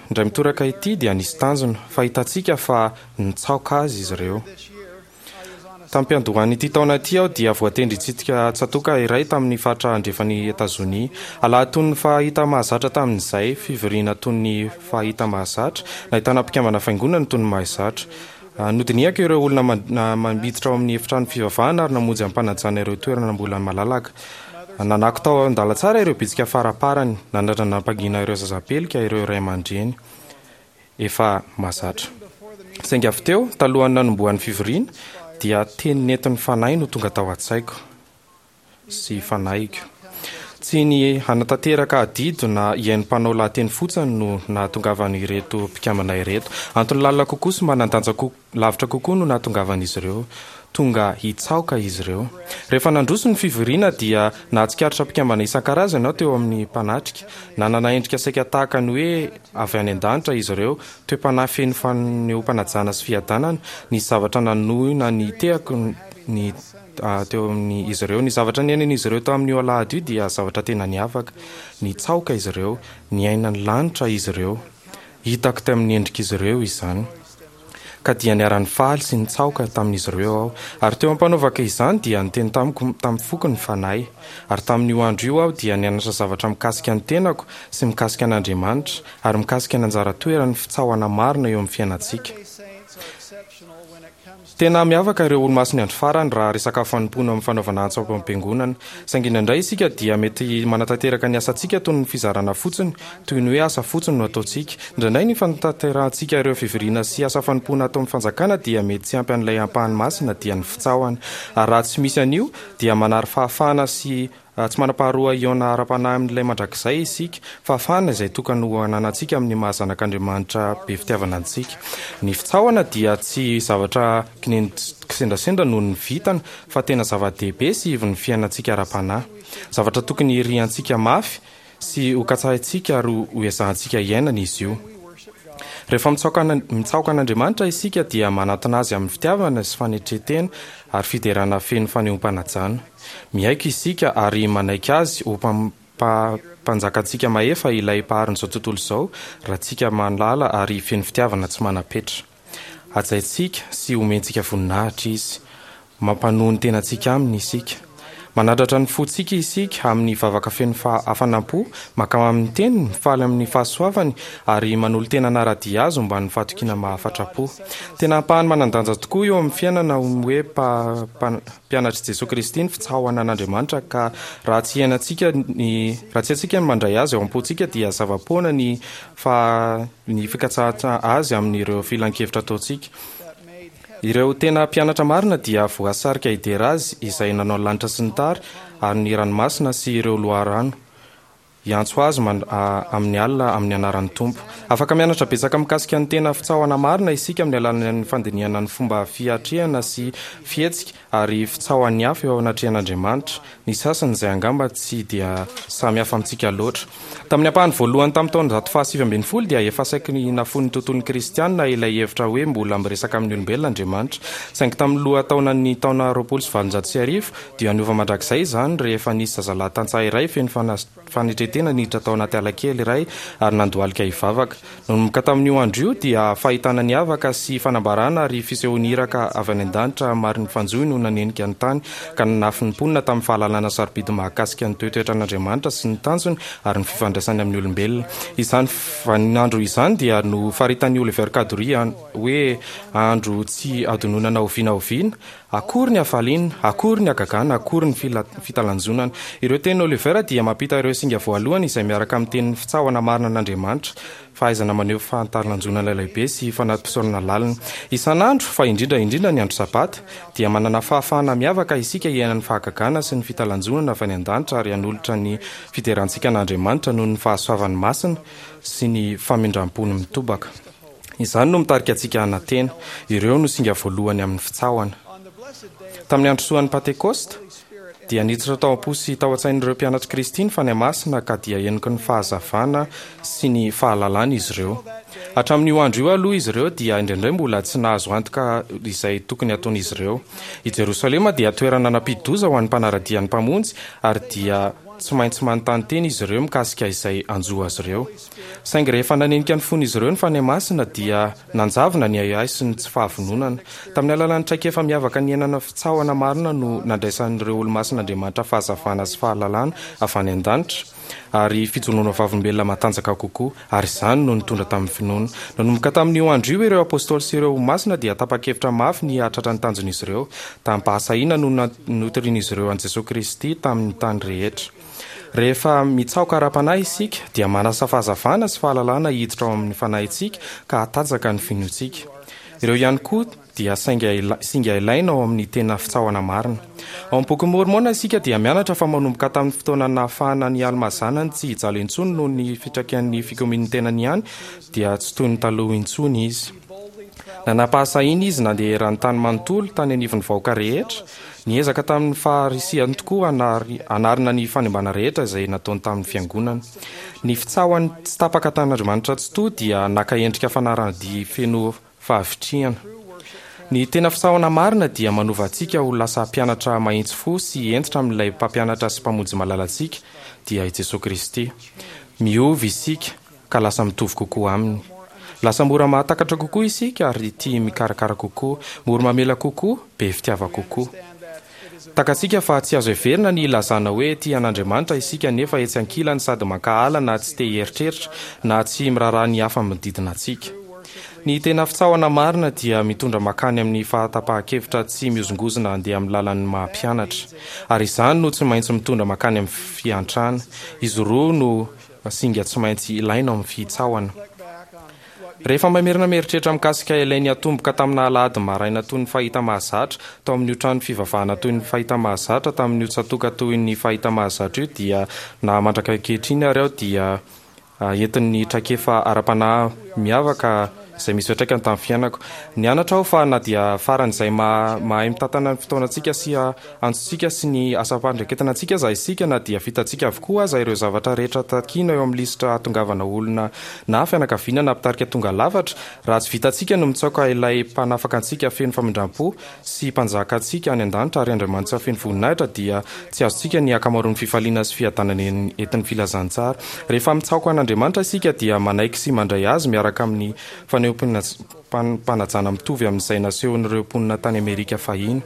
indray mitoraka ity dia nisy tanjona, fa hitantsika fa nitsaoka Azy izy ireo. Tamim-piandohan'ity taona ity aho dia voatendry hitsidika tsatòka iray tamin'ny faritra andrefan'i Etazonia. Alahady toy ny fahita mahazatra tamin'izay, fivoriana toy ny fahita mahazatra, nahitana mpikambana fiangonana toy ny mahazatra. Nodinihako ireo olona miditra ao amin'ny efitrano fivavahana ary namonjy am-panajana ireo toerana mbola malalaka. Nanako tao an-dalantsara ireo bitsika faraparany, nanandrana nampangina ireo zazapelika ireo ray aman-dreny efa mahazatra. Saingy avy teo, talohan'ny nanombohan'ny fivoriana, dia teny nentin'ny Fanahy no tonga tao an-tsaiko. sy fanahiko. Tsy ny hanatanteraka adidy na hihaino mpanao lahateny fotsiny no nahatongavan'ireto mpikambana ireto. Antony lalina kokoa sy manan-danja lavitra kokoa no nahatongavan'izy ireo. Tonga hitsaoka izy ireo. Rehefa nandroso ny fivoriana dia nahatsikaritra mpikambana isan-karazany aho teo amin'ny mpanatrika. Nanana endrika saika tahaka ny hoe avy any an-danitra izy ireo, toe-panahy feno fanehoam-panajana sy fiadanana. Nisy zavatra nanohina ny tehako ny. teo amin'izy ireo. Ny zavatra niainan'izy ireo tamin'io alahady io dia zavatra tena niavaka. Nitsaoka izy ireo. Niaina ny lanitra izy ireo. Hitako tamin'ny endrik'izy ireo izany. Ka dia niara-nifaly sy nitsaoka tamin'izy ireo aho. Ary teo am-panaovako izany dia niteny tamiko tamin'ny foko ny Fanahy. Ary tamin'io andro io aho dia nianatra zavatra mikasika ny tenako sy mikasika an'Andriamanitra ary mikasika ny anjara toeran'ny fitsaohana marina eo amin'ny fiainantsika. Tena miavaka ireo Olomasin'ny Andro Farany raha resaka fanompoana amin'ny fanaovana antso ao am-piangonana. Saingy indraindray isika dia mety manatanteraka ny asantsika toy ny fizarana fotsiny, toy ny hoe asa fotsiny no ataontsika. Indraindray ny fanatanterahantsika ireo fivoriana sy asa fanompoana ato amin'ny fanjakana dia mety tsy ampy an'ilay ampahany masina dia ny fitsaohana. Ary raha tsy misy an'io dia manary fahafahana sy Tsy manam-paharoa hihaona ara-panahy amin'Ilay Mandrakizay isika, fahafahana izay tokany ho ananantsika amin'ny maha-zanak'Andriamanitra be fitiavana antsika. Ny fitsaohana dia tsy zavatra kisendrasendra noho ny vintana, fa tena zava-dehibe sy ivon'ny fiainantsika ara-panahy. Zavatra tokony hiriantsika mafy sy hokatsahintsika ary hoezahantsika hiainana izy io. Rehefa mitsaoka an'Andriamanitra isika dia manatona Azy amin'ny fitiavana sy fanetren-tena ary fiderana feno fanehoam-panajana. Miaiky isika ary manaiky Azy ho Mpanjakantsika mahefa, ilay Mpaharin'izao tontolo izao, Raintsika malala ary feno fitiavana tsy manam-petra. Hajaintsika sy omentsika voninahitra Izy. Mampanoa ny tenantsika Aminy isika. Manandratra ny fontsika isika amin'ny vavaka feno hafanam-po, mankamamy ny Teniny, mifaly amin'ny fahasoavany, ary manolo-tena hanara-dia Azy omban'ny fahatokiana mahafatra-po. Tena ampahany manan-danja tokoa eo amin'ny fiainana ny hoe mpianatr'i Jesoa Kristy ny fitsaohana an'Andriamanitra ka raha tsy iainantsika ny raha tsy haintsika ny mandray Azy ao am-pontsika dia zava-poana ny fa ny fikatsahana Azy amin'ireo filan-kevitra ataontsika. Ireo tena mpianatra marina dia voasarika hidera Azy izay nanao ny lanitra sy ny tary ary ny ranomasina sy ireo loharano. Hiantso azy amin'ny alina amin'ny anaran'ny Tompo. Afaka mianatra betsaka mikasika ny tena fitsaohana marina isika amin'ny alalan'ny fandinihana ny fomba fiatrehana sy fihetsika ary fitsaohan'ny hafa eo anatrehan'Andriamanitra, ny sasany izay angamba tsy dia samy hafa amintsika loatra. Tamin'ny ampahany voalohany tamin'ny taonjato fahasivy ambin'ny folo dia efa saiky nafoin'ny tontolon'ny Kristianina ilay hevitra hoe mbola miresaka amin'ny olombelona Andriamanitra. Saingy tamin'ny lohataonan'ny taona roapolo sy valonjato sy arivo, Dia niova mandrakizay izany rehefa nisy zazalahy tantsaha iray feno fanetren-tena niditra tao anaty ala kely iray ary nandohalika hivavaka. Nanomboka tamin'io andro io dia fahitana niavaka sy fanambarana ary fisehoan'ny iraka avy any an-danitra marin'ny fanjohy no nanenika ny tany ka nanafy ny mponina tamin'ny fahalalana sarobidy mahakasika ny toetoetran'Andriamanitra sy ny tanjony ary ny fifandraisany amin'ny olombelona. Izany vaninandro izany dia nofaritan'i Oliver Cowdery hoe andro tsy hadinoina na oviana oviana Akory ny hafaliana, akory ny hagagana, akory ny fitalanjonana. Ireo tenin'i Oliver dia mampita ireo singa voalohany izay miaraka amin'ny tenin'ny fitsaohana marina an'Andriamanitra, fahaizana maneho fahatalanjonana lehibe sy fanati-pisaorana lalina. Isan'andro, fa indrindra indrindra ny andro Sabata, dia manana fahafahana miavaka isika hiaina ny fahagagana sy ny fitalanjonana avy any an-danitra ary hanolotra ny fiderantsika an'Andriamanitra noho ny fahasoavany masina sy ny famindram-pony mitobaka. Izany no mitarika antsika hanantena. Ireo no singa voalohany amin'ny fitsaohana. Tamin'ny andro soan'ny Pantekosta, dia niditra tao am-po sy tao an-tsain'ireo mpianatr'i Kristy ny Fanahy Masina ka dia heniky ny fahazavana sy ny fahalalana izy ireo. Hatramin'io andro io aloha izy ireo dia indraindray mbola tsy nahazo antoka izay tokony hataon'izy ireo. I Jerosalema dia toerana nampidi-doza ho an'ny mpanara-dia ny Mpamonjy ary dia tsy maintsy manontany tena izy ireo mikasika izay hanjo azy ireo. Saingy rehefa nanenika ny fon'izy ireo ny Fanahy Masina dia nanjavona ny ahiahy sy ny tsy fahavononana. Tamin'ny alalan'ny traikefa miavaka niainana fitsaohana marina no nandraisan'ireo olomasin'Andriamanitra fahazavana sy fahalalana avy any an-danitra ary fijoroana vavolombelona matanjaka kokoa, ary izany no nitondra tamin'ny finoana. Nanomboka tamin'io andro io ireo apostoly sy ireo olomasina dia tapa-kevitra mafy ny hahatratra ny tanjon'izy ireo. Tamim-pahasahiana no notorian'izy ireo an'i Jesoa Kristy tamin'ny tany rehetra. Rehefa mitsaoka ara-panahy isika, dia manasa fahazavana sy fahalalana hiditra ao amin'ny fanahintsika ka hatanjaka ny finoantsika. Ireo ihany koa dia sainga singa ilaina ao amin'ny tena fitsaohana marina. Ao amin'ny Bokin'i Môrmôna isika dia mianatra fa manomboka tamin'ny fotoana nahafahana an'i Almà zanany tsy hijaly intsony noho ny fitrakian'ny fikomian'ny tenany ihany dia tsy toy ny taloha intsony izy. Nanam-pahasahiana izy nandeha eran'ny tany manontolo tany anivon'ny vahoaka rehetra, Niezaka tamin'ny faharisihany tokoa hanarina ny fanimbana rehetra izay nataony tamin'ny Fiangonana. Ny fitsaohany tsy tapaka tamin'Andriamanitra Tsitoha dia naka endrika fanarahan-dia feno fahavitrihana. Ny tena fitsaohana marina dia manova antsika ho lasa mpianatra mahitsy fo sy hentitra amin'ilay Mpampianatra sy Mpamonjy malalantsika, dia i Jesoa Kristy. Miova isika ka lasa mitovy kokoa aminy. Lasa mora mahatakatra kokoa isika ary tia mikarakara kokoa, mora mamela kokoa, be fitiava kokoa. Takatsika fa tsy azo heverina ny hilazana hoe tia an'Andriamanitra isika nefa etsy ankilany sady mankahala na tsy te hieritreritra na tsy miraharaha ny hafa manodidina antsika. Ny tena fitsaohana marina dia mitondra mankany amin'ny fahatapahan-kevitra tsy mihozongozona handeha amin'ny lalan'ny maha mpianatra. Ary izany no tsy maintsy mitondra mankany amin'ny fiantrana. Izy roa no singa tsy maintsy ilaina ao amin'ny fitsaohana. Rehefa mamerina mieritreritra mikasika ilay niatomboka tamina alahady maraina toy ny fahita mahazatra tao amin'io trano fivavahana toy ny fahita mahazatra tamin'io tsatòka toy ny fahita mahazatra io dia na mandraka ankehitriny ary aho dia entin'ny traikefa ara-panahy miavaka izay misy fiantraikany tamin'ny fiainako. Nianatra aho fa na dia faran'izay mahay mitantana ny fotoanantsika sy antsontsika sy ny asam-pandraiketana antsika aza isika, na dia vitantsika avokoa aza ireo zavatra rehetra takiana eo amin'ny lisitra hahatongavana olona na fianakaviana na mpitarika tonga lafatra, raha tsy vitantsika ny mitsaoka ilay Mpanafaka antsika feno famindram-po sy Mpanjaka antsika any an-danitra ary Andriamanitra feno voninahitra, dia tsy azontsika ny ankamaroan'ny fifaliana sy fiadanana entin'ny filazantsara. Rehefa mitsaoka an'Andriamanitra isika dia manaiky sy mandray Azy miaraka amin'ny fanehoam-panajana mitovy amin'izay nasehon'ireo mponina tany Amerika fahiny.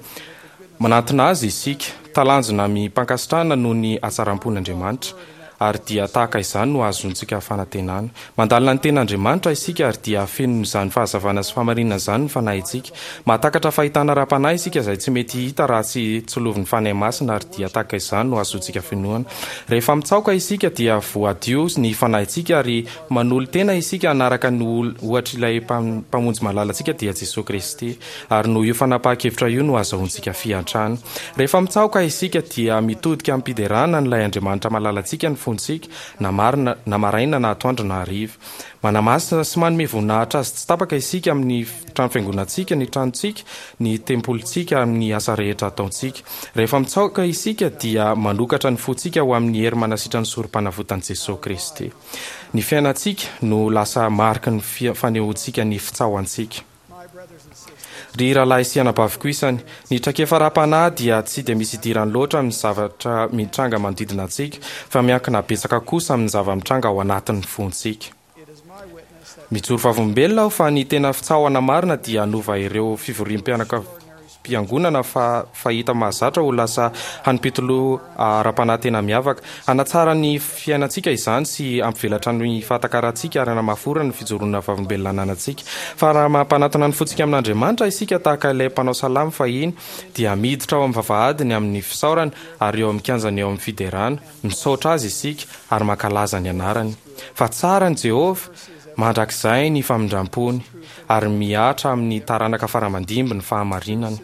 Manantona Azy isika, talanjona amim-pankasitrahana noho ny hatsaram-pon'Andriamanitra, ary dia tahaka izany no ahazoantsika fanantenana. Mandalina ny Tenin'Andriamanitra isika ary dia fenon'izany fahazavana sy fahamarinana izany ny fanahintsika. Mahatakatra fahitana ara-panahy isika izay tsy mety hita raha tsy tsilovin'ny Fanahy Masina ary dia tahaka izany no ahazoantsika finoana. Rehefa mitsaoka isika dia voadio ny fanahintsika ary manolo-tena isika hanaraka ny ohatr'ilay Mpamonjy malalantsika dia Jesoa Kristy. Ary noho io fanapahan-kevitra io no azahoantsika fiantrana. Rehefa mitsaoka isika dia mitodika amim-piderana an'ilay Andriamanitra malalantsika ny fontsika, na marina, na maraina na atoandro na hariva. Manamasina sy manome voninahitra Azy tsy tapaka isika amin'ny trano fiangonantsika, ny tranontsika, ny tempolintsika, amin'ny asa rehetra ataontsika. Rehefa mitsaoka isika dia manokatra ny fontsika ho amin'ny hery manasitran'ny Sorompanavotan'i Jesoa Kristy. Ny fiainantsika no lasa mariky ny fanehoantsika ny fitsaohantsika. Ry rahalahy sy anabaviko isany, ny traikefa ara-panahy dia tsy dia misy idirany loatra amin'ny zavatra mitranga manodidina antsika, fa miankina betsaka kosa amin'ny zava-mitranga ao anatin'ny fontsika. Mijoro vavolombelona aho fa ny tena fitsaohana marina dia hanova ireo fivoriam-pianakaviana. hanim-piangonana fa fahita mahazatra ho lasa hanim-pitoloha ara-panahy tena miavaka. Hanatsara ny fiainantsika izany sy hampivelatra ny fahatakarantsika ary hanamafy orina ny fijoroana vavolombelona ananantsika. Fa raha mampanatona ny fontsika amin'Andriamanitra isika tahaka ilay mpanao salamo fahiny, dia miditra ao amin'ny vavahadiny amin'ny fisaorana ary eo amin'ny kianjany eo amin'ny fiderana. Misaotra Azy isika ary mankalaza ny anarany. Fa tsara ny Jehovah, mandrakizay ny famindram-pony, ary mihatra amin'ny taranaka fara-mandimby ny fahamarinany.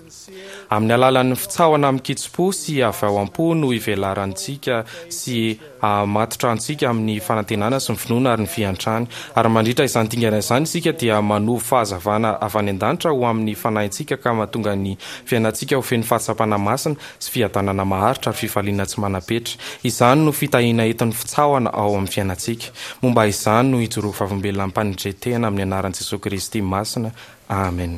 Amin'ny alalan'ny fitsahona amin-kitsim-po sy avy ao am-po no ivelarantsika sy hahamatotra antsika amin'ny fanantenana sy ny finoana ary ny fiantrany. Ary mandritra izany dingana izany isika dia manovo fahazavana avy any an-danitra ho amin'ny fanahintsika ka mahatonga ny fiainantsika ho feno fahatsapana masina sy fiadanana maharitra ary fifaliana tsy manam-petra. Izany no fitahiana entin'ny fitsahona ao amin'ny fiainantsika. Momba izany no ijoroako vavolombelona amim-panetren-tena amin'ny anaran'i Jesoa Kristy masina. Amen.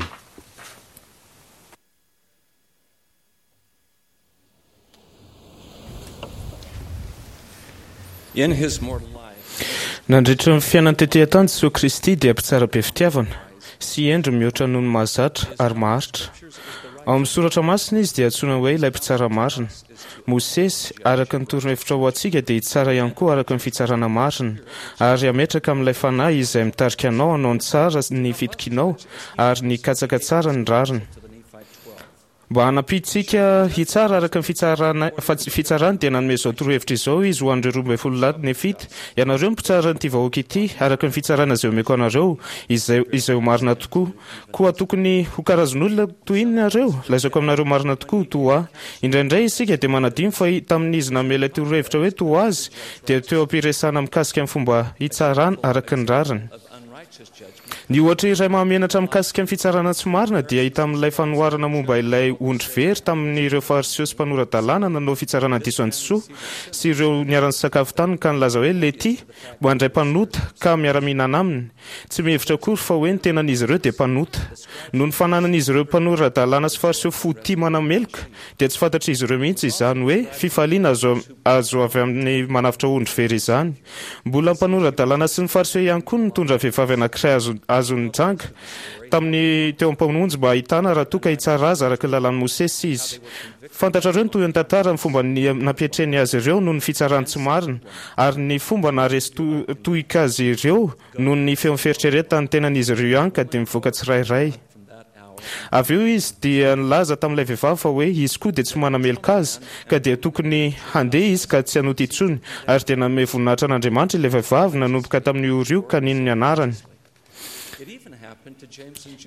Nandritra ny fiainany tetỳ an-tany, Jesoa Kristy dia mpitsara be fitiavana sy hendry mihoatra noho ny mahazatra ary maharitra. Ao amin'ny Soratra Masina izy dia antsoina hoe ilay mpitsara marina. Mosesy, araka ny torohevitra ho antsika, dia hitsara ihany koa araka ny fitsarana marina, ary hametraka amin'ilay Fanahy izay mitarika anao hanao ny tsara ny fitokianao ary ny hikatsaka tsara ny rariny. Mba hanampiantsika hitsara araka ny fitsarana, fitsarany dia nanome izao torohevitra izao izy ho an'ireo roa ambin'ny folo lahy Nefita, Ianareo no mpitsara an'ity vahoaka ity, araka ny fitsarana izay omeko anareo, izay, izay ho marina tokoa. Koa tokony ho karazan'olona toy inona ianareo? Lazaiko aminareo marina tokoa, toa ahy. Indraindray isika dia manadino fa tamin'izy nanome ilay torohevitra hoe toa azy, dia teo am-piresahana mikasika ny fomba hitsarana araka ny rariny. Ny ohatra iray mahamenatra mikasika ny fitsarana tsy marina dia hita amin'ilay fanoharana momba ilay ondry very tamin'ireo Fariseo sy mpanora-dalàna nanao fitsarana diso an'i Jesoa sy ireo niara-nisakafo taminy ka nilaza hoe Lety mandray mpanota ka miara-mihinana aminy. Tsy mihevitra akory fa hoe ny tenan'izy ireo dia mpanota. Noho ny fananan'izy ireo mpanora-dalàna sy Fariseo fo tia manameloka dia tsy fantatr'izy ireo mihitsy izany hoe fifaliana azo azo avy amin'ny manavotra ondry very izany. Mbola mpanora-dalàna sy ny Fariseo ihany koa no nitondra vehivavy anankiray azo azon'ny janga tamin'ny teo am-pamonjy mba hahitana raha toa ka hitsara azy araka ny lalàn'i Mosesy izy. Fantatrareo ny tohin'ny tantara, ny fomba nampiatreny azy ireo noho ny fitsarany tsy marina, ary ny fomba naharesy tohika azy ireo noho ny feon'ny fieritreretan'ny tenan'izy ireo ihany ka dia mivoaka tsirairay. Avy eo izy dia nilaza tamin'ilay vehivavy fa hoe izy koa dia tsy manameloka azy, ka dia tokony handeha izy ka tsy hanota intsony, ary dia nanome voninahitra an'Andriamanitra ilay vehivavy nanomboka tamin'io ora io ka nino ny anarany.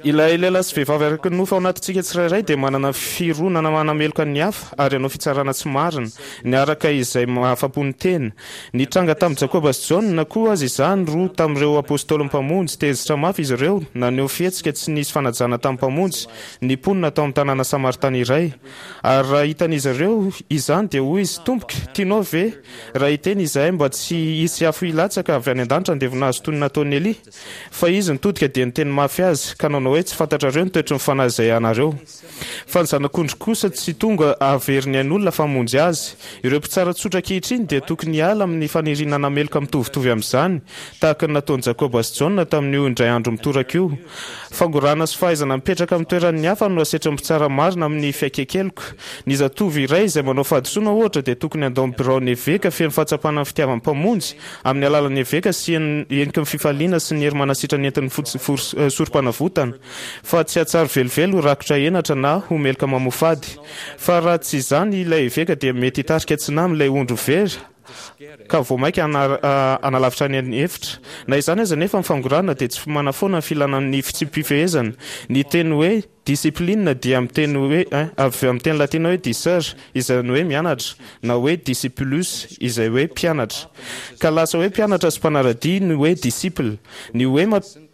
Ilay lehilahy sy vehivavy araka ny nofo ao anatintsika tsirairay dia manana fironana manameloka ny hafa ary hanao fitsarana tsy marina, ny araka izay mahafa-po ny tena. Nitranga tamin'i Jakoba sy Jaona koa aza izany, roa tamin'ireo apôstôlin'ny Mpamonjy. Tezitra mafy izy ireo, naneho fihetsika tsy nisy fanajana tamin'ny Mpamonjy ny mponina tao amin'ny tanàna samaritana iray. Ary raha hitan'izy ireo izany, dia hoy izy, Tompoko, tianao ve raha hiteny izahay mba tsy hisy afo hilatsaka avy any an-danitra handevona azy toy ny nataon'i Elia? Fa izy nitodika dia niteny mafy azy, ka nanao hoe, Tsy fantatrareo ny toetry ny fanahy izay anareo. Fa ny Zanak'ondry kosa tsy tonga hahavery ny ain'olona fa hamonjy azy. Ireo mpitsara tsotra ankehitriny dia tokony hiala amin'ny faniriana hanameloka mitovitovy amin'izany, tahaka ny nataon'i Jakoba sy Jaona tamin'io indray andro mitoraka io. Fangorahana sy fahaizana mipetraka amin'ny toeran'ny hafa no asetrin'ny mpitsara marina amin'ny fiaiken-keloka. Ny zatovo iray izay manao fahadisoana, ohatra, dia tokony handao ny biraon'ny eveka feno fahatsapana ny fitiavan'ny Mpamonjy, amin'ny alalan'ny eveka sy heniky ny fifaliana sy ny hery manasitrana entin'ny sorom-panavotana, fa tsy hahatsiaro velively ho rakotra henatra na ho meloka mamoafady. Fa raha tsy izany, ilay eveka dia mety hitarika tsy nahy amin'ilay ondry very ka vao mainka hanalavitra any an'efitra. Na izany aza anefa, ny fangorahana dia tsy manafoana ny filana ny fitsipi-pifehezana. Ny teny hoe Discipline dia amin'ny teny hoe avy amin'ny teny latina hoe discere izany hoe mianatra na hoe discipulus izay hoe mpianatra. Ka lasa hoe mpianatra sy mpanara-dia ny hoe disciple. Ny hoe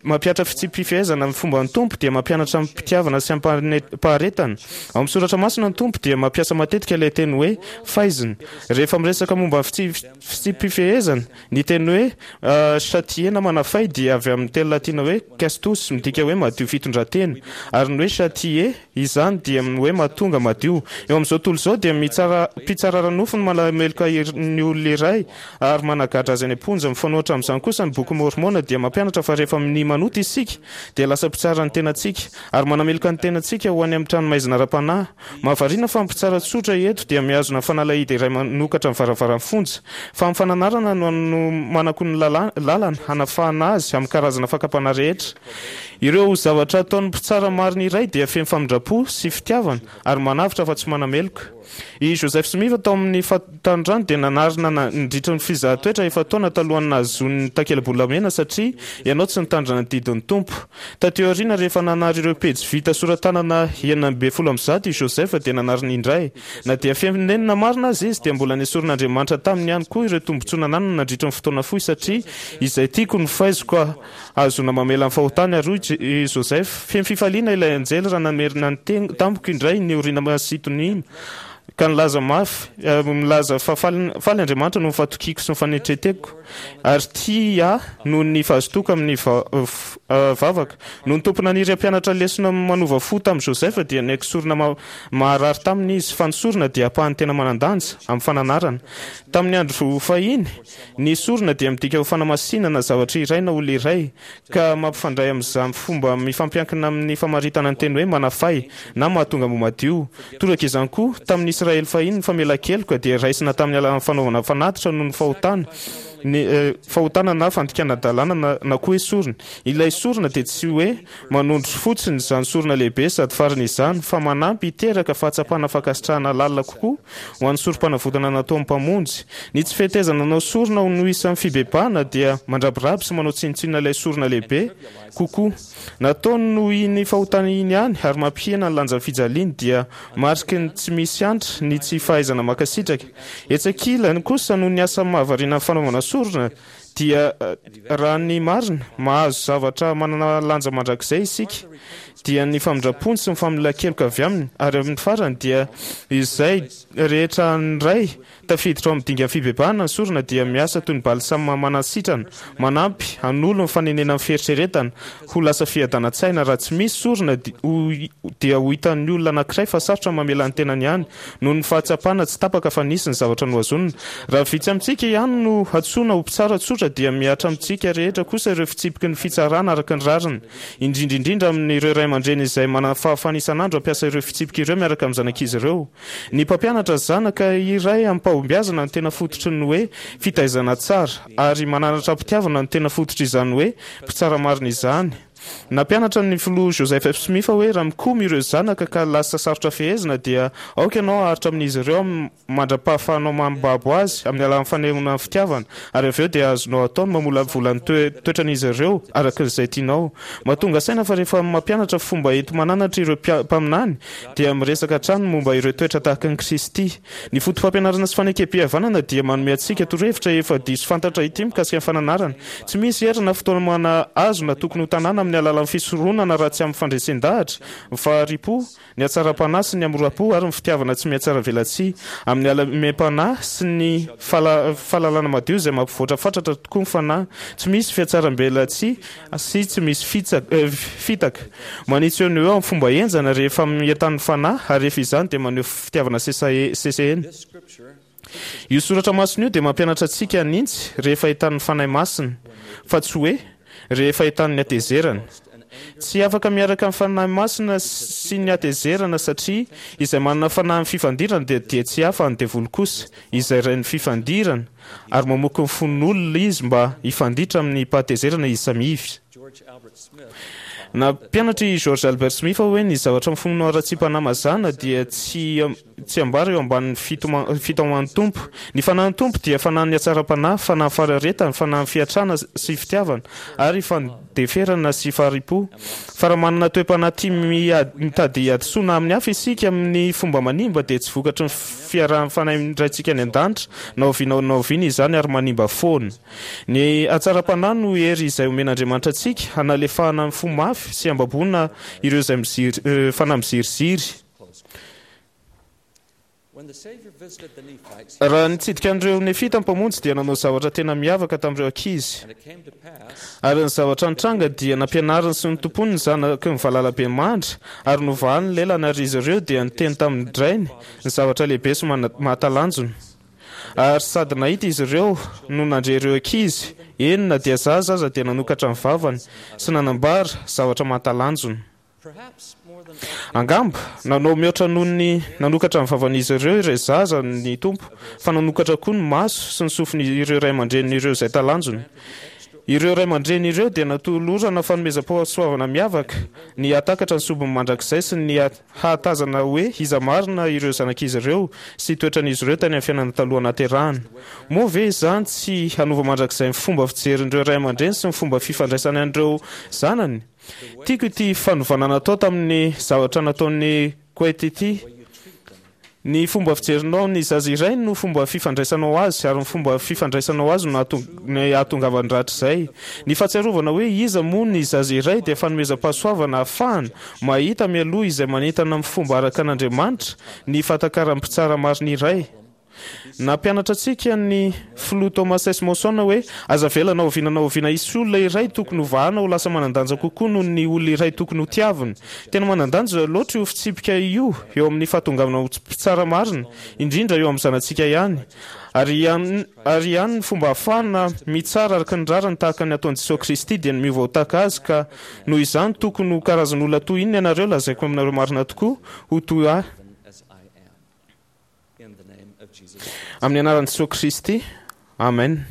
mampihatra fitsipi-pifehezana amin'ny fomban'ny Tompo dia mampianatra amim-pitiavana sy amim-paharetana. Ao amin'ny soratra masina ny Tompo dia mampiasa matetika ilay teny hoe faizina rehefa miresaka momba ny fitsipi-pifehezana. Ny teny hoe châtier na manafay dia avy amin'ny teny latina hoe castus midika hoe madio fitondran-tena, ary ny hoe châtier, izany dia ny hoe mahatonga madio. Eo amin'izao tontolo izao dia mitsara, mpitsara ara-nofo no manameloka ny olona iray ary managadra azy any am-ponja. Mifanohitra amin'izany kosa, ny Boky Môrmôna dia mampianatra fa rehefa minia manota isika dia lasa mpitsara ny tenantsika ary manameloka ny tenantsika ho any amin'ny tranomaizina ara-panahy. Mahavariana fa ny mpitsara tsotra eto dia mihazona fanalahidy iray manokatra ny varavaran'ny fonja, fa amin'ny fananarana no anomanako ny lalana hanafahana azy amin'ny karazana fakam-panahy rehetra. Ireo zavatra ataon'ny mpitsara marina iray dia feno famindram-po sy fitiavana ary manavotra fa tsy manameloka. I Joseph Smith tao amin'ny fahatanorany dia nanarina nandritra ny fizahan-toetra efa-taona talohan'ny nahazoany ny takela-bolamena satria ianao tsy nitandrina ny didin'ny Tompo. Taty aoriana rehefa nanary ireo pejy vita sora-tanana enina ambin'ny folo amby zato i Joseph dia nanarina indray. Na dia feno nenina marina aza izy dia mbola nesorin'Andriamanitra taminy ihany koa ireo tombontsoa nananany nandritra ny fotoana fohy satria izay tiako no faiziko hahazoana mamela ny fahotany ary hoy i Joseph, feno fifaliana ilay anjely raha namerina ny tamiko indray ny Orina Masintonima ka nilaza mafy milaza fa faly faly Andriamanitra noho ny fahatokiako sy ny fanetreteko ary tia ahy noho ny fahazotoako amin'ny vavaka. Noho ny Tompo naniry hampianatra lesona manova fo tamin'i Joseph dia niaiky sorona maharary taminy izy fa ny sorona dia ampahany tena manan-danja amin'ny fananarana. Tamin'ny andro fahiny, ny sorona dia midika ho fanamasinana zavatra iray na olona iray, ka mampifandray amin'izany fomba mifampiankina amin'ny famaritana ny teny hoe manafay na mahatonga ho madio. Toraka izany koa, tamin'ny Israely fahiny, ny famelan-keloka dia raisina tamin'ny alalan'ny fanaovana fanatitra noho ny fahotana, ny fahotana na fandikana-dalàna na, na koa hoe sorona. Ilay sorona dia tsy hoe manondro fotsiny izany sorona lehibe sady farany izany, fa manampy hiteraka fahatsapana fankasitrahana lalina kokoa ho an'ny sorom-panavotana nataon'ny Mpamonjy. Ny tsy fetezana hanao sorona ho no isan'ny fibebahana dia mandrabiraby sy manao tsinontsinona ilay sorona lehibe kokoa nataony noho iny fahotana iny ihany ary mampihena ny lanjan'ny fijaliany dia mariky ny tsy misy antra ny tsy fahaizana mankasitraka. Etsy ankilany kosa noho ny asa mahavariana ny fanaovana sorona dia raha ny marina, mahazo zavatra manana lanja mandrakizay isika, dia ny famindram-pony sy ny famelan-keloka avy aminy, ary amin'ny farany dia izay rehetra an'ny Ray tafiditra ao amin'ny dingan'ny fibebahana ny sorona dia miasa toy ny balsama manasitrana, manampy hanolo ny fanenenan'ny fieritreretana ho lasa fiadanan-tsaina. Raha tsy misy sorona dia ho hitan'ny olona anankiray fa sarotra ny mamela ny tenany ihany noho ny fahatsapana tsy tapaka fa nisy ny zavatra nohazonina. Raha vitsy amintsika ihany no antsoina ho mpitsara tsotra dia mihatra amintsika rehetra kosa ireo fitsipiky ny fitsarana araka ny rariny, indrindra indrindra amin'ireo ray aman-dreny izay manana fahafahana isan'andro hampiasa ireo fitsipika ireo miaraka amin'ny zanak'izy ireo. Ny mpampianatra zanaka iray amim-pahombiazana no tena fototry ny hoe fitaizana tsara, ary mananatra am-pitiavana no tena fototr'izany hoe mpitsara marina izany. Nampianatra ny Filoha Joseph F. Smith hoe raha mikomy ireo zanaka ka lasa sarotra fehezina dia aoka ianao haharitra amin'izy ireo mandra-pahafahanao mambabo azy amin'ny alalan'ny fanehoana ny fitiavana ary avy eo dia azonao atao ny mamolavola ny toetran'izy ireo araka izay tianao. Mahatonga saina fa rehefa mampianatra fomba enti-mananatra ireo mpaminany dia miresaka hatrany momba ireo toetra tahaka an'i Kristy. Ny fotopampianarana sy fanekempihavanana dia manome antsika torohevitra efa diso fantatra ity mikasika ny fananarana. Tsy misy hery na fitaomana azo na tokony ho tanàna amin'ny alalan'ny fisoronana raha tsy amin'ny fandresen-dahatra, ny fahari-po, ny hatsaram-panahy sy ny hamoram-po ary ny fitiavana tsy mihatsaravelatsihy, amin'ny halemem-panahy sy ny fahalalana madio izay mampivoatra fatratra tokoa ny fanahy. Tsy misy fihatsarambelatsihy sy tsy misy fitaka. Manitsy eo no eo amin'ny fomba henjana rehefa mientan'ny fanahy ary rehefa izany dia maneho fitiavana sesehena. Io soratra masina io dia mampianatra antsika hanintsy rehefa entan'ny Fanahy Masina, fa tsy hoe rehefa entan'ny hatezerana. Tsy afaka miaraka ny Fanahy Masina sy ny hatezerana satria izay manana fanahin'ny fifandirana dia dia tsy hafa ny devoly kosa, izay rain'ny fifandirana, ary mamoky ny fon'olona izy mba hifanditra amin'ny pahatezerana izy samy izy. Nampianatra i George Albert Smith hoe ny zavatra mifono haratsiam-panahy mazàna dia tsy tsy ambara eo ambanin'ny fitaoman'ny Tompo. Ny fanahin'ny Tompo dia fanahin'ny hatsaram-panahy, fanahin'ny faharetana, fanahin'ny fiantrana sy fitiavana, ary fandeferana sy fahari-po. Fa raha manana toe-panahy tia mitady hadisoana amin'ny hafa isika amin'ny fomba manimba dia tsy vokatry ny fiarahan'ny fanahin'ny Raintsika any an-danitra na oviana na oviana izany ary manimba foana. Ny hatsaram-panahy no hery izay omen'Andriamanitra antsika hanalefahana ny fo mafy sy hambaboana ireo izay miziry, fanahy miziriziry. Raha nitsidika an'ireo Nefita ny Mpamonjy dia nanao zavatra tena miavaka tamin'ireo ankizy. Ary ny zavatra nitranga dia nampianariny sy notompoiny ny zanaky ny valalabemandry ary novahany ny lelany ary izy ireo dia niteny tamin-drainy ny zavatra lehibe sy mahatalanjona. Ary sady nahita izy ireo no nandre ireo ankizy, eny na dia zaza aza dia nanokatra ny vavany sy nanambara zavatra mahatalanjona. Angamba, nanao mihoatra noho ny nanokatra ny vavan'izy ireo ireo zaza ny Tompo, fa nanokatra koa ny maso sy ny sofin'ireo ray aman-drenin' ireo izay talanjona. Ireo ray aman-dreny ireo dia natolorana fanomezam-pahasoavana miavaka, ny hahatakatra ny sombiny mandrakizay sy ny hahatazana hoe iza marina ireo zanak'izy ireo sy toetran'izy ireo tany amin'ny fiainana taloha nahaterahana. Moa ve izany tsy hanova mandrakizay ny fomba fijerin'ireo ray aman-dreny sy ny fomba fifandraisany an'ireo zanany? Tiako ity fanovana natao tamin'ny zavatra nataon'i Koety ity. Ny fomba fijerinao ny zaza iray no fomba fifandraisanao azy, ary ny fomba fifandraisanao azy no hahatongavany rahatrizay. Ny fahatsiarovana hoe iza moa ny zaza iray dia fanomezam-pahasoavana ahafahana mahita mialoha izay manentana amin'ny fomba araka an'Andriamanitra ny fahatakaran'ny mpitsara marina iray. Nampianatra antsika ny Filoha Thomas S. Monson hoe, Aza avela na oviana na oviana hisy olona iray tokony hovahana ho lasa manan-danja kokoa noho ny olona iray tokony hotiavina. Tena manan-danja loatra io fitsipika io eo amin'ny fahatongavana ho mpitsara marina, indrindra eo amin'ny zanatsika ihany. Ary ary ihany ny fomba ahafahana mitsara araka ny rariny tahaka ny ataon'i Jesoa Kristy dia ny miova ho tahaka Azy ka noho izany tokony ho karazan'olona toy inona ianareo lazaiko aminareo marina tokoa ho toy ahy Amin'ny anaran'i Jesoa Kristy, Amen.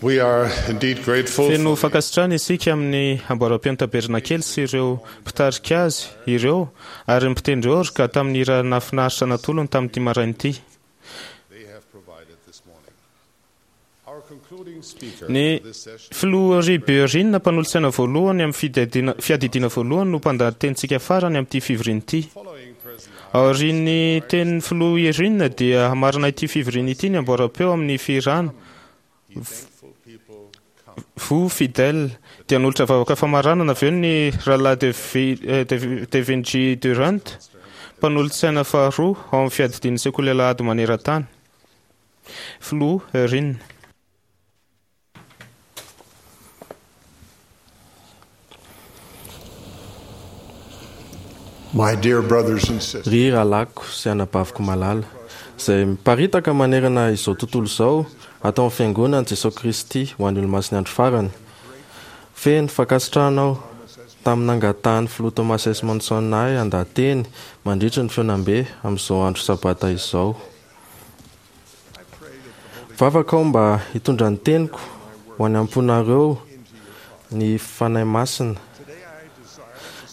We are indeed grateful Feno for fankasitrahana isika amin'ny amboaram-peon'ny tabernakely sy ireo mpitarika azy ireo ary ny mpitendry orga tamin'ny hira nahafinaritra natolony tamin'ity maraina ity. they have provided this morning. Our concluding speaker Ny for this session filoha Riberin mpanolotsaina voalohany amin'ny fiadidiana fiadidiana voalohany no mpandahatenintsika farany amin'ity fivoriana ity. Aorian'ny tenin'ny filoha Irina dia hamarana ity fivoriana ity ny amboaram-peo amin'ny fihirana Vous fidèle dia hanolotra vavaka famaranana avy eo ny rahalahy Devi- eh, Devi- Devin G. Durant mpanolotsaina faharoa ao amin'ny fiadidian'ny sekoly alahady maneran-tany. Filoha Irina. My dear brothers and sisters, Ry rahalahiko sy anabaviko malala, izay miparitaka manerana izao tontolo izao atao amin'ny fiangonan'i Jesosy Kristy ho an'ny olomasin'ny andro farany. Feno fankasitrahana aho tamin'ny nangatahan'ny filoha Thomas S. Monson ahy handahateny mandritra ny fihaonambe amin'izao andro sabata izao. Vavaka aho mba hitondra ny teniko ho any am-ponareo ny Fanahy Masina.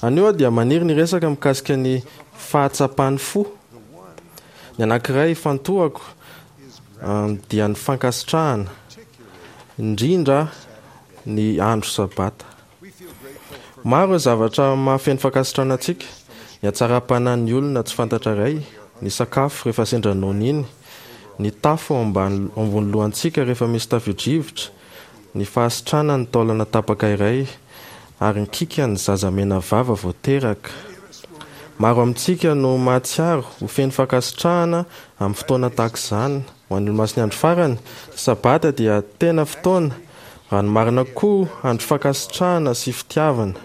Anio aho dia maniry ny resaka mikasika ny fahatsapan'ny fo. Ny anankiray ifantohako, ah, dia ny fankasitrahana, indrindra ny andro sabata. Maro ireo zavatra mahafeno fankasitrahana antsika: ny hatsaram-panahin'ny olona tsy fantatra iray, ny sakafo rehefa sendra noana iny, ny tafo ao ambany, ambony lohantsika rehefa misy tafio-drivotra, ny fahasitranan'ny ny taolana tapaka iray, ary ny kikan'ny zaza mena vava vao teraka. Maro amintsika no mahatsiaro ho feno fankasitrahana amin'ny fotoana tahaka izany. Ho an'ny olomasin'ny andro farany, ny sabata dia tena fotoana, raha ny marina koa, andro fankasitrahana sy fitiavana.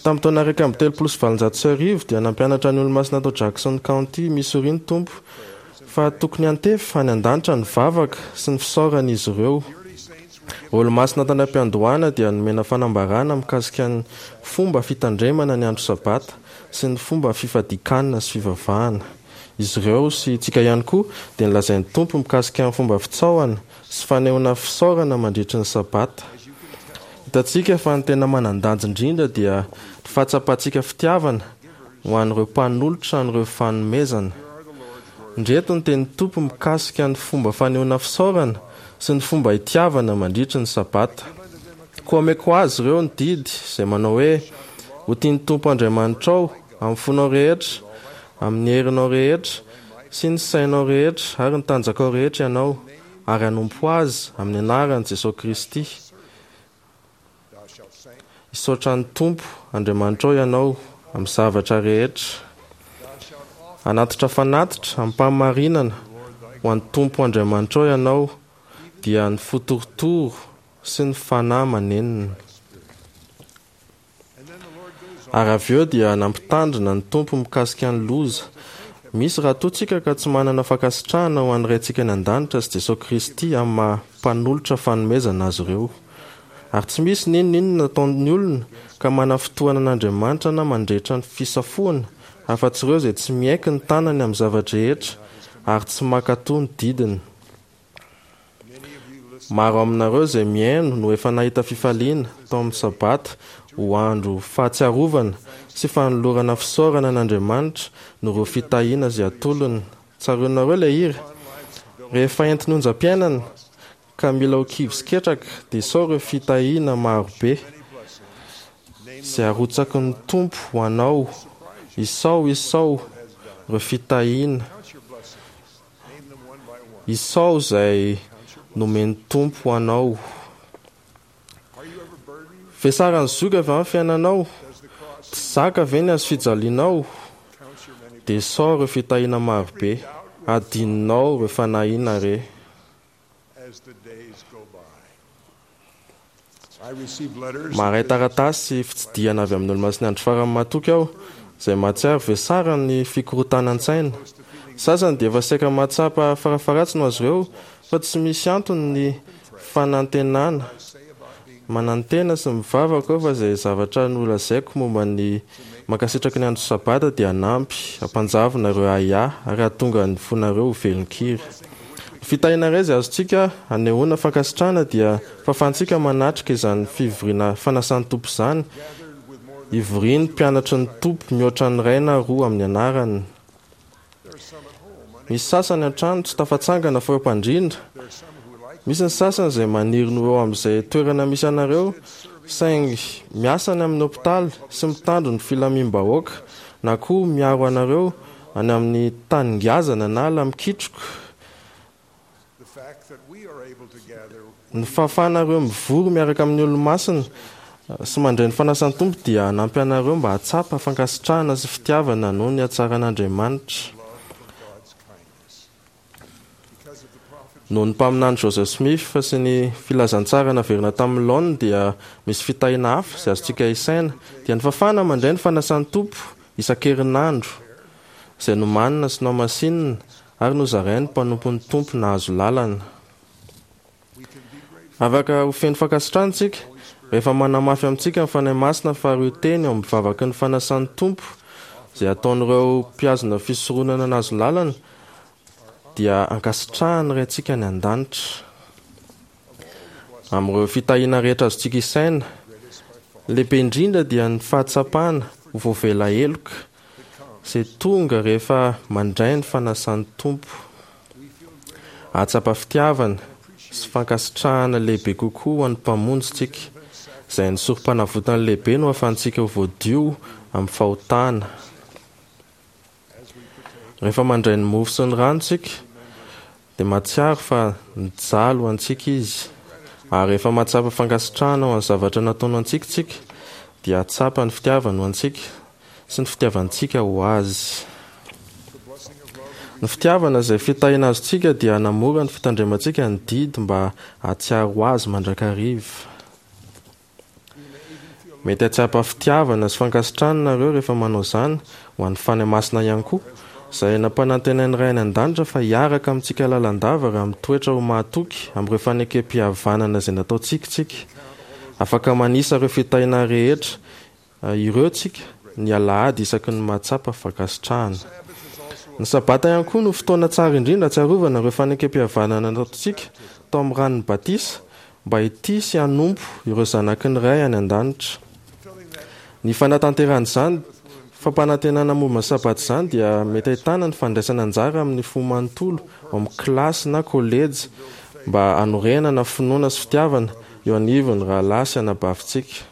Tamin'ny taona iraika amby telopolo sy valonjato sy arivo dia nampianatra ny olomasina tao Jackson County, Missouri ny Tompo fa tokony hantefa any an-danitra ny vavaka sy ny fisaoran'izy ireo. Olomasina tany am-piandohana dia nomena fanambarana mikasika ny fomba fitandremana ny andro sabata sy ny fomba fifadikanana sy fivavahana. Izy ireo sy tsika ihany koa dia nilazain'ny Tompo mikasika ny fomba fitsaohana sy fanehoana fisaorana mandritry ny sabata. Hitantsika fa ny tena manan-danja indrindra dia ny fahatsapantsika fitiavana ho an'ireo mpanolotra an'ireo fanomezana. Indreto ny tenin'ny Tompo mikasika ny fomba fanehoana fisaorana sy ny fomba itiavana mandritry ny sabata. Koa omeko azy ireo ny didy izay manao hoe: ho tian'ny Tompo Andriamanitrao amin'ny fonao rehetra, amin'ny herinao rehetra sy ny sainao rehetra ary ny tanjakao rehetra ianao, ary hanompo azy amin'ny anaran'i Jesosy Kristy. Hisaotra ny Tompo Andriamanitrao ianao amin'ny zavatra rehetra. Hanatitra fanatitra amim-pahamarinana ho an'ny Tompo Andriamanitrao ianao, dia ny fo torotoro sy ny fanahy manenina. Ary avy eo dia nampitandrina ny Tompo mikasika ny loza. Misy raha toa tsika ka tsy manana fankasitrahana ho an'ny Raintsika any an-danitra sy Jesosy Kristy amin'ny maha mpanolotra fanomezana azy ireo. Ary tsy misy n'inon'inona nataon'ny olona ka manafintohana an'Andriamanitra na mandrehitra ny fisafoana, afa-tsy ireo izay tsy miaiky ny tanany amin'ny zava-drehetra ary tsy mankatò ny didiny. Maro aminareo izay mihaino no efa nahita fifaliana tao amin'ny sabata ho andro fahatsiarovana sy fanolorana fisaorana an'Andriamanitra noho ireo fitahiana izay atolony. Tsaroanareo ilay hira? Rehefa entin'ny onjam-piainana ka mila ho kivy sy ketraka, dia sao ireo fitahiana marobe izay arotsaky ny Tompo ho anao. Isao, isao ireo fitahiana. Isao izay nomen'ny Tompo ho anao. Vesaran'ny zoky avy amin'ny fiainanao, tsy zaka ve ny hazo fijalianao? Dia isao ireo fitahiana marobe, adinonao ireo fanahiana re. as the days go by. I receive letters Maharay taratasy sy fitsidihana avy amin'ny olomasin'ny andro farany matoky aho, izay mahatsiaro vesaran'ny fikorotanan-tsaina. Sasany dia efa saika mahatsapa farafaharatsiny ho azy ireo fa tsy misy antony ny fanantenana. Manantena sy mivavaka aho fa izay zavatra nolazaiko momba ny mankasitraky ny andro sabata dia hanampy hampanjavona ireo ahiahy ary hahatonga ny fonareo ho velon-kiry. Ny Ny fitahiana iray izay azontsika anehoana fankasitrahana dia fahafahantsika manatrika izany fivoriana fanasan'ny Tompo izany, ivorian'ny mpianatry ny Tompo mihoatra ny iray na roa amin'ny anarany. Misy sasany an-trano tsy tafatsangana fa eo am-pandriana. Misy ny sasany izay maniry ny ho eo amin'izay toerana misy anareo, saingy miasa any amin'ny hopitaly sy mitandro ny filamim-bahoaka na koa miaro anareo any amin'ny tany ngazana na ala mikitroka. Ny fahafahanareo mivory miaraka amin'ny Olomasina sy mandray ny fanasan'ny Tompo dia hanampy anareo mba hahatsapa fankasitrahana sy fitiavana noho ny hatsaran'Andriamanitra. Noho ny mpaminany Joseph Smith sy ny filazantsara naverina tamin'ny laoniny dia misy fitahiana hafa izay azontsika isaina, dia ny fahafahana mandray ny fanasan'ny Tompo isan-kerinandro izay nomanina sy nohamasinina ary nozarain'ny mpanompon'ny Tompo nahazo lalana. Afaka ho feno fankasitrahana isika rehefa manamafy amintsika ny Fanahy Masina fa ireo teny ao amin'ny vavaky ny fanasan'ny Tompo izay ataon'ireo mpihazona fisoronana nahazo lalana dia ankasitrahan'ny Raintsika any An-danitra. Amin'ireo fitahiana rehetra azontsika isaina, ny lehibe indrindra dia ny fahatsapana ho voavela heloka izay tonga rehefa mandray ny fanasan'ny Tompo. Hahatsapa fitiavana sy fankasitrahana lehibe kokoa ho an'ny Mpamonjy isika, izay ny Sorompanavotany lehibe no ahafahantsika ho voadio amin'ny fahotana. Rehefa mandray ny mofo sy ny rano isika, dia mahatsiaro fa nijaly ho antsika Izy. Ary rehefa mahatsapa fankasitrahana ho an'ny zavatra nataony ho antsika isika, dia hahatsapa ny fitiavany ho antsika sy ny fitiavantsika ho Azy. Ny fitiavana izay fitahiana azontsika dia hanamora ny fitandremantsika ny didy mba hahatsiaro Azy mandrakariva. Mety hahatsapa fitiavana sy fankasitrahana nareo rehefa manao izany ho an'ny Fanahy Masina ihany koa, izay nampanantenain'ny Ray any An-danitra fa hiaraka amintsika lalandava raha mitoetra ho mahatoky amin'ireo fanekempihavanana izay nataontsika isika. Afaka manisa ireo fitahiana rehetra ireo tsika ny alahady isaky ny mahatsapa fankasitrahana. Ny Sabata ihany koa no fotoana tsara indrindra hahatsiarovana ireo fanekempihavanana nataontsika tao amin'ny ranon'ny batisa mba hitia sy hanompo ireo zanaky ny Ray any An-danitra. Ny fanatanterahana izany fampanantenana momba ny Sabata izany dia mety ahitana ny fandraisana anjara amin'ny fo manontolo ao amin'ny kilasy na kolejy mba hanorenana finoana sy fitiavana eo anivon'ny rahalahy sy anabavintsika.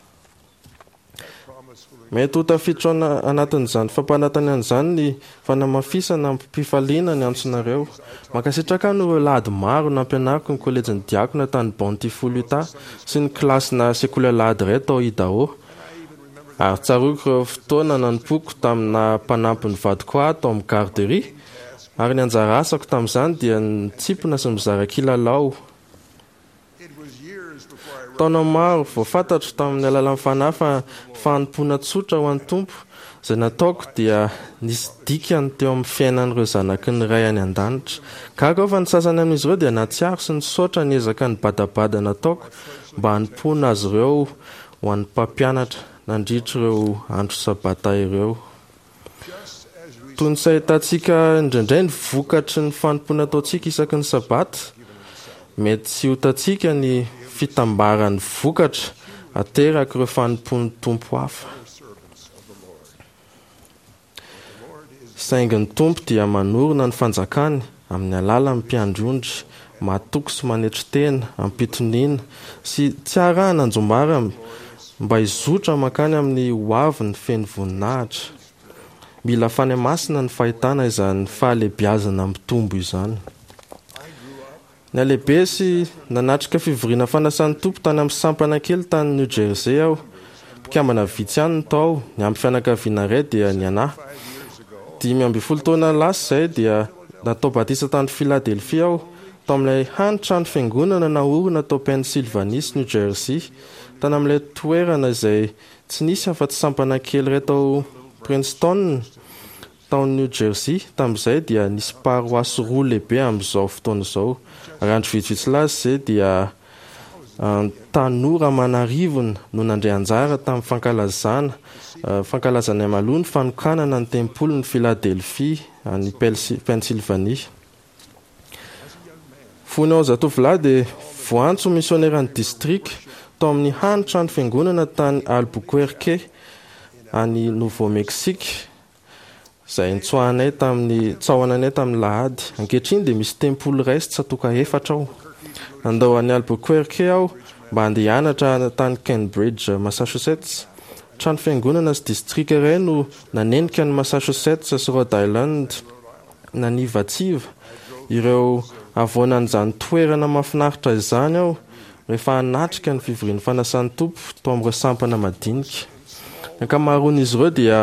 Mety ho tafiditra ao anatin'izany fampanantenana izany ny fanamafisana amim-pifaliana ny antsonareo. Mankasitraka ahy noho ireo lahady maro nampianariko ny kolejin'ny diakona tany Bountiful, Utah, sy ny kilasina sekoly alahady iray tao Idaho. Ary tsaroako ireo fotoana nanompoako tamin'ny naha-mpanampy ny vadiko ahy tao amin'ny garderie, ary ny anjara asako tamin'izany dia ny mitsimpona sy mizara kilalao. Taona maro vao fantatro tamin'ny alalan'ny Fanahy fa ny fanompoana tsotra ho an'ny Tompo izay nataoko dia nisy dikany teo amin'ny fiainan'ireo zanaky ny Ray any An-danitra. Gaga aho fa ny sasany amin'izy ireo dia nahatsiaro sy nisaotra ny ezaka nibadabada nataoko mba hanompoana azy ireo ho an'ny Mpampianatra nandritra ireo andro Sabata ireo. Toy ny tsy ahitantsika indraindray ny vokatry ny fanompoana ataontsika isaky ny Sabata, mety tsy ho hitantsika ny fitambaran'ny vokatra aterak'ireo fanompoan'ny Tompo hafa. Saingy ny Tompo dia manorina ny fanjakany amin'ny alalan'ny mpiandry ondry matoky sy manetry tena amim-pitoniana sy tsy arahana anjombara mba hizotra mankany amin'ny hoaviny feno voninahitra. Mila Fanahy Masina ny fahitana izany fahalehibiazana mitombo izany. Nihalehibe sy nanatrika fivoriana fanasan'ny Tompo tany amin'ny sampana kely tany New Jersey aho. Mpikambana vitsy ihany no tao, niampy fianakaviana iray dia ny anà. Dimy ambin'ny folo taona lasa izay dia natao batisa tany Philadelphia aho, tao amin'ilay hany trano fiangonana naorina tao Pennsylvanie sy New Jersey, tany amin'ilay toerana izay tsy nisy afa-tsy sampana kely iray tao Princeton, Tao New Jersey, tamin'izay, dia nisy paroasy roa lehibe amin'izao fotoana izao. Ary andro vitsivitsy lasa izay dia tanora aman'arivony no nandray anjara tamin'ny fankalazana fankalazana mialoha ny fanokanana ny tempolin'i Philadelphie any Pennsylvanie. Fony aho zatovolahy dia voantso misioneran'ny distrika tao amin'ny hany trano fiangonana tany Albuquerque any Nouveau Mexique izay nitsoahanay tamin'ny tsaohananay tamin'ny lahady. Ankehitriny dia misy tempoly iray sy tsatoka efatra ao. Nandao an'i Albuquerque aho mba handeha hianatra tany Cambridge, Massachusetts. Trano fiangonana sy distrika iray no nanenika an'i Massachusetts sy Rhode Island nanivatsiva ireo havoanan'izany toerana mahafinaritra izany aho rehefa hanatrika ny fivorian'ny fanasan'ny Tompo tao amin'ireo sampana madinika. Ny ankamaroan'izy ireo dia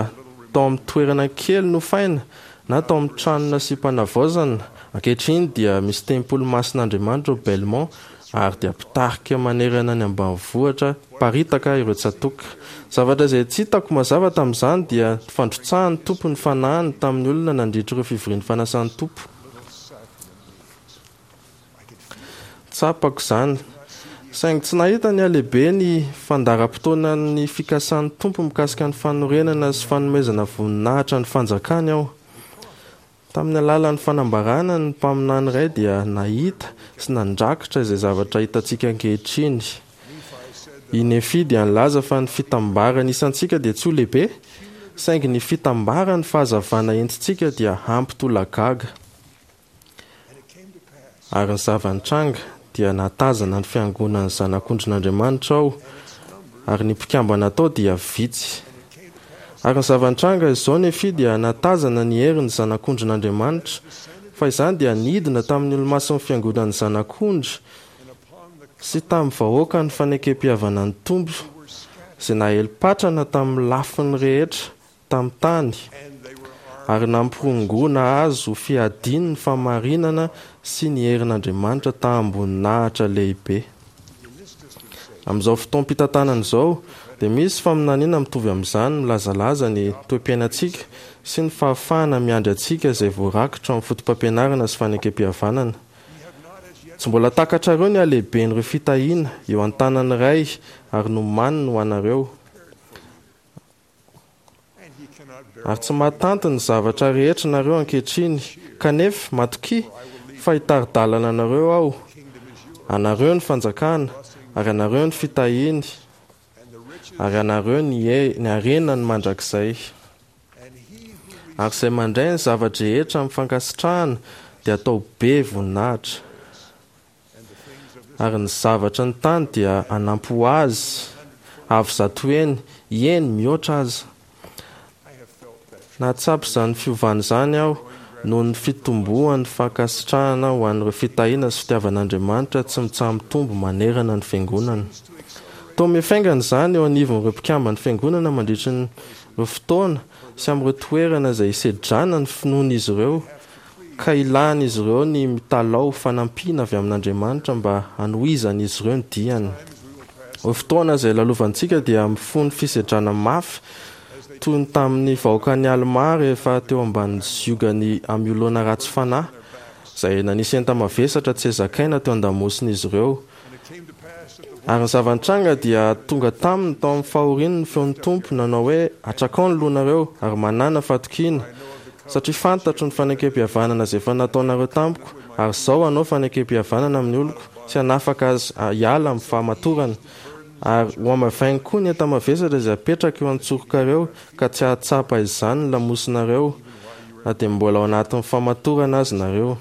tao amin'ny toerana kely nofaina na tao amin'ny trano nasiam-panavaozana. Ankehitriny dia misy tempoly masin'Andriamanitra ao Belmont ary dia mpitarika manerana ny ambanivohitra paritaka ireo tsatoka. Zavatra izay tsy hitako mazava tamin'izany dia ny fandrotsahan'ny Tompo ny Fanahiny tamin'ny olona nandritra ireo fivorian'ny fanasan'ny Tompo. Tsapako izany. Saingy tsy nahita ny halehiben'ny fandaharam-potoanan'ny fikasan'ny Tompo mikasika ny fanorenana sy fanomezana voninahitra ny fanjakany aho. Tamin'ny alalan'ny fanambarana ny mpaminany iray dia nahita sy nandrakitra izay zavatra hitantsika ankehitriny. I Nefia dia nilaza fa ny fitambaran'ny isantsika dia tsy ho lehibe, saingy ny fitambaran'ny fahazavana entintsika dia hampitolagaga. Ary ny zava-nitranga dia nahatazana ny fiangonan'ny Zanak'ondrin'Andriamanitra aho, ary ny mpikambana tao dia vitsy. Ary ny zava-nitranga izao Nefia dia nahatazana ny herin'ny Zanak'ondrin'Andriamanitra, fa izany dia nidina tamin'ny olomasin'ny fiangonan'ny Zanak'ondry sy tamin'ny vahoakan'ny fanekempihavanan'ny Tompo, izay nahelin-patrana tamin'ny lafiny rehetra tamin'ny tany, ary nampirongoana azy ho fiadiany ny fahamarinana sy ny herin'Andriamanitra taham-boninahitra lehibe. Amin'izao fotoam-pitantanana izao, dia misy faminaniana mitovy amin'izany milazalaza ny toe-piainantsika sy ny fahafahana miandry antsika izay voarakitra ao amin'ny Fotopampianarana sy Fanekempihavanana. Tsy mbola takatrareo ny halehiben'ireo fitahiana eo an-tanan'ny Ray ary nomaniny ho anareo. Ary tsy mahatanty ny zavatra rehetra nareo ankehitriny, kanefa matokia fa hitari-dalana anareo Aho. Anareo ny fanjakana, ary anareo ny fitahiany, ary anareo ny ny harenany mandrakizay. Ary izay mandray ny zava-drehetra amin'ny fankasitrahana dia atao be voninahitra. Ary ny zavatry ny tany dia hanampy ho azy avo zato heny, eny, mihoatra aza. Nahatsapa izany fiovana izany aho noho ny fitomboan'ny fankasitrahana ho an'ireo fitahiana sy fitiavan'Andriamanitra tsy mitsaha-mitombo manerana ny Fiangonana. Toa mifaingana izany eo anivon'ireo mpikamban'ny Fiangonana mandritra ny ireo fotoana sy amin'ireo toerana izay isedrana ny finoan'izy ireo ka ilan'izy ireo ny mitalaho fanampiana avy amin'Andriamanitra mba hanohizan'izy ireo ny diany. Ireo fotoana izay lalovantsika dia mifono fisedrana mafy toy ny tamin'ny vahoakan'i Almà rehefa teo ambanin'ny ziogan'i Amiolona ratsy fanahy, izay nanisy enta-mavesatra tsy zakaina teo an-damosin'izy ireo. Ary ny zava-nitranga dia tonga taminy tao amin'ny fahoriany ny feon'ny Tompo, nanao hoe, Atrakao ny lohanareo, ary manàna fatokiana, satria fantatro ny fanekempihavanana izay efa nataonareo tamiko, ary izao hanao fanekempihavanana amin'ny oloko, sy hanafaka azy hiala amin'ny fahamatorana. Ary hohamavainy koa ny enta-mavesatra izay apetrako eo an-tsorokareo, ka tsy hahatsapa izany ny lamosinareo, na dia mbola ao anatin'ny fahamatorana aza nareo.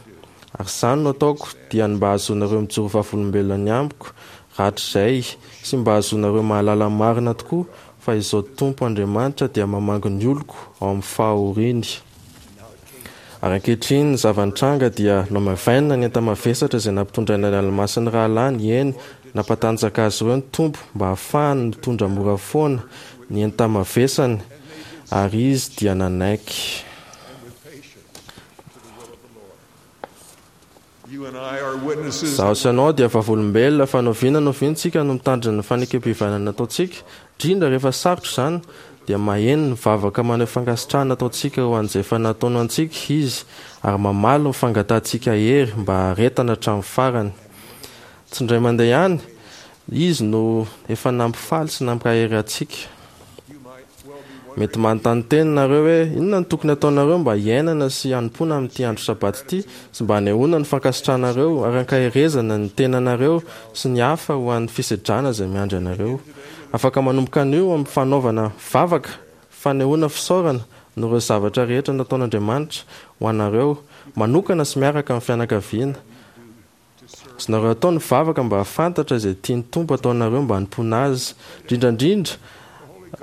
Ary izany no ataoko, dia ny mba hahazoanareo mijoro vavolombelona ny amiko rahatrizay, sy mba hahazoanareo mahalala marina tokoa fa Izaho Tompo Andriamanitra dia mamangy ny oloko ao amin'ny fahoriany. Ary ankehitriny ny zava-nitranga dia nohamavainina ny enta-mavesatra izay nampitondraina ny ranomasin'ny rahalahiny, eny, nampatanjaka azy ireo ny Tompo mba hahafahany mitondra mora foana ny enta-mavesany, ary izy dia nanaiky. Izaho sy ianao dia vavolombelona fa n'oviana n'oviana isika no mitandrina ny fanekempihavanana ataontsika, indrindra rehefa sarotra izany, dia maheno ny vavaka maneho fankasitrahana ataontsika ho an'izay efa nataony ho antsika Izy ary mamaly ny fangatahantsika hery mba haharetana hatramin'ny farany. Tsy indray mandeha ihany Izy no efa nampifaly sy nampahery antsika. Mety manontany tena nareo hoe inona no tokony ataonareo mba hiainana sy hanompoana amin'ity andro sabata ity sy mba hanehoana ny fankasitranareo ary hankaherezana ny tenanareo sy ny hafa ho an'ny fisedrana izay miandry anareo. Afaka manomboka anio amin'ny fanaovana vavaka fanehoana fisaorana noho ireo zavatra rehetra nataon'Andriamanitra ho anareo manokana sy miaraka amin'ny fianakaviana. Azonareo atao ny vavaka mba hahafantatra izay tian'ny Tompo ataonareo mba hanompoana Azy. Indrindra indrindra,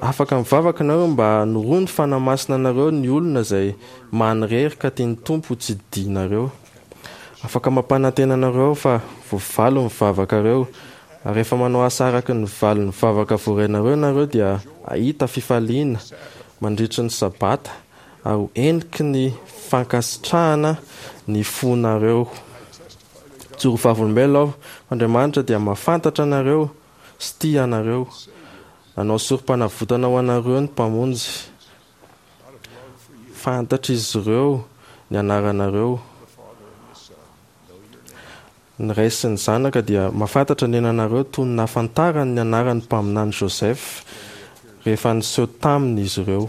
afaka mivavaka nareo mba hanoroan'ny Fanahy Masina anareo ny olona izay manirery ka tian'ny Tompo ho tsidihinareo. Afaka mampanantena anareo aho fa voavaly ny vavakareo, ary rehefa manao asa araka ny valin'ny vavaka voarainareo ianareo dia hahita fifaliana mandritry ny Sabata ary ho heniky ny fankasitrahana ny fonareo. Mijoro vavolombelona aho fa Andriamanitra dia mahafantatra anareo sy tia anareo. Nanao sorom-panavotana ho anareo ny Mpamonjy. Fantatr'izy ireo ny anaranareo. Ny Ray sy ny Zanaka dia mahafantatra ny ananareo toy ny nahafantarany ny anaran'ny Mpaminany Joseph rehefa niseho taminy izy ireo.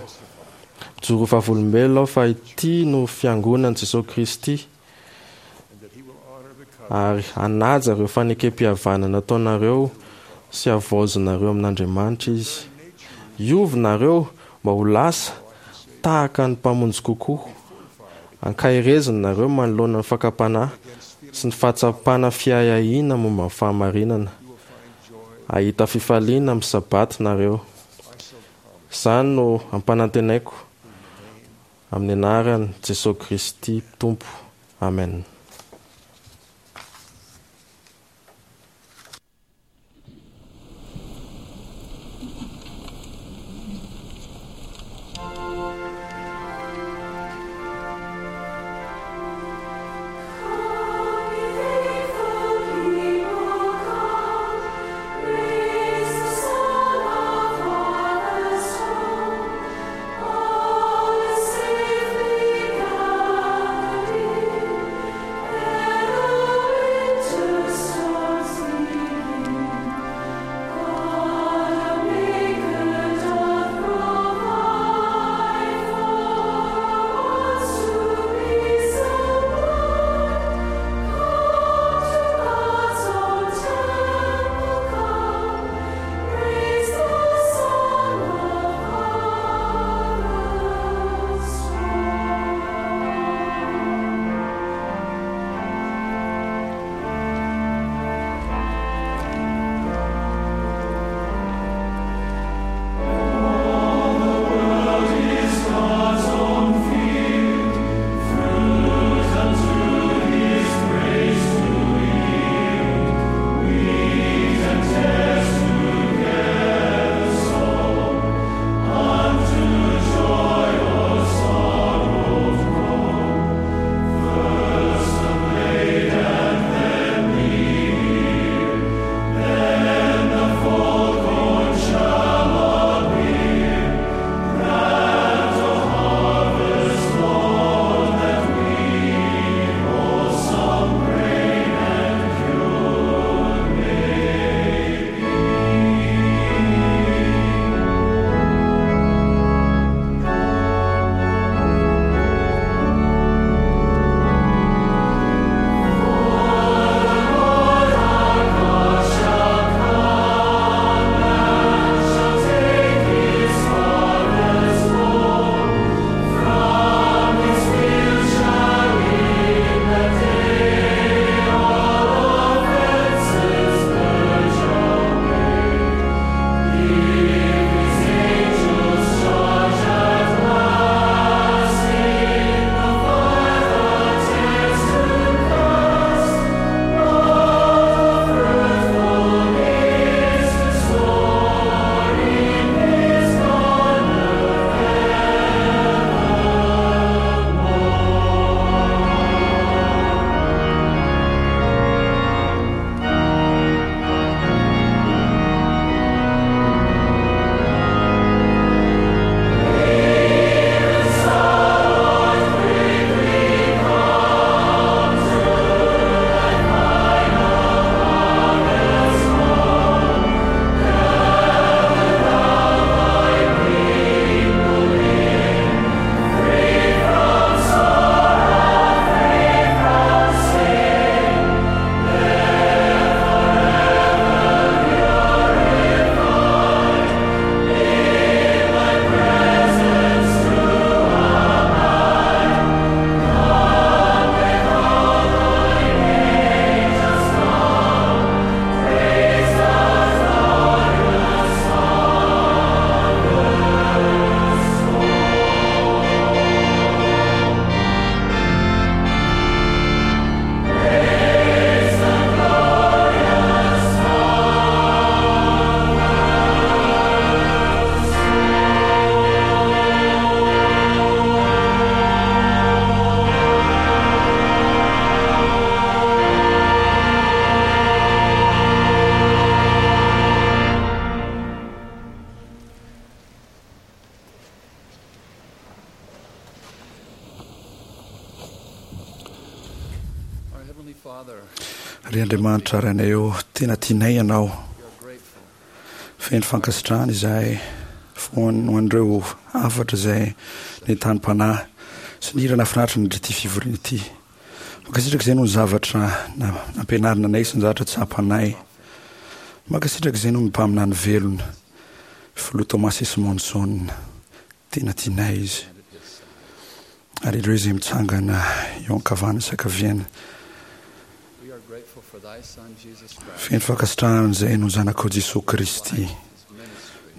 Mijoro ho vavolombelona aho fa ity no Fiangonan'i Jesoa Kristy ary hanaja ireo fanekempihavanana nataonareo sy havaozinareo amin'Andriamanitra Izy. Hiova nareo mba ho lasa tahaka ny Mpamonjy kokoa. Ankahereziny nareo manoloana ny fakam-panahy sy ny fahatsapana fiahiahiana momba ny fahamarinana. Hahita fifaliana amin'ny Sabata nareo. Izany no ampanantenaiko amin'ny anaran'i Jesoa Kristy Tompo. Amen. Ry Andriamanitra Rainay ô, tena tianay Ianao. Feno fankasitrahana izahay ho an'ireo hafatra izay nentanim-panahy sy ny hira nahafinaritra nandritra ity fivoriana ity. Mankasitraka izay noho ny zavatra nampianarina anay sy ny zavatra tsapanay. Mankasitraka izay noho ny mpaminany velona, Filoha Thomas S. Monson. Tena tianay izy. Ary ireo izay mitsangana eo ankavanana sy ankaviana. Feno fankasitrahana izay noho ny Zanakao Jesoa Kristy,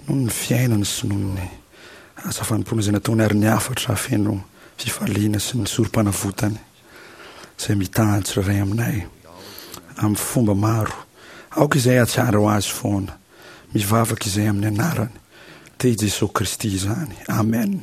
noho ny fiainany sy noho ny asa fanompoana izay nataony ary ny hafatra feno fifaliana sy ny sorom-panavotany izay mitaha ny tsirairay aminay amin'ny fomba maro. Aoka izay hahatsiaro Azy foana. Mivavaka izay amin'ny anarany dia i Jesoa Kristy izany. Amen.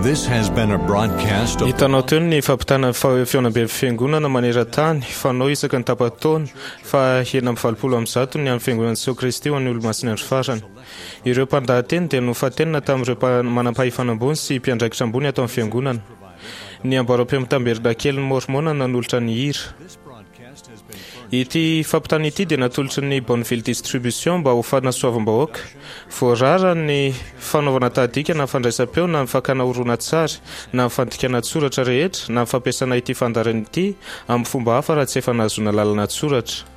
This has been a broadcast of Hitanao teo ny fampitana ny fihaonamben'ny fiangonana maneran-tany fanao isaky ny tapa-taona fa enina amby valopolo amby zato ny amin'ny fiangonan'i Jesoa Kristy ho an'ny Olomasin'ny Andro Farany. Ireo mpandahateny dia nofantenina tamin'ireo manam-pahefana ambony sy mpiandraikitra ambony ato amin'ny fiangonana. Ny amboaram-peo mitamberina-kelin'ny Môrmôna nanolotra ny hira. Ity fampitana ity dia natolotry ny Bonneville Distribution mba ho fanasoavam-bahoaka. Voarara ny fanaovana tahadika na fandraisam-peo na ny fakana horonantsary na ny fandikana an-tsoratra rehetra na ny fampiasana ity fandaharana ity amin'ny fomba hafa raha tsy efa nahazoana lalana an-tsoratra.